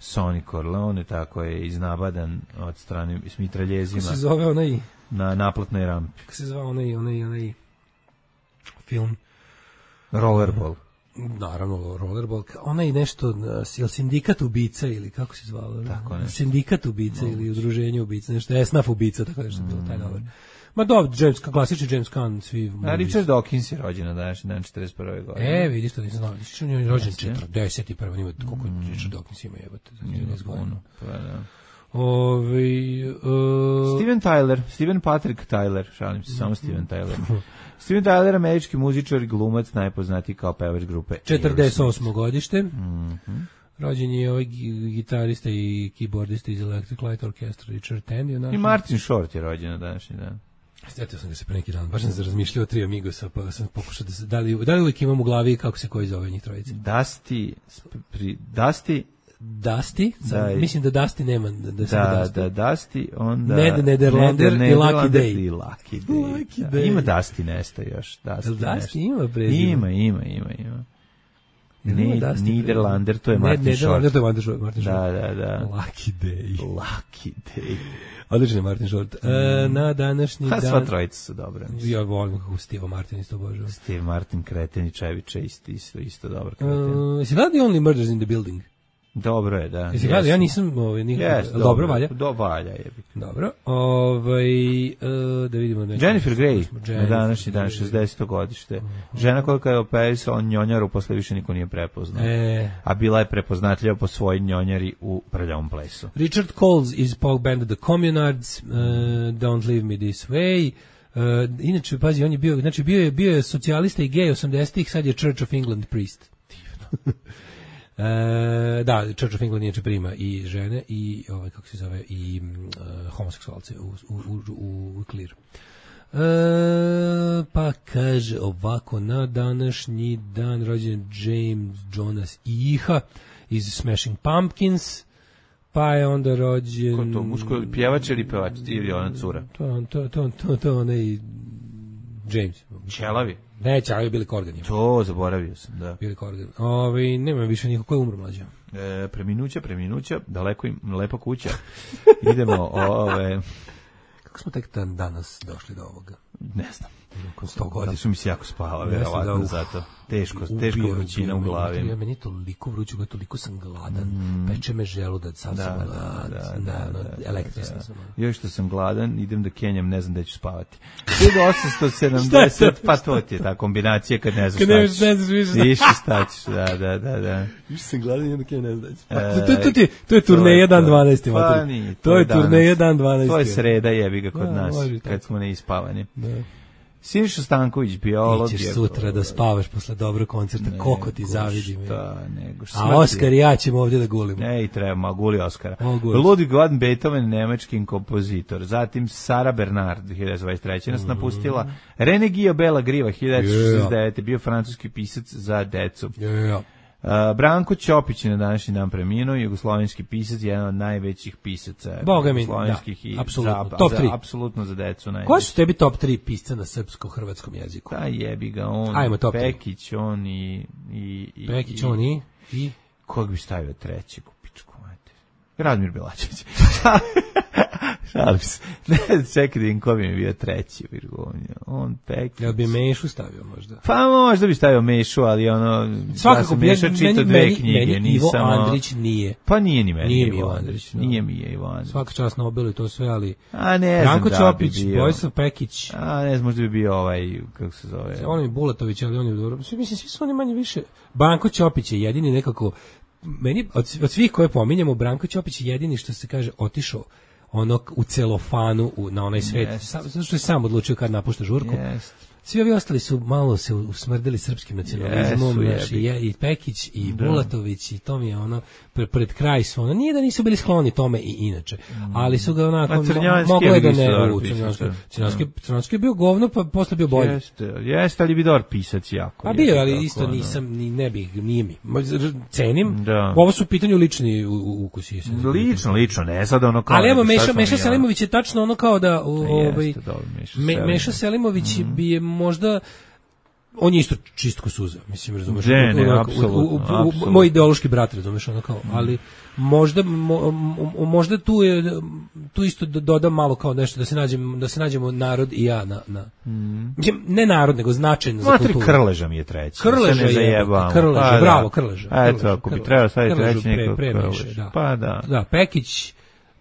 Sonny Corleone, tako je, iznabadan od strane s mitraljezima. Kako se zove onaj? Na naplatnoj rampi. Kako se zove onaj film? Rollerball. Naravno, Rollerball. Onaj nešto, je sindikat ubica ili kako se zvalo? Tako nešto. Sindikat ubica ili udruženje ubica, nešto, Esnaf ubica, tako nešto bilo, taj dobar. Ma dobro, klasični James Caan, svi... A Richard Dawkins je rođen na današnji dan 41. godine. Vidiš to, nisam znao. On je rođen 41. Ima koliko Richard Dawkins ima, jebate, 13 godina. Steven Patrick Tyler, šalim se, samo Steven Tyler. Steven Tyler, američki muzičar i glumac, najpoznatiji kao pevač grupe 48. godište. Rođen je ovaj gitarista i keyboardista iz Electric Light Orchestra Richard Tandy. I Martin Short je rođen na današnji dan. Sjetio sam ga se pre neki dan, baš sam se razmišljao o tri Amigosa, pa sam pokušao da li uvijek imam u glavi kako se koji zove njih trojice. Dusty, mislim da Dusty nema da se Dusty, onda Ned Nederlander i Lucky Day. Ima Dusty Nesta još. Dusty ima prezime. Ima. Niederlander, to je Martin Short. Da. Lucky Day. Odličan je Martin Short. Na današnji dan... Sva trojica su dobra. Ja volim kako Steve Martin isto obožavam. Steve Martin, Kreten i Čevića isto dobar Kreten. Si gledali Only Murders in the Building? Dobro je, da. Jesi gledali? Ja nisam... Dobro, valja? Valja je. Dobro. Da vidimo... Jennifer Grey, na današnji dan, 60. godište. Žena koja je operisala njonjaru, posle više niko nije prepoznao. A bila je prepoznatljiva po svojoj njonjari u prljavom plesu. Richard Coles iz pop banda The Communards, Don't Leave Me This Way. Inače, pazi, on je bio, znači bio je socijalista i gej 80-ih, sad je Church of England priest. Divno. Da, Church of England inače prima i žene i kako se zove i homoseksualce u klir. Pa kaže ovako, na današnji dan rođen James Jonas Iha iz Smashing Pumpkins, pa je onda rođen... Ko to, muško pjevač ili pevač ili ona cura? To onaj James. Ćelavi? Neće, ali Billy Corgan je. To, zaboravio sam, da. Billy Corgan. Nema više nikog ko je umro mlađe. Preminuća, daleko im, lepa kuća. Idemo, Kako smo tek danas došli do ovoga? Ne znam. Nakon 100 godina. Su mi se jako spava, verovatno zato. Teška vrućina u glavi. Ja meni toliko vruću, toliko sam gladan. Peče me želudac, sam električan sam. Još što sam gladan, idem da kenjam, ne znam da ću spavati. 1870, pa to ti je ta kombinacija kad ne znaš šta ćeš. Više šta ćeš, da. Više sam gladan, idem da kenjam, ne znam da ćeš. To je turneja dan 12. Pa nije. To je turneja dan 12. To je sreda, jebi ga kod nas, kad smo neispavani. Siniša Stanković, biolog. Ićeš sutra da spavaš posle dobrog koncerta, koliko ti zavidim. Nego a Oskar i ja ćemo ovdje da gulimo. Ne, i treba, guli Oskara. Ludwig van Beethoven, nemački kompozitor. Zatim Sara Bernard, 1923. nas napustila. René Guillaume Bela Griva, 1969. Bio francuski pisac za decu. Branko Ćopić je na današnji dan preminuo, jugoslovenski pisac, jedan od najvećih pisaca jugoslovenskih i top 3. Apsolutno za decu. Koji su tebi top 3 pisca na srpsko-hrvatskom jeziku? Da, jebi ga, on, Pekić, on i... Pekić, on i... Kog bi stavio treći, kupičku, mater? Radmir Belačević. Šalim se. Ne, čekaj da im ko bi mi bio treći. On, Pekić. Ja bi Mešu stavio možda. Pa možda bi stavio Mešu, ali svakako, Meša čita dve knjige. Meni Ivo Andrić nije. Pa nije ni meni nije Ivo Andrić. Nije mi je Ivo Andrić. Svaka čast na Nobelu i to sve, ali... ne znam da bi bio. Bojsav Pekić. Ne znam, možda bi bio kako se zove. On je Bulatović, ali on je dobro. Mislim, svi su oni manje više. Branko Ćopić je jedini nekako... Meni, od svih koje pominjamo, Branko Ćopić je jedini što se kaže otišao u celofanu na onaj svet, zato što je sam odlučio kad napušta žurku. Svi ovi ostali su malo se usmrdili srpskim nacionalizmom, i Pekić, i Bulatović, i to mi je pred kraj su nije da nisu bili skloni tome i inače, ali su ga onako moglo je da ne Crnjanski je bio govno, pa posle bio bolji. Jeste, ali bi dobar pisac jako. Pa bio, ali isto nisam, ne bih, nije mi. Cenim, ovo su u pitanju lični ukusi. Lično, ne sad ono kao... Ali evo, Meša Selimović je tačno ono kao da... Meša Selimović bi je možda, on je isto čistko suza, mislim, razumeš? Apsolutno. Moj ideološki brat, razumeš, ono kao, ali možda tu isto dodam malo kao nešto, da se nađemo narod i ja ne narod, nego značajno za kulturu. Krleža mi je treći. Krleža, bravo, Krleža. Eto, ako bi trebao staviti treći nekog Krleža. Pa da. Da, Pekić,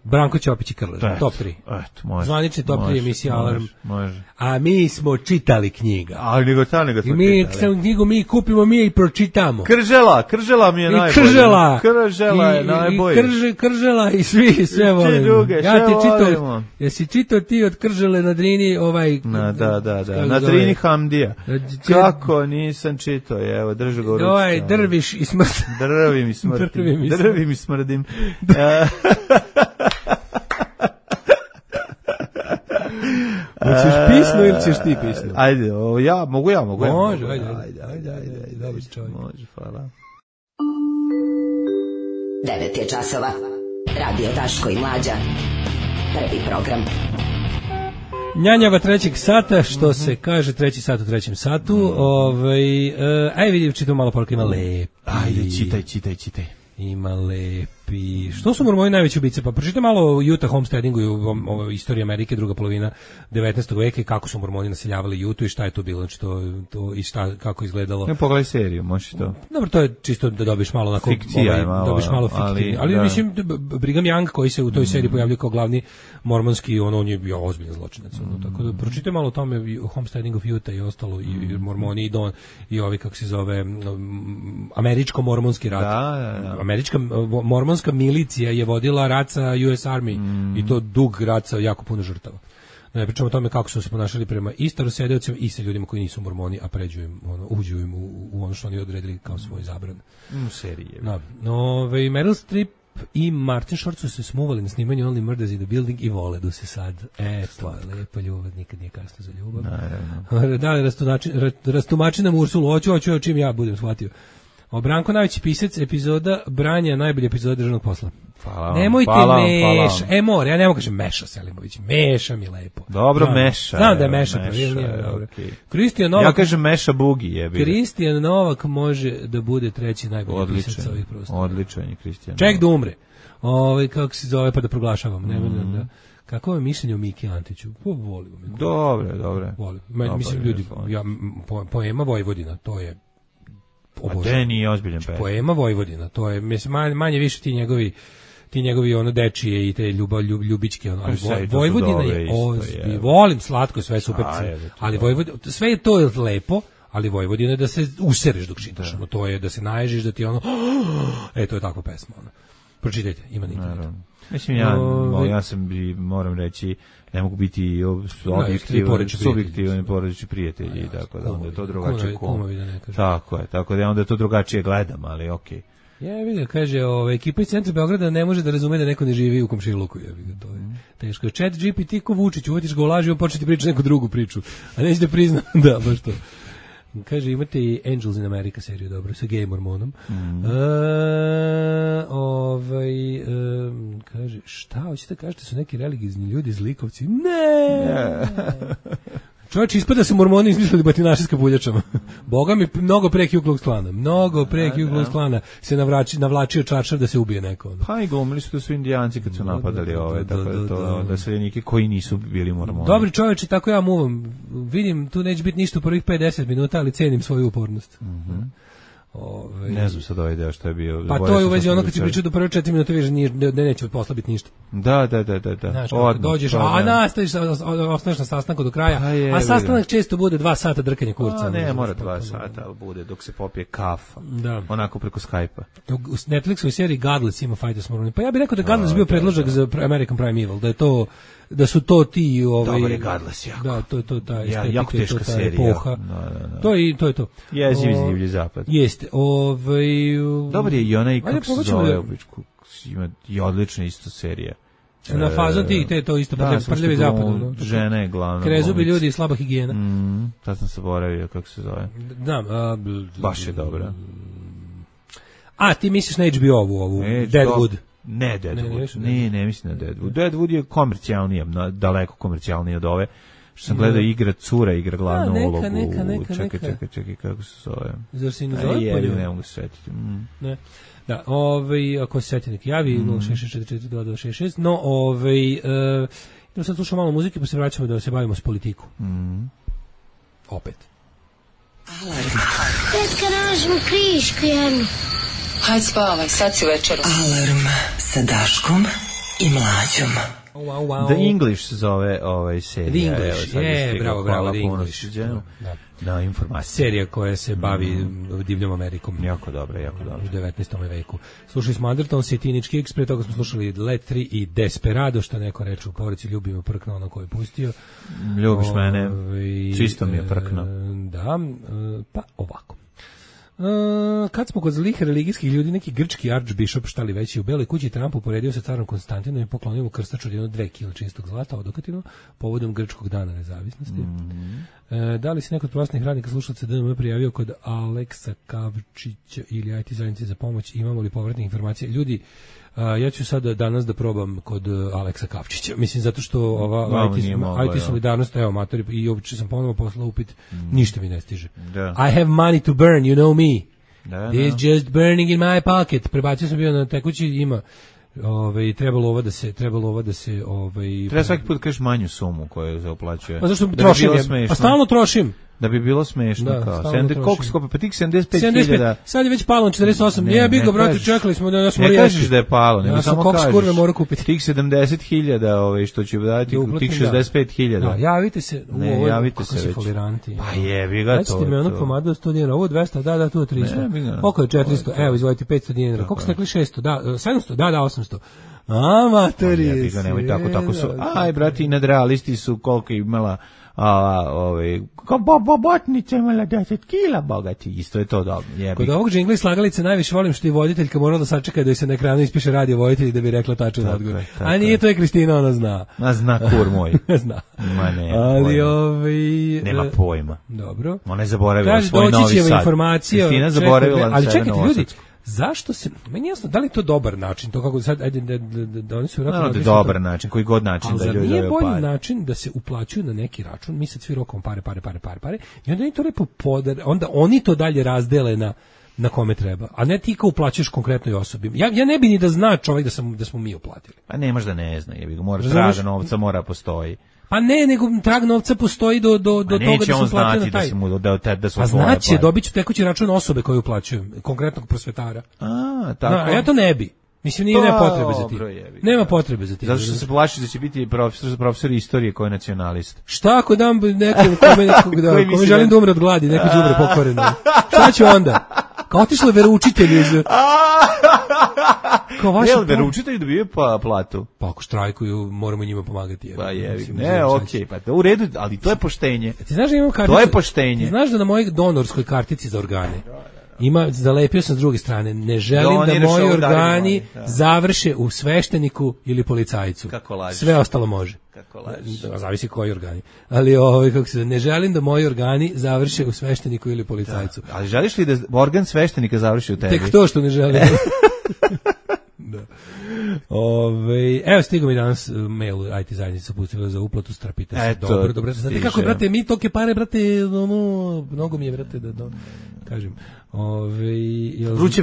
Branko Ćopić i Krleža, top 3. Zvanični top 3 emisija Alarm. Može. A mi smo čitali knjiga. Nego smo čitali. Knjigu mi kupimo, mi i pročitamo. Kržela mi je najbolje. Kržela je najbolje. Kržela i sve volim. Ja ti čitao, jesi čitao ti od Kržele na Drini Da, na Drini Hamdija. Kako nisam čitao, evo, držu ga u ruci. Drviš i smrt. Drvim i smrdim. Hoćeš pisno ili ćeš ti pisno? Ajde, mogu ja. Može, ajde. Dobar čovjek. Može, hvala. 9 je časova. Radio Daško i Mlađa. Prvi program. Njanjava trećeg sata, što se kaže treći sat u trećem satu. Ajde vidim, čitam malo poruka, ima lepi. Ajde, čitaj. Ima lepi. Što su mormoni najveći ubice? Pa pročitaj malo o Utah homesteadingu i o istoriji Amerike, druga polovina 19. veka i kako su mormoni naseljavali Utah i šta je to bilo, znači to i šta, kako izgledalo. Ne pogledaj seriju, možeš to. Dobro, to je čisto da dobiš malo onako fikcija je malo, dobiš malo fikcije. Ali mislim Brigham Young koji se u toj seriji pojavljuje kao glavni mormonski, on je bio ozbiljan zločinac, tako da pročitaj malo o tome, o homesteading of Utah i ostalo i mormoni i ovi kako se zove američko-mormonski rat. Da. Američka mormonska milicija je vodila rat sa US Army i to dug rat sa jako puno žrtava. Ne pričamo o tome kako su se ponašali prema i starosedeocima i sa ljudima koji nisu mormoni, a uđu im u ono što oni odredili kao svoj zabran. Serije. Meryl Streep i Martin Short su se smuvali na snimanju Only Murders in the Building i voledu se sad. To je lepa ljubav, nikad nije kasno za ljubav. Naravno. Da li rastumači nam Ursulu, hoću čim ja budem shvatio. Branko, najveći pisac epizoda Branja, najbolja epizoda državnog posla. Hvala. Nemojte meša. More, ja ne mogu kažem Meša Selimović. Meša mi lepo. Dobro, Meša. Znam da je Meša. Okay. Kristijan Novak. Ja kažem Meša Bugi, jebi. Kristijan Novak može da bude treći najbolji pisac ovih prostora. Odličan je Kristijan. Ček da umre. Kako se zove, pa da proglašavam. Da. Kako je mišljenje o Miki Antiću? Volim. Dobre. Volim. Mislim, ljudi, poema Vojvodina, to je obožavam. Nije ozbiljan pesma. Poema Vojvodina, to je, mislim, manje više ti njegovi ono dečije i te ljubičke ono, ali Vojvodina je ozbilj. Volim slatko, sve super, ali Vojvodina, sve je to lepo, ali Vojvodina je da se usereš dok čitaš, ono, to je da se naježiš, da ti ono, to je takva pesma, ono. Pročitajte, ima nikada. Mislim, ja sam, moram reći, ne mogu biti subjektivan porodični prijatelji, tako da onda je to drugačije tako da onda je to drugačije gledam, ali okej. Ja vidim, kaže, ekipa iz centra Beograda ne može da razume da neko ne živi u komšiluku, to je teško. Chat GPT ko Vučić, uvatiš ga u laži, on početi pričati neku drugu priču, a neće da prizna, da, baš to. Kaže, imate i Angels in America seriju, dobro, sa gej mormonom. Kaže, šta, hoćete kažete su neki religizni ljudi, zlikovci? Ne! Čovječ, ispada su mormoni izmislili batinaše s kapuljačama. Boga mi, mnogo pre Ku Klux Klana. Mnogo pre Ku Klux Klana se navlačio čaršav da se ubije neko. Pa i glumili su da su indijanci kad su napadali da seljenike koji nisu bili mormoni. Dobri čovječi, tako ja muvam. Vidim, tu neće biti ništa u prvih 5-10 minuta, ali cenim svoju upornost. Ne znam sad ovaj deo što je bio. Pa to je u vezi ono kad si pričao do prve 4 minute vidiš da neće posla biti ništa. Da. Znaš, dođeš, nastaviš, ostaneš na sastanku do kraja, a sastanak često bude 2 sata drkanja kurca. Ne, mora 2 sata, ali bude dok se popije kafa. Onako preko Skype-a. U Netflixu i seriji Godless ima Fighters Mormoni. Pa ja bih rekao da Godless bio predložak za American Prime Evil, da su to ti Dobar je Godless, jako. Da, to je ta estetika, jako teška serija. Epoha. To je to. Jezivi divlji zapad. Jeste. Dobar je i onaj, kako se zove, ima i odlična isto serija. Na fazon ti to isto prljavi zapad. Žena je glavna. Krezubi ljudi i slaba higijena. Tad sam se boravio, kako se zove. Baš je dobra. A, ti misliš na HBO-u, ovu Deadwood? Ne, Deadwood. Ne mislim na Deadwood. Deadwood je komercijalnije, daleko komercijalnije od ove. Što sam gledao igra glavnu ulogu. Čekaj, kako se zove? Zar si ne zove? Ne mogu se sjetiti. Ne. Da, ako se sjeti neki javi, 066442266, no, idemo sad slušamo malo muzike, pa se vraćamo da se bavimo s politiku. Opet. Alarm. Tetka, nađemo krišku jednu. Hajde spavaj, sad si večer. Alarm sa Daškom i Mlađom. The English se zove serija. The English, bravo, The English. Na informaciju. Serija koja se bavi divljom Amerikom. Jako dobro. U 19. veku. Slušali smo Undertones i Teenage Kicks, pre toga smo slušali Let 3 i Desperado, što neko reče u porodici, ljubimo prkno ono koje je pustio. Ljubiš mene, čisto mi je prkno. Da, pa ovako. Kad smo kod zlih religijskih ljudi, neki grčki archbishop, šta li već, u Beloj kući Trump uporedio sa carom Konstantinom i poklonio mu krstač od 2 kg čistog zlata odokatino povodom grčkog dana nezavisnosti. Da li si neko od prostornih radnika slušalaca DNM prijavio kod Aleksa Kavčića ili IT zajednice za pomoć, imamo li povratne informacije? Ljudi, ja ću sad danas da probam kod Aleksa Kavčića. Mislim, zato što ova IT solidarnost, evo, matori, i uopće sam ponovo poslao upit, ništa mi ne stiže. I have money to burn, you know me. It's just burning in my pocket. Prebacio sam bio na tekući, ima trebalo ovo da se treba svaki put kažeš manju sumu koju se uplaćuje. Pa zašto trošim? Pa stalno trošim. Da bi bilo smešno, kao. Koliko skopa? Pa tih 75.000. Sad je već palo na 48. Nije bi ga, brate, čekali smo da smo ne kažeš da je palo, nego samo kažeš. Kurve mora kupiti. Tih 70.000, što će dati, tih 65.000. Javite se. Javite se već. Pa jebi ga to. Dajte mi ono pomadu 100 dinara, ovo 200, da, tu 300. Koliko je 400? Evo, izvolite 500 dinara. Koliko ste rekli 600? Da, 700? Da, 800. Amatori. Nemoj tako su. Aj, brati, nadrealisti su koliko imala kao bobotnica imala 10 kila, bogati, isto je to dobro. Kod ovog džingla i slagalice najviše volim što je voditeljka morala da sačeka da se na ekranu ispiše radio voditelj da bi rekla tačan odgovor. A nije to je Kristina, ona zna. A zna kur moj. Zna. Ma ne. Ali nema pojma. Dobro. Ona je zaboravila svoj Novi Sad. Kristina zaboravila ali sebe čekajte na ljudi, zašto se, meni jasno, da li je to dobar način, to kako sad, ajde, da oni su vjerojatno... No, dobar način, koji god način da ljudi dobiju pare. Ali nije bolji način da se uplaćuju na neki račun, mi sad svi rokom pare, i onda oni to lepo onda oni to dalje razdele na kome treba, a ne ti kao uplaćuješ konkretnoj osobi. Ja ne bi ni da zna čovjek da smo mi uplatili. Pa nemaš da ne zna, jebi ga, moraš traga novca, mora postoji. Pa ne, nego trag novca postoji do toga da se uplatio na taj. Da su a znači, dobit ću tekući račun osobe koju uplaćujem, konkretnog prosvetara. Tako. A ja to ne bi. Mislim, nema potrebe za tim. Nema potrebe za tim. Zato što se plaši da će biti profesor istorije koji je nacionalist. Šta ako dam nekom kome želim da umre od gladi, neko đubre pokvareno? Šta ću onda? Kao otišle veroučitelji iz... Jel veroučitelji dobiju platu? Pa ako štrajkuju, moramo njima pomagati. Pa jevi. Ne, okej, pa u redu, ali to je poštenje. Ti znaš da imam karticu? To je poštenje. Ti znaš da na mojoj donorskoj kartici za organe zalepio sam s druge strane, ne želim da moji organi završe u svešteniku ili policajcu. Kako lažiš? Sve ostalo može. Kako lažiš? Zavisi koji organi. Ali ne želim da moji organi završe u svešteniku ili policajcu. Da. Ali želiš li da organ sveštenika završi u tebi? Tek to što ne želim. Da. Evo stigao mi danas mail IT zajednica pustila za uplatu, strapite se. Dobro. Znate kako, brate, mi toke pare, brate, mnogo mi je, brate, da kažem. Vruće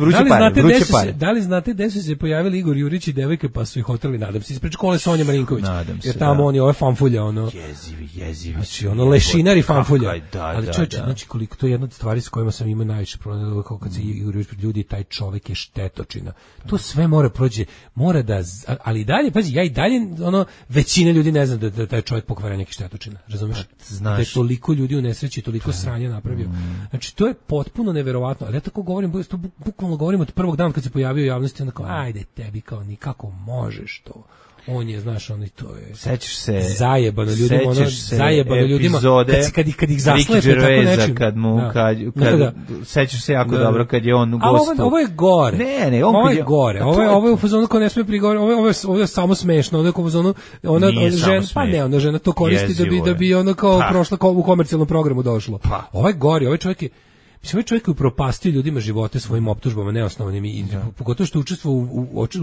pare. Da li znate gde su se pojavili Igor Jurić i devojke pa su ih otrali, nadam se, ispred škole Sonja Marinković. Jer tamo oni ove fanfulja, jezivi. Znači, lešinar i fanfulja. Ali čovječe, znači koliko to je jedna od stvari s kojima sam imao najviše problem, kao kad se Igor Jurić pred ljudi, taj čovjek je štetočina. To sve mora prođe, ali i dalje, pazi, ja i dalje, većina ljudi ne zna da taj čovjek pokvara neki štetočina, razumiješ? Da je toliko ljudi u nesreći, toliko sranja napravio. Znači, to je potpuno neverovatno, ali ja tako govorim, bukvalno govorim od prvog dana kad se pojavio u javnosti, onda kao, ajde tebi, kao nikako možeš to. On je, znaš, on i to je... Sećaš se... Zajebano ljudima, kad ih zaslepe tako nečim. Sećaš se jako dobro kad je on gostao. Ovo je gore. Ne, ovo je gore. Ovo je u fazonu ko ne smije prigovoriti. Ovo je samo smešno. Ovo je u fazonu... Ona žena to koristi da bi ono kao prošla u komercijalnom programu došlo. Ovo je gore. Ovaj čovjek je... Mislim, ovaj čovjek je upropastio ljudima živote svojim optužbama neosnovanim i pogotovo što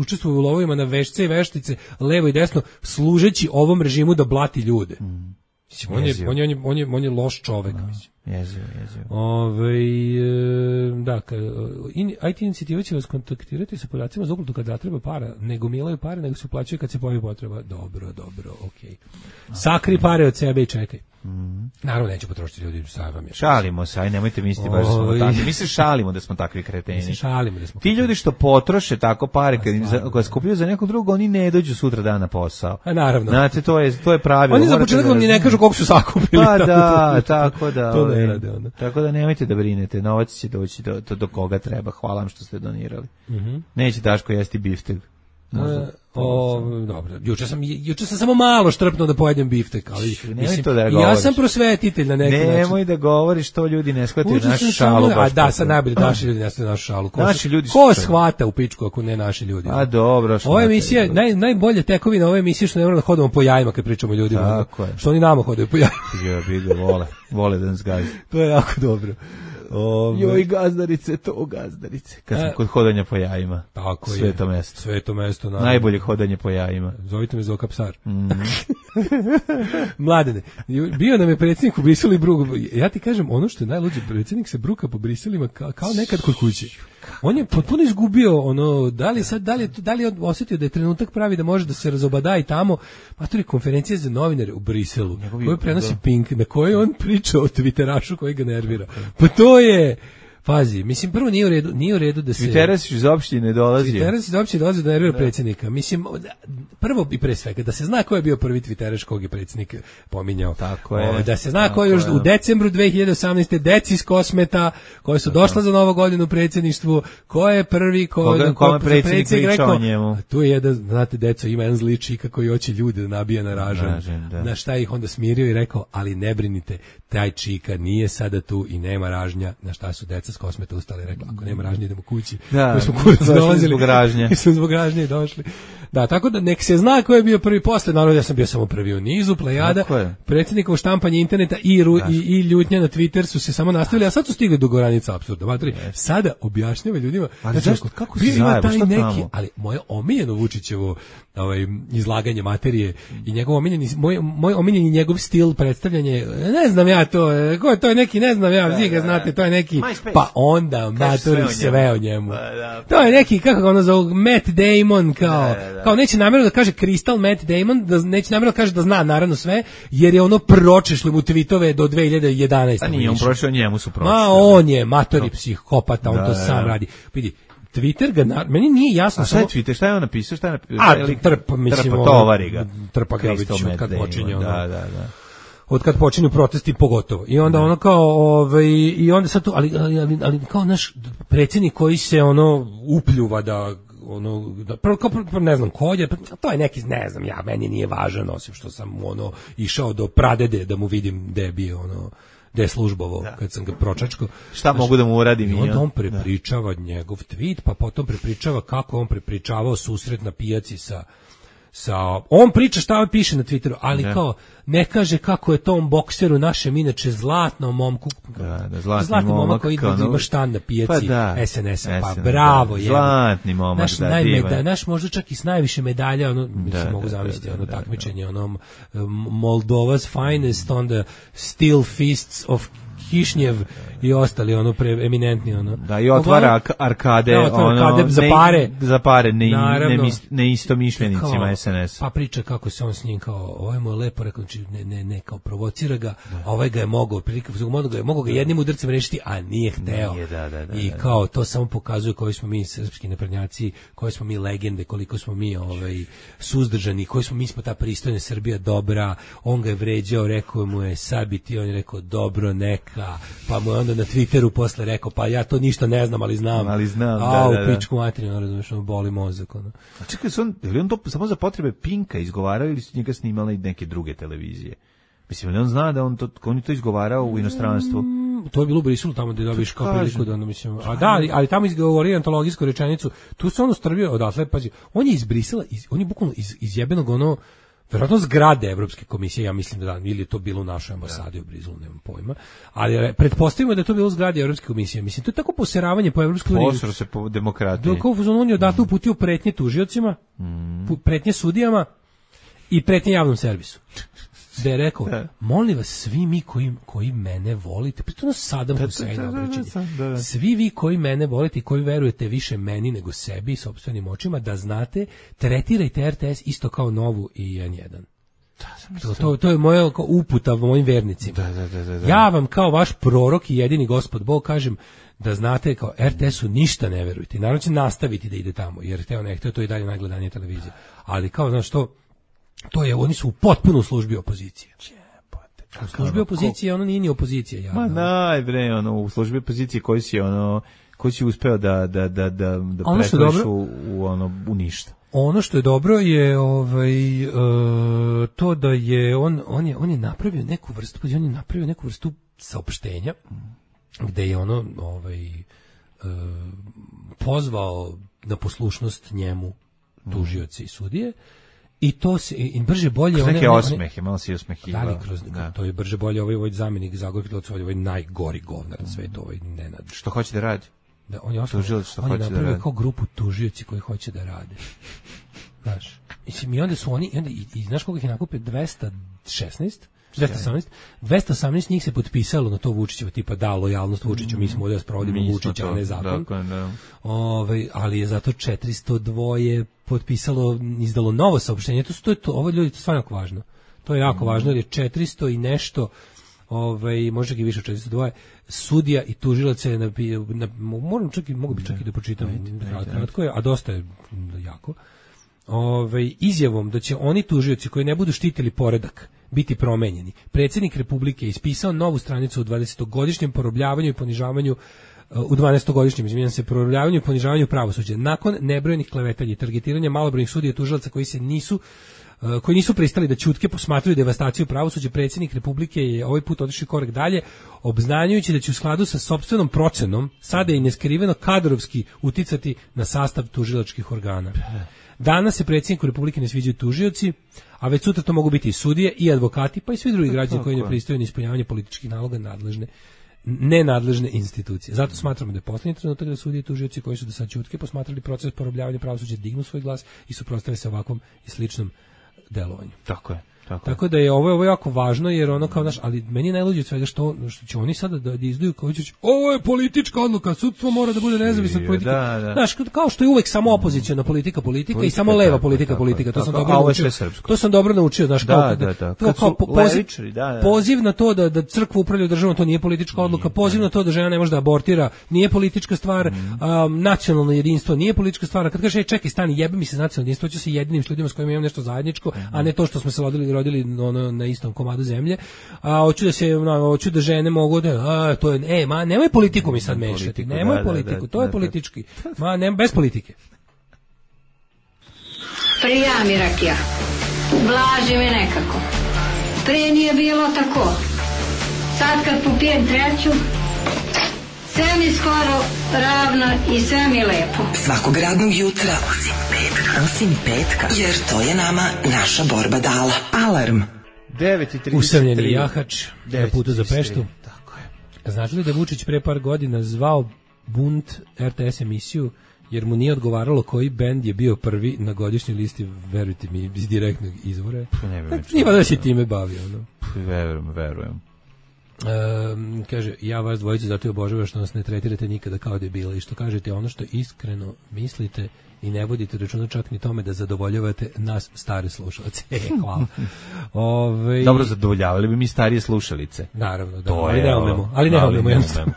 učestvuje u lovovima na vešce i veštice, levo i desno, služeći ovom režimu da blati ljude. Mislim, on je loš čovjek. Jezivo. Da, IT inicijativa će vas kontaktirati sa podacima za uplatu kad zatreba para, nego milaju pare, nego se uplaćuje kad se pojavi potreba. Dobro, okej. Sakri pare od sebe i čekaj. Naravno neće potrošiti ljudi, šalimo se, aj nemojte misliti baš da smo takvi. Mi se šalimo da smo takvi kreteni. Ti ljudi što potroše tako pare kad skupljaju za nekog drugog, oni ne dođu sutra dan na posao. A naravno. Znate, to je pravilo. Oni za početak vam ni ne kažu koliko su sakupili. Pa da, tako da. To ne rade onda. Tako da nemojte da brinete, novac će doći do koga treba. Hvala vam što ste donirali. Neće Daško jesti biftek. Dobro, juče sam samo malo štrpnuo da pojedem biftek, ali mislim, ja sam prosvetitelj na neki način. Nemoj da govoriš, to ljudi ne shvataju našu šalu. A da, sad najbolje naši ljudi ne shvataju našu šalu. Ko shvata u pičku ako ne naši ljudi? A dobro. Ova emisija, najbolje tekovina ove emisije što ne moramo da hodamo po jajima kad pričamo o ljudima. Tako je. Što oni nama hodaju po jajima. Vole da nas gazi. To je jako dobro. Joj, gazdarice. Kad sam kod hodanja po jajima. Tako je. Sveto mesto. Najbolje hodanje po jajima. Zovite me Zoka Psar. Mladene, bio nam je predsjednik u Briselu i Brug. Ja ti kažem, ono što je najluđe, predsjednik se bruka po Briselima kao nekad kod kuće. On je potpuno izgubio da li je osjetio da je trenutak pravi da može da se razobada i tamo, pa to je konferencija za novinare u Briselu, koju prenosi Pink, na kojoj on priča o Twitterašu koji ga nervira. Pa Pazi, mislim, prvo nije u redu da se... Twitteras iz opštine dolazi. Twitteras iz opštine dolazi da nervira predsjednika. Mislim, prvo i pre svega, da se zna ko je bio prvi Twitteraš kog je predsjednik pominjao. Tako je. Da se zna ko je još u decembru 2018. deci iz Kosmeta, koji su došla za Novu godinu u predsjedništvu, ko je prvi, kome predsjednik pričao o njemu. Tu je jedan, znate, deco, ima jedan zli čika koji hoće ljude da nabija na ražanj. Na šta ih onda smirio i rekao, ali ne brinite, taj čika nije sada tu i nema ražnja. Na šta su deca s Kosmeta ustali i rekla, ako nema ražnje idemo kući. Da, smo kurac dolazili. Zbog ražnje. Mi smo zbog ražnje došli. Da, tako da nek se zna ko je bio prvi posle, naravno ja sam bio samo prvi u nizu, plejada, predsjednikovo štampanje interneta i ljutnja na Twitter su se samo nastavili, a sad su stigli do granica apsurda. Sada objašnjava ljudima, ali zašto, kako se ima taj neki, ali moje omiljeno Vučićevo izlaganje materije i njegov omiljeni, moj omiljeni njegov stil predstavljanje, ne znam ja to, to je neki, ne znam ja, vi ga znate, to je neki, pa onda maturi sve o njemu. To je neki, kako ga ono zovu, Matt Damon, kao neće namjerno da kaže Crystal Matt Damon, neće namjerno da kaže da zna naravno sve, jer je ono pročešli mu tweetove do 2011. A nije on prošao, njemu su prošli. On je matori psihopata, on to sam radi. Vidi, Twitter ga, meni nije jasno. A šta je Twitter, šta je on napisao, tovari ga. Trpa ga već od kad počinje. Od kad počinju protesti pogotovo. I onda ono kao, i onda sad to, ali kao naš predsjednik koji se ono upljuva da ne znam ko je, to je neki, ne znam ja, meni nije važan, osim što sam išao do pradede da mu vidim gde je bio gde je službovo, kad sam ga pročačko. Šta mogu da mu uradim? I onda on prepričava njegov tweet, pa potom prepričava kako on prepričavao susret na pijaci on priča šta piše na Twitteru, ali kao ne kaže kako je tom bokseru našem inače zlatnom momku, zlatni momak koji ima štan na pijaci SNS-a, pa bravo je. Zlatni momak, naš možda čak i s najviše medalja, mogu zamisliti takmičenje, Moldova's finest on the steel fists of Kišnjev i ostali eminentni Da, i otvara arkade za pare ne isto mišljenicima SNS. Pa priča kako se on s njim kao, ovaj mu je lepo rekao, ne kao provocira ga, a ovaj ga je mogao ga jednim udarcem rešiti, a nije hteo. I kao to samo pokazuje koji smo mi srpski naprednjaci, koji smo mi legende, koliko smo mi suzdržani, koji smo ta pristojna Srbija dobra. On ga je vređao, rekao mu je sabiti, on je rekao dobro neka, pa mu je onda na Twitteru posle rekao, pa ja to ništa ne znam, ali znam. U pičku materiju, razumiješ, boli mozak. A čekaj, je li on to samo za potrebe Pinka izgovarao ili su njega snimala i neke druge televizije? Mislim, li on zna da on je to izgovarao u inostranstvu? To je bilo u Briselu, tamo gde dobiš kao priliku da mislim. A da, ali tamo izgovorio antologijsku rečenicu. Tu se on strvio odatle, pazi. On je iz Brisela, on je bukvalno iz jebenog verovatno zgrade Evropske komisije, ja mislim da ili je to bilo u našoj ambasadi u Briselu, nemam pojma, ali pretpostavimo da je to bilo u zgradi Evropske komisije. Mislim, to je tako poseravanje po Evropskoj uniji. Posero se po demokratiji. On je odatle uputio pretnje tužiocima, pretnje sudijama i pretnje javnom servisu. Da je rekao, molim vas, svi mi koji mene volite, pritom Sadam Husein obraćanje, svi vi koji mene volite i koji verujete više meni nego sebi i sopstvenim očima, da znate, tretirajte RTS isto kao Novu i N1. To je moja uputa mojim vernicima. Ja vam kao vaš prorok i jedini Gospod Bog kažem da znate, kao RTS-u ništa ne verujete. Naravno će nastaviti da ide tamo, jer hteo ne hteo, to je i dalje najgledanija televizija. Ali kao, znaš što, oni su u potpuno u službi opozicije. U službi opozicije ono nije ni opozicija. Javno. Ma u službi opozicije koji si uspeo da pretvoriš u ništa. Ono što je dobro je to da je on je napravio neku vrstu saopštenja gde je pozvao na poslušnost njemu tužioci i sudije. I to se brže bolje neke osmehe, malo si osmehivao. To je brže bolje ovaj zamjenik Zagorki Dolac, ovaj najgori govnar na svetu, Nenad. Što hoće da radi? Da, on je napravio kao grupu tužioci koji hoće da rade. Znaš, i onda su oni, i znaš koliko ih je nakupio? 218 njih se potpisalo na to Vučićevo, tipa da, lojalnost Vučiću, mi smo ovdje da sprovodimo Vučića, a ne zakon. Ali je zato 402 potpisalo, izdalo novo saopštenje. Ovo ljudi, to stvarno jako važno. To je jako važno jer je 400 i nešto može i više od 402, sudija i tužilac je mogu bi čak i da pročitam kratko je, a dosta je jako. Izjavom da će oni tužioci koji ne budu štitili poredak biti promenjeni. Predsjednik Republike je ispisao novu stranicu u 20-godišnjem porobljavanju i ponižavanju u 12-godišnjem, izvinjam se, porobljavanju i ponižavanju pravosuđa. Nakon nebrojenih klevetanja i targetiranja malobrojnih sudija i tužilaca koji nisu pristali da ćutke posmatraju devastaciju pravosuđa, predsjednik Republike je ovaj put otišao korak dalje, obznanjujući da će u skladu sa sopstvenom procenom sada i neskriveno kadrovski uticati na sastav tužilačkih organa. Danas se predsjedniku Republike ne sviđaju tužioci, a već sutra to mogu biti i sudije i advokati, pa i svi drugi građani koji ne pristaju na ispunjavanje političkih naloga nenadležne institucije. Zato smatramo da je posljednji trenutak da sudije i tužioci koji su do sad ćutke posmatrali proces porobljavanja pravosuđa dignu svoj glas i suprotstave se ovakvom i sličnom delovanju. Tako je. Tako da je ovo jako važno, jer ono kao ali meni je najluđe od svega što će oni sada da izdaju kao će ovo je politička odluka, sudstvo mora da bude nezavisno od politike. Znaš, kao što je uvek samo opoziciona politika i samo leva politika, to sam dobro naučio. To sam dobro naučio, znaš, kao poziv na to da crkva upravlja državom, to nije politička odluka, poziv na to da žena ne može da abortira, nije politička stvar, nacionalno jedinstvo nije politička stvar. Kad kaže čekaj, stani, jebe mi se nacionalno jedinstvo, ću se jedinim s ljudima s kojima imam nešto zajedničko, a ne to što smo se rodili na istom komadu zemlje, a hoću da žene mogu da to je nemoj politiku mi sad mešati, nemoj politiku, to je politički, bez politike. Prija mi rakija, blaži mi nekako, prije nije bilo tako, sad kad popijem treću, sve mi skoro ravno i sve mi lepo. Svakog radnog jutra, osim petka, jer to je nama naša borba dala. Alarm. 9:33. Usamljeni jahač na putu za Peštu. Tako je. Znate li da Vučić pre par godina zvao Bunt RTS emisiju jer mu nije odgovaralo koji bend je bio prvi na godišnjoj listi, verujte mi, iz direktnog izvora. Nije da se time bavio. Verujem. Kaže, ja vas dvojicu zato i obožavam što nas ne tretirate nikada kao debila i što kažete ono što iskreno mislite i ne vodite računa čak ni tome da zadovoljavate nas stare slušalce. Hvala. Dobro, zadovoljavali bi mi starije slušalice. Naravno, da, ali ne umemo jednostavno.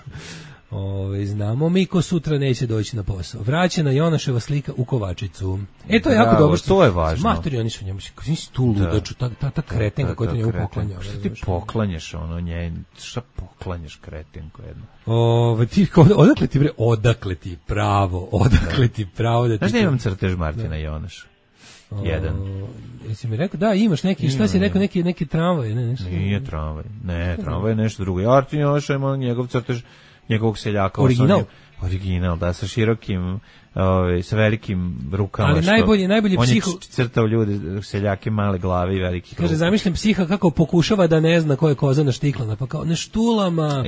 Znamo mi ko sutra neće doći na posao. Vraćena Jonaševa slika u Kovačicu. To je jako dobro. To je važno. Materi, oni su njemu, kako si tu ludaču, ta kretenka koja te njemu poklanja. Šta ti poklanjaš šta poklanjaš kretenko jedno? Odakle ti pravo da ti... Znaš da imam crtež Martina Jonaša? Jedan. Jesi mi rekao, da, imaš neki, šta si rekao, neki tramvaj, ne, nešto? Nije tramvaj, tramvaj je nešto drugo. Martin Jonaša ima njegov crtež njegovog seljaka. Original, da, sa širokim, sa velikim rukama. Ali najbolji psiho... On je crtao ljude, seljake male glave i velikih ruka. Kaže, zamišljam psiha kako pokušava da ne zna ko je koza naštiklana, pa kao neštulama,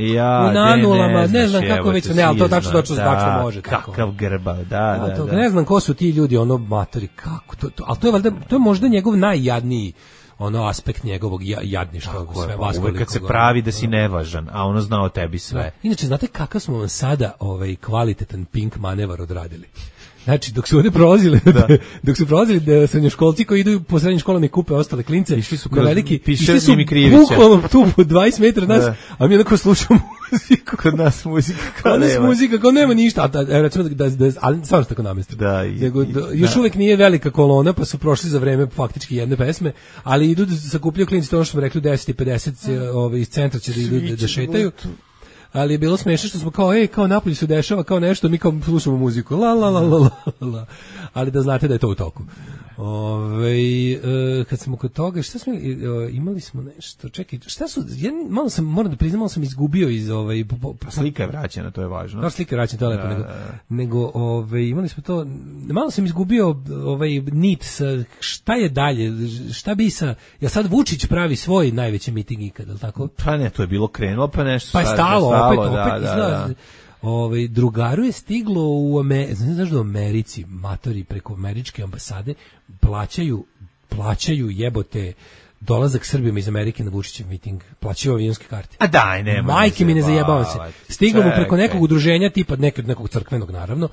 u nanulama, ne znam kako već, ali to tačno može. Kakav grba, da. Ne znam ko su ti ljudi, matori, kako, ali to je možda njegov najjadniji aspekt njegovog jadništva, sve vas. Uvek kad se pravi da si nevažan, a ono zna o tebi sve. Da. Inače, znate kakav smo vam sada kvalitetan pink manevar odradili? Znači, dok su ovdje prolazili, srednjoškolci koji idu po srednjim školama i kupe ostale klince, išli su bukvalno tu po 20 metara nas, a mi onako slušamo muziku. Kod nas muzika, kao nema ništa, recimo ali stvarno tako namestno. Još uvek nije velika kolona, pa su prošli za vreme faktički jedne pesme, ali idu da sakupljaju klinci, to ono što smo rekli, 10 i 50 iz centra će da idu da šetaju. Ali je bilo smešno što smo kao napolju se dešava kao nešto, mi kao slušamo muziku, la. Ali da znate da je to u toku. Kad smo kod toga, šta smo imali smo nešto, čekaj, šta su, moram da priznam, malo sam izgubio iz slika je vraćena, to je važno. Da, slika je vraćena, to je lepo, nego imali smo to, malo sam izgubio nit sa šta je dalje, šta bi ja sad Vučić pravi svoj najveći miting ikad, ali tako? Pa ne, to je bilo krenulo, pa nešto. Pa je stalo, opet izgleda. Drugaru je stiglo znaš da u Americi matori preko američke ambasade plaćaju jebote dolazak Srbima iz Amerike na Vučićev miting, plaćaju avionske karte. A daj, nema. Majke mi ne zajebavam se. Stiglo mu preko nekog udruženja, tipa nekog crkvenog naravno,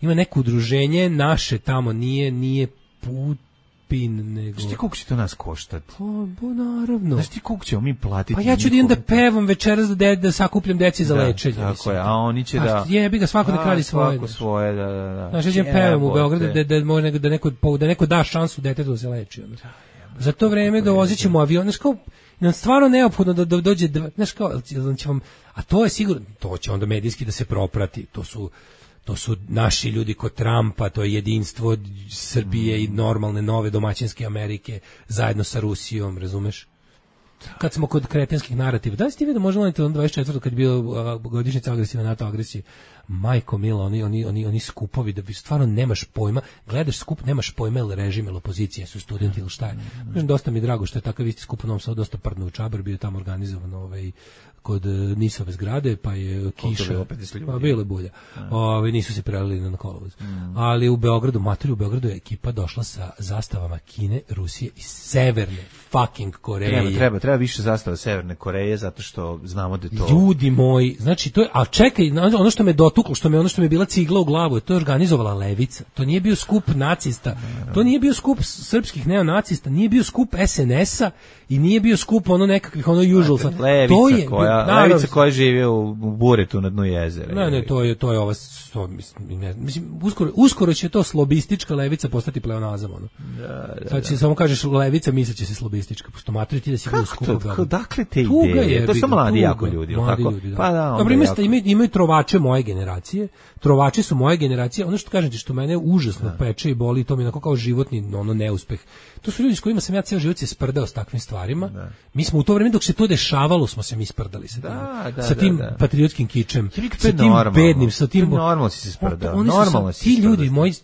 ima neko udruženje naše tamo, nije spin, nego... Znaš ti koliko će to nas koštati? Naravno. Znaš ti koliko ćemo mi platiti? Pa ja ću da idem da pevam večeras da sakupljam deci za lečenje. Tako je, a oni će da... Jebi ga, svako da kradi svoje. Svako svoje, da. Znaš, ja ćem pevam u Beogradu da neko da šansu detetu da se leči. Za to vreme dovozit ćemo avion, znaš kao, nam stvarno neophodno da dođe, znaš kao, a to je sigurno, to će onda medijski da se proprati, to su naši ljudi kod Trumpa, to je jedinstvo Srbije i normalne nove domaćinske Amerike zajedno sa Rusijom, razumeš? Kad smo kod kretenskih narativa, da li ste vidio možda na 24. kad je bio godišnjica agresivne NATO agresije, majko mila, oni skupovi da bi stvarno nemaš pojma, gledaš skup, nemaš pojma ili režim ili opozicije, su studenti ili šta je. Kažem, dosta mi je drago što je takav isti skup u Novom Sadu, dosta prdno u Čabar, bio tamo organizovan kod Nisove zgrade, pa je kiša, pa bilo je bulja. Nisu se prelili na kolovoz. Ali u Beogradu je ekipa došla sa zastavama Kine, Rusije i Severne fucking Koreje. Treba više zastava Severne Koreje, zato što znamo da je to... Ljudi moji, znači to je, ali čekaj, ono što me dotuklo, ono što mi je bila cigla u glavu, to je organizovala levica. To nije bio skup nacista, to nije bio skup srpskih neonacista, nije bio skup SNS-a i nije bio skup nekakvih usual. Levica koja živi u buretu na dnu jezera. Ne, to je ova, mislim, uskoro će to slobistička levica postati pleonazam. Sad će samo kažeš levica, misleće se slobistička, pošto materi ti da si bio skup. Dakle te ideje? To su mladi jako ljudi. Pa da. Dobro, imaju trovače moje generacije. Trovači su moje generacije. Ono što kažem ti, što mene užasno peče i boli, to mi je onako kao životni neuspeh. To su ljudi s kojima sam ja ceo život se sprdao s takvim stvarima. Mi smo u to vreme dok se to dešavalo smo se mi sprdali sa tim patriotskim kičem, sa tim bednim, sa tim normalno si se sprdao. Ti ljudi, moji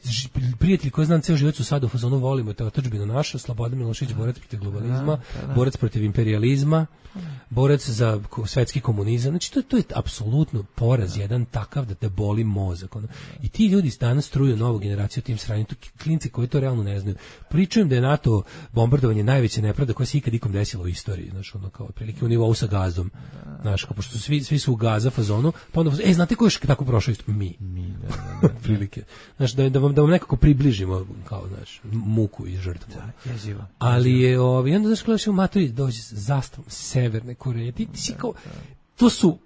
prijatelji koji znam ceo život su sad u fazonu volimo te otadžbinu našu, Slobodan Milošević borac protiv globalizma, borac protiv imperijalizma, borac za svetski komunizam. Znači to je apsolutno poraz jedan takav da te boli mozak. I ti ljudi danas struju novu generaciju tim sranjem, klinci koji to realno ne znaju. Pričujem da je NATO bombardovanje najveća nepravda koja se ikad ikom desila u istoriji, znači kao otprilike u nivou sa Gazom. Znaš, kao pošto svi su u Gaza fazonu, pa onda znate ko je tako prošao isto? Mi. Prilike. Znaš, da vam nekako približimo kao, znaš, muku i žrtvu. Ali je onda znaš gledaš u materi dođe zastavom Severne Koreje. Ti si kao, to su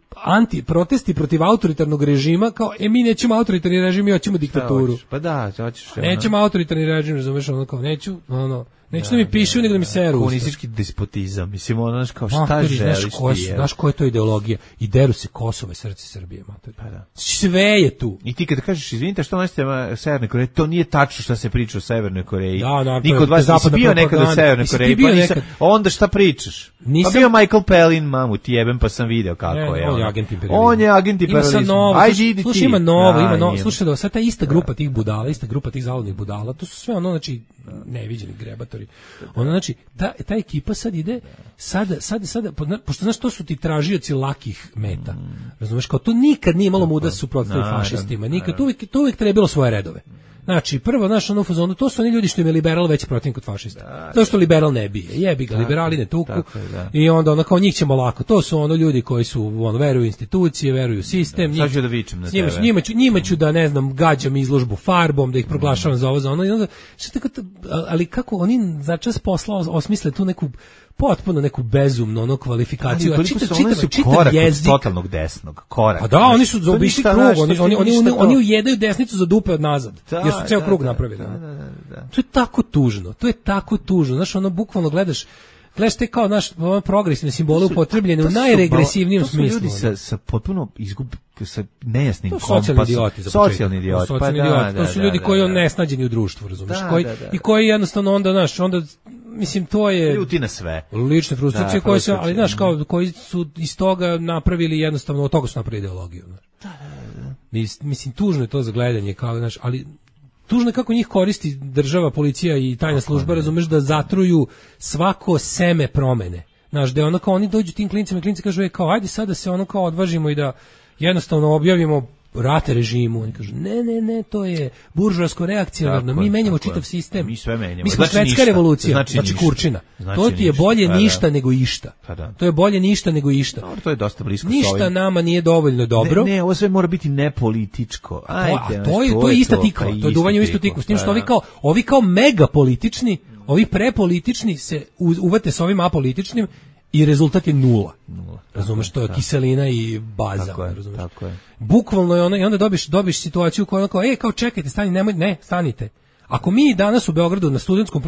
protesti protiv autoritarnog režima, kao, mi nećemo autoritarni režim, mi hoćemo diktaturu. Pa da, hoćeš. Nećemo autoritarni režim, razumeš, kao, neću da mi pišu, nego da mi seru. Komunistički despotizam, mislim, kao, šta želiš ti? Znaš koja je to ideologija? I deru se Kosovo i srce Srbije, mater. Pa da. Sve je tu. I ti kada kažeš, izvinite, što nosite Severne Koreje, to nije tačno šta se priča o Severnoj Koreji. Da, niko od vas nisi bio nekad u Severnoj Koreji, pa onda šta pričaš? Pa bio Michael Palin, mamu ti jebem, pa sam video kako je. On je agent imperializma. Ajde, idi ti. Slušaj, ima novo. Slušaj, da sad ta ista grupa tih budala, ista grupa tih zavodnih budala, to su sve znači, neviđeni grebatori. Znači, ta ekipa sad ide, sada, pošto znaš, to su ti tražioci lakih meta. Razumeš, kao to nikad nije imalo muda suprotstaviti fašistima. Nikad, to uvijek trebalo svoje redove. Znači, prvo, znaš, ono u fazonu, to su oni ljudi što im je liberal već protiv kod fašista. Zato što liberal ne bije. Jebi ga, liberali ne tuku. I onda kao njih ćemo lako. To su ljudi koji su, veruju u institucije, veruju u sistem. Sad ću da vičem na tebe. Njima ću da, ne znam, gađam izložbu farbom, da ih proglašavam za ovo, za ono. I onda, ali kako oni za čas posla osmisle tu neku potpuno neku bezumnu kvalifikaciju. A čitav korak jezik od totalnog desnog. Korak. A da, oni su zaobišli krug. Oni ujedaju desnicu za dupe od nazad. Jer su ceo krug napravili. To je tako tužno. Znaš, bukvalno gledaš te kao progresivne simbole upotrebljene u najregresivnijem smislu. To su ljudi sa potpuno sa nejasnim kompasom. Socijalni idioti. To su ljudi koji nesnađeni u društvu, razumiješ? I koji jednostavno onda, mislim, to je ljuti na sve. Lične frustracije koje su, ali znaš, kao koji su iz toga napravili jednostavno, od toga su napravili ideologiju. Mislim, tužno je to za gledanje, kao, znaš, ali tužno je kako njih koristi država, policija i tajna služba, razumeš, da zatruju svako seme promene. Znaš, da je kao oni dođu tim klincima i klinci kažu, kao, ajde sad da se kao odvažimo i da jednostavno objavimo rate režimu. Oni kažu, ne, to je buržoasko reakcionarno, mi menjamo čitav sistem. Mi sve menjamo. Mi smo švedska revolucija, znači kurčina. To ti je bolje ništa nego išta. To je bolje ništa nego išta. To je dosta blisko s ovim. Ništa nama nije dovoljno dobro. Ne, ovo sve mora biti nepolitičko. To je ista tikva, to je duvanje u istu tikvu. S tim što ovi kao mega politični, Ovi prepolitični se uvate sa ovim apolitičnim i rezultat je nula. Razumeš, to je kiselina i baza. Tako je. Bukvalno je ono, i onda dobiš situaciju koja kao, kao čekajte, stanite. Ako mi danas u Beogradu na studentskom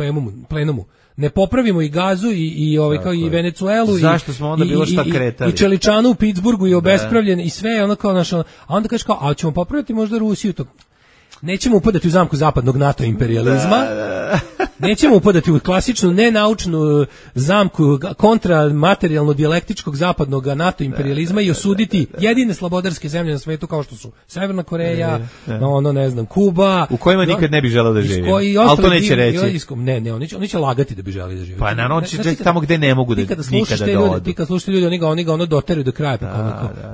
plenumu ne popravimo i Gazu i kao i Venecuelu zašto smo onda bilo šta kretali? I Čeličanu u Pittsburghu i obespravljen i sve ono kao naša, a onda kažeš kao, a ćemo popraviti možda Rusiju to. Nećemo upadati u zamku zapadnog NATO imperializma. Nećemo upadati u klasičnu nenaučnu zamku kontramaterijalno dijalektičkog zapadnog NATO imperializma i osuditi jedine slobodarske zemlje na svetu kao što su Severna Koreja, Kuba, u kojima nikad ne bi želeo da živi. Ali to neće reći. Ne, oni će lagati da bi želeli da živi. Pa naravno će reći tamo gde ne mogu da nikada da odu. Ti kad slušate ljudi, oni ga ono doteraju do kraja,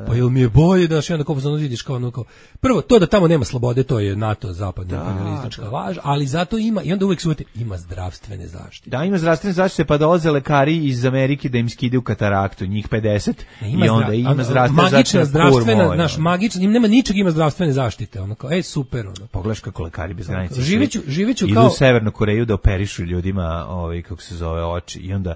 pa jel mi je bolje da še onda kao vidiš kao ono kao. Prvo to da tamo nema slobode, to je NATO zapadna imperialistička laž, ali zato ima i onda uvek su ima zdravstvene zaštite. Da, ima zdravstvene zaštite, pa dolaze lekari iz Amerike da im skidaju kataraktu, njih 50, i onda ima zdravstvena, naš magična, nema ničeg, ima zdravstvene zaštite, ono kao, super, ono. Pogledaš kako lekari bez granica. Živeću kao... Idu u Severnu Koreju da operišu ljudima, kako se zove, oči, i onda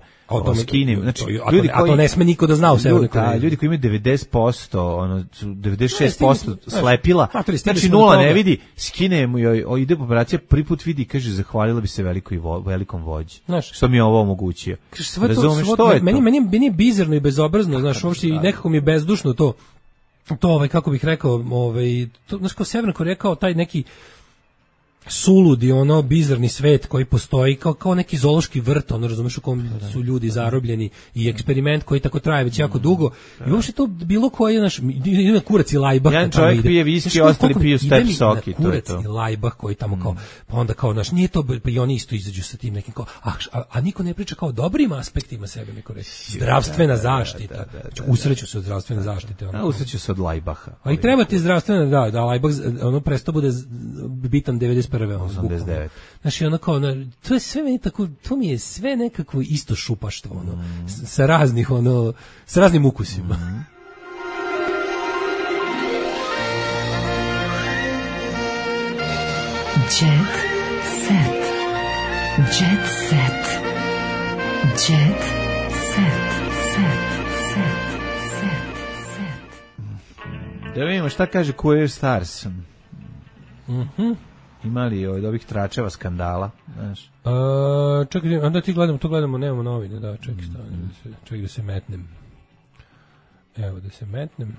skinem, znači, ljudi koji... A to ne sme niko da zna u Severnoj Koreji. Ljudi koji imaju 90%, 96% slepila, znači nula ne vidi, skine mu joj, ide po operacija, prvi put vidi, kaže, zahvalila bi se velikom vođi. Što mi je ovo omogućio. Razumeš, što je to? Meni je bizarno i bezobrazno, znaš, uopšte i nekako mi je bezdušno to kako bih rekao, znaš, kao Severna Koreja, kao taj neki suludi, bizarni svet koji postoji kao neki zoološki vrt, razumeš, u kom su ljudi zarobljeni i eksperiment koji tako traje već jako dugo. I uopšte to bilo koji ima kurac i lajbah. Jedan čovjek pije viski, ostali piju step soki. Kurac i lajbah koji tamo kao, pa onda kao, nije to, pa i oni isto izađu sa tim nekim kao, a niko ne priča kao dobrim aspektima sebe, neko reći. Zdravstvena zaštita. Usreću se od zdravstvene zaštite. Usreću se od lajbaha. A i treba ti zdravstvena, da lajbah, prestao bude bitan 89. Znači, ono kao, to je sve meni tako, to mi je sve nekako isto šupaštvo, sa raznih, sa raznim ukusima. Jet set. Jet set. Jet set. Da vidimo šta kaže Courier Stars. Ima li od ovih tračeva skandala, znaš? Čekaj, onda ti gledamo, nemamo novine, da, čekaj da se metnem. Evo da se metnem.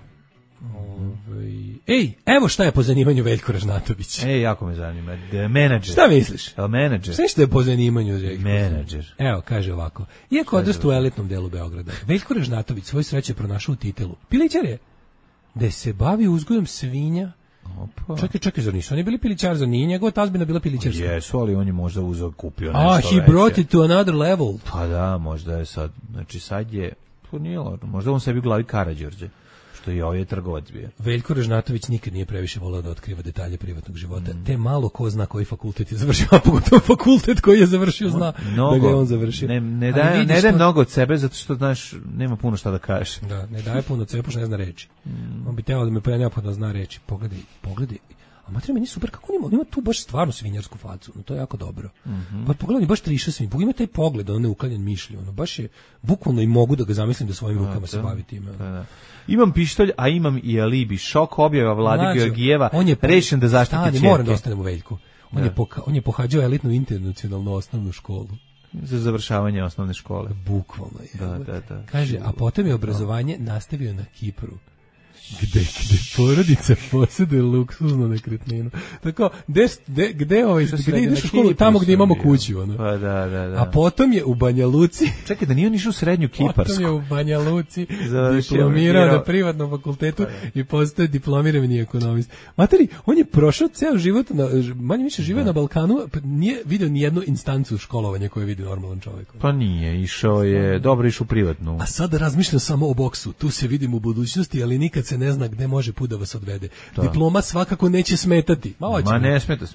Evo šta je po zanimanju Veljko Ražnatović. Jako me zanima. Menadžer. Šta misliš? Menadžer. Sve što je po zanimanju Veljko. Menadžer. Evo, kaže ovako. Iako odrastu u elitnom delu Beograda, Veljko Ražnatović svoj sreće pronašao u Titelu. Pilićar je. Da se bavi uzgojom svinja. Čekaj, zar nisu oni bili pilićar, za nije njegova tazbina bila pilićarska? Jesu, ali on je možda kupio nešto veće. He brought it to another level. Pa da, možda je sad, znači sad je, možda on sebi u glavi Karađorđe, što je ovaj trgovac bio. Veljko Ražnatović nikad nije previše volao da otkriva detalje privatnog života, te malo ko zna koji fakultet je završio, a pogotovo fakultet koji je završio zna da ga je on završio. Ne daje mnogo od sebe, zato što, znaš, nema puno šta da kažeš. Da, ne daje puno od sebe, pošto ne zna reći. On bi teo da me neophodno zna reći. Pogledaj. A materija meni super, kako on ima tu baš stvarno svinjarsku facu, to je jako dobro. Pa pogledaj, baš triša svinj, pogledaj taj pogled, neuklanjen mišlju, baš je, bukvalno i mogu da ga zamislim da svojim rukama se bavi time. Imam pištolj, a imam i alibi. Šok objava Vlade Georgijeva, rešen da zaštiti čerke. Moram da ostanem u Veljku. On je pohađao elitnu internacionalnu osnovnu školu. Za završavanje osnovne škole. Bukvalno je. Da. Kaže, a potom je obrazovanje nastavio na Kipru. Gde porodica posjeduje luksuznu nekretninu. Tako, gde ideš u školu? Tamo gdje imamo kuću. Pa da. A potom je u Banja Luci. Čekaj, da nije on išao u srednju Kiparsku. Potom je u Banja Luci diplomirao na privatnom fakultetu i postao diplomirani ekonomist. Materi, on je prošao ceo život, manje više živeo na Balkanu, nije vidio ni jednu instancu školovanja koju vidi normalan čovjek. Pa nije, išao je, dobro išao u privatnu. A sada razmišljam samo o boksu. Tu se vidim u budućnosti, ali nikad se ne zna gde može put da vas odvede. Diploma svakako neće smetati. Ma ne smeta.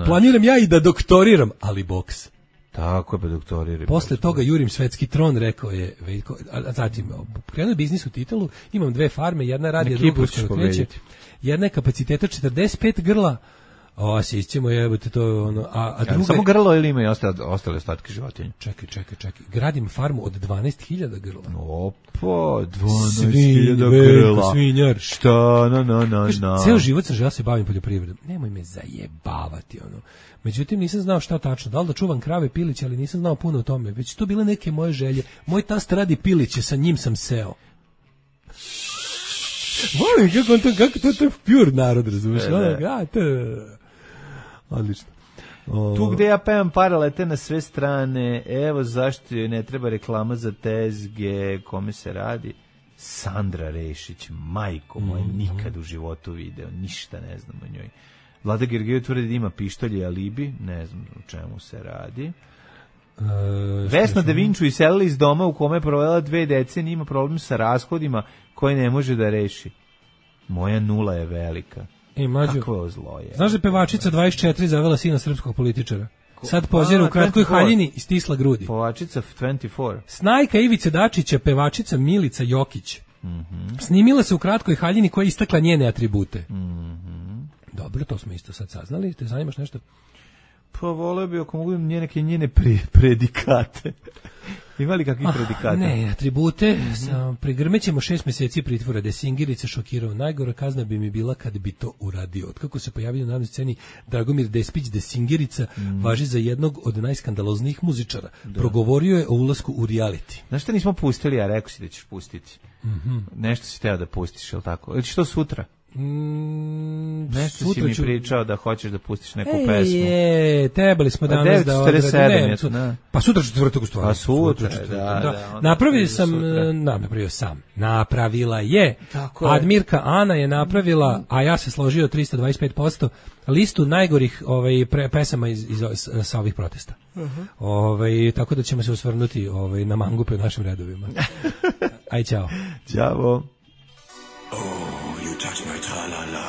Planiram ja i da doktoriram, ali boks. Tako je, pa doktoriraj. Posle toga jurim svetski tron, rekao je Veljko. A zatim, krenuo biznis u Titelu, imam 2 farme, jedna radi, a druga uskoro kreće. Jedna je kapaciteta 45 grla, A sisćemo jebote to ono, a druga samo grlo ili ima i ostale ostatke životinja? Čekaj. Gradim farmu od 12.000 grla. Opa, 12.000 grla. Svinjar. Šta, na. Ceo život sam želeo se bavim poljoprivredom. Nemoj me zajebavati, ono. Međutim, nisam znao šta tačno. Da li da čuvam krave, piliće, ali nisam znao puno o tome. Već to bile neke moje želje. Moj tast radi piliće, sa njim sam seo. Volim, kako to je pure narod, razumiješ? Odlično. Tu gde ja pevam pare lete na sve strane, evo zašto joj ne treba reklama za tezge, kome se radi. Sandra Rešić, majko moje, nikad u životu video, ništa ne znam o njoj. Vlada Gergijev tvrdi da ima pištolje alibi, ne znam o čemu se radi. Vesna Da Vinču iselila iz doma u kome je provela 2 decenije, ima problem sa rashodima koje ne može da reši. Moja nula je velika. Kakvo zlo je. Znaš da je pevačica 24 zavela sina srpskog političara? Sad pozira u kratkoj haljini i stisla grudi. Pevačica 24. Snajka Ivice Dačića, pevačica Milica Jokić. Snimila se u kratkoj haljini koja je istakla njene atribute. Dobro, to smo isto sad saznali. Te zanimaš nešto? Pa voleo bi ako mogu njene predikate. Ima li kakvih predikata? Ne, atribute. Prigrmećemo 6 meseci pritvora. Da je Singirica šokirao. Najgora kazna bi mi bila kad bi to uradio. Otkako se pojavio na sceni Dragomir Despić, da Singirica važi za jednog od najskandaloznijih muzičara. Progovorio je o ulasku u reality. Znaš šta nismo pustili, a rekao si da ćeš pustiti? Nešto si teo da pustiš, je li tako? Ili što sutra? Nešto si mi pričao da hoćeš da pustiš neku pesmu. Trebali smo danas da odradimo. Pa sutra četvrtak u stvari. Pa sutra, Napravila je. Admirka Ana je napravila, a ja se složio 325%, listu najgorih pesama sa ovih protesta. Tako da ćemo se osvrnuti na mangupe u našim redovima. Aj, čao. Ćao.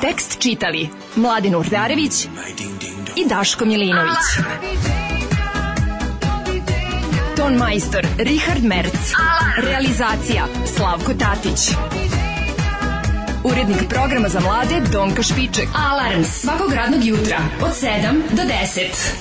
Tekst čitali Mladin Urdarević i Daško Milinović. Ton majstor Richard Merc. Realizacija Slavko Tatić. Urednik programa za mlade Donka Špiček. Alarms svakog radnog jutra od 7 do 10.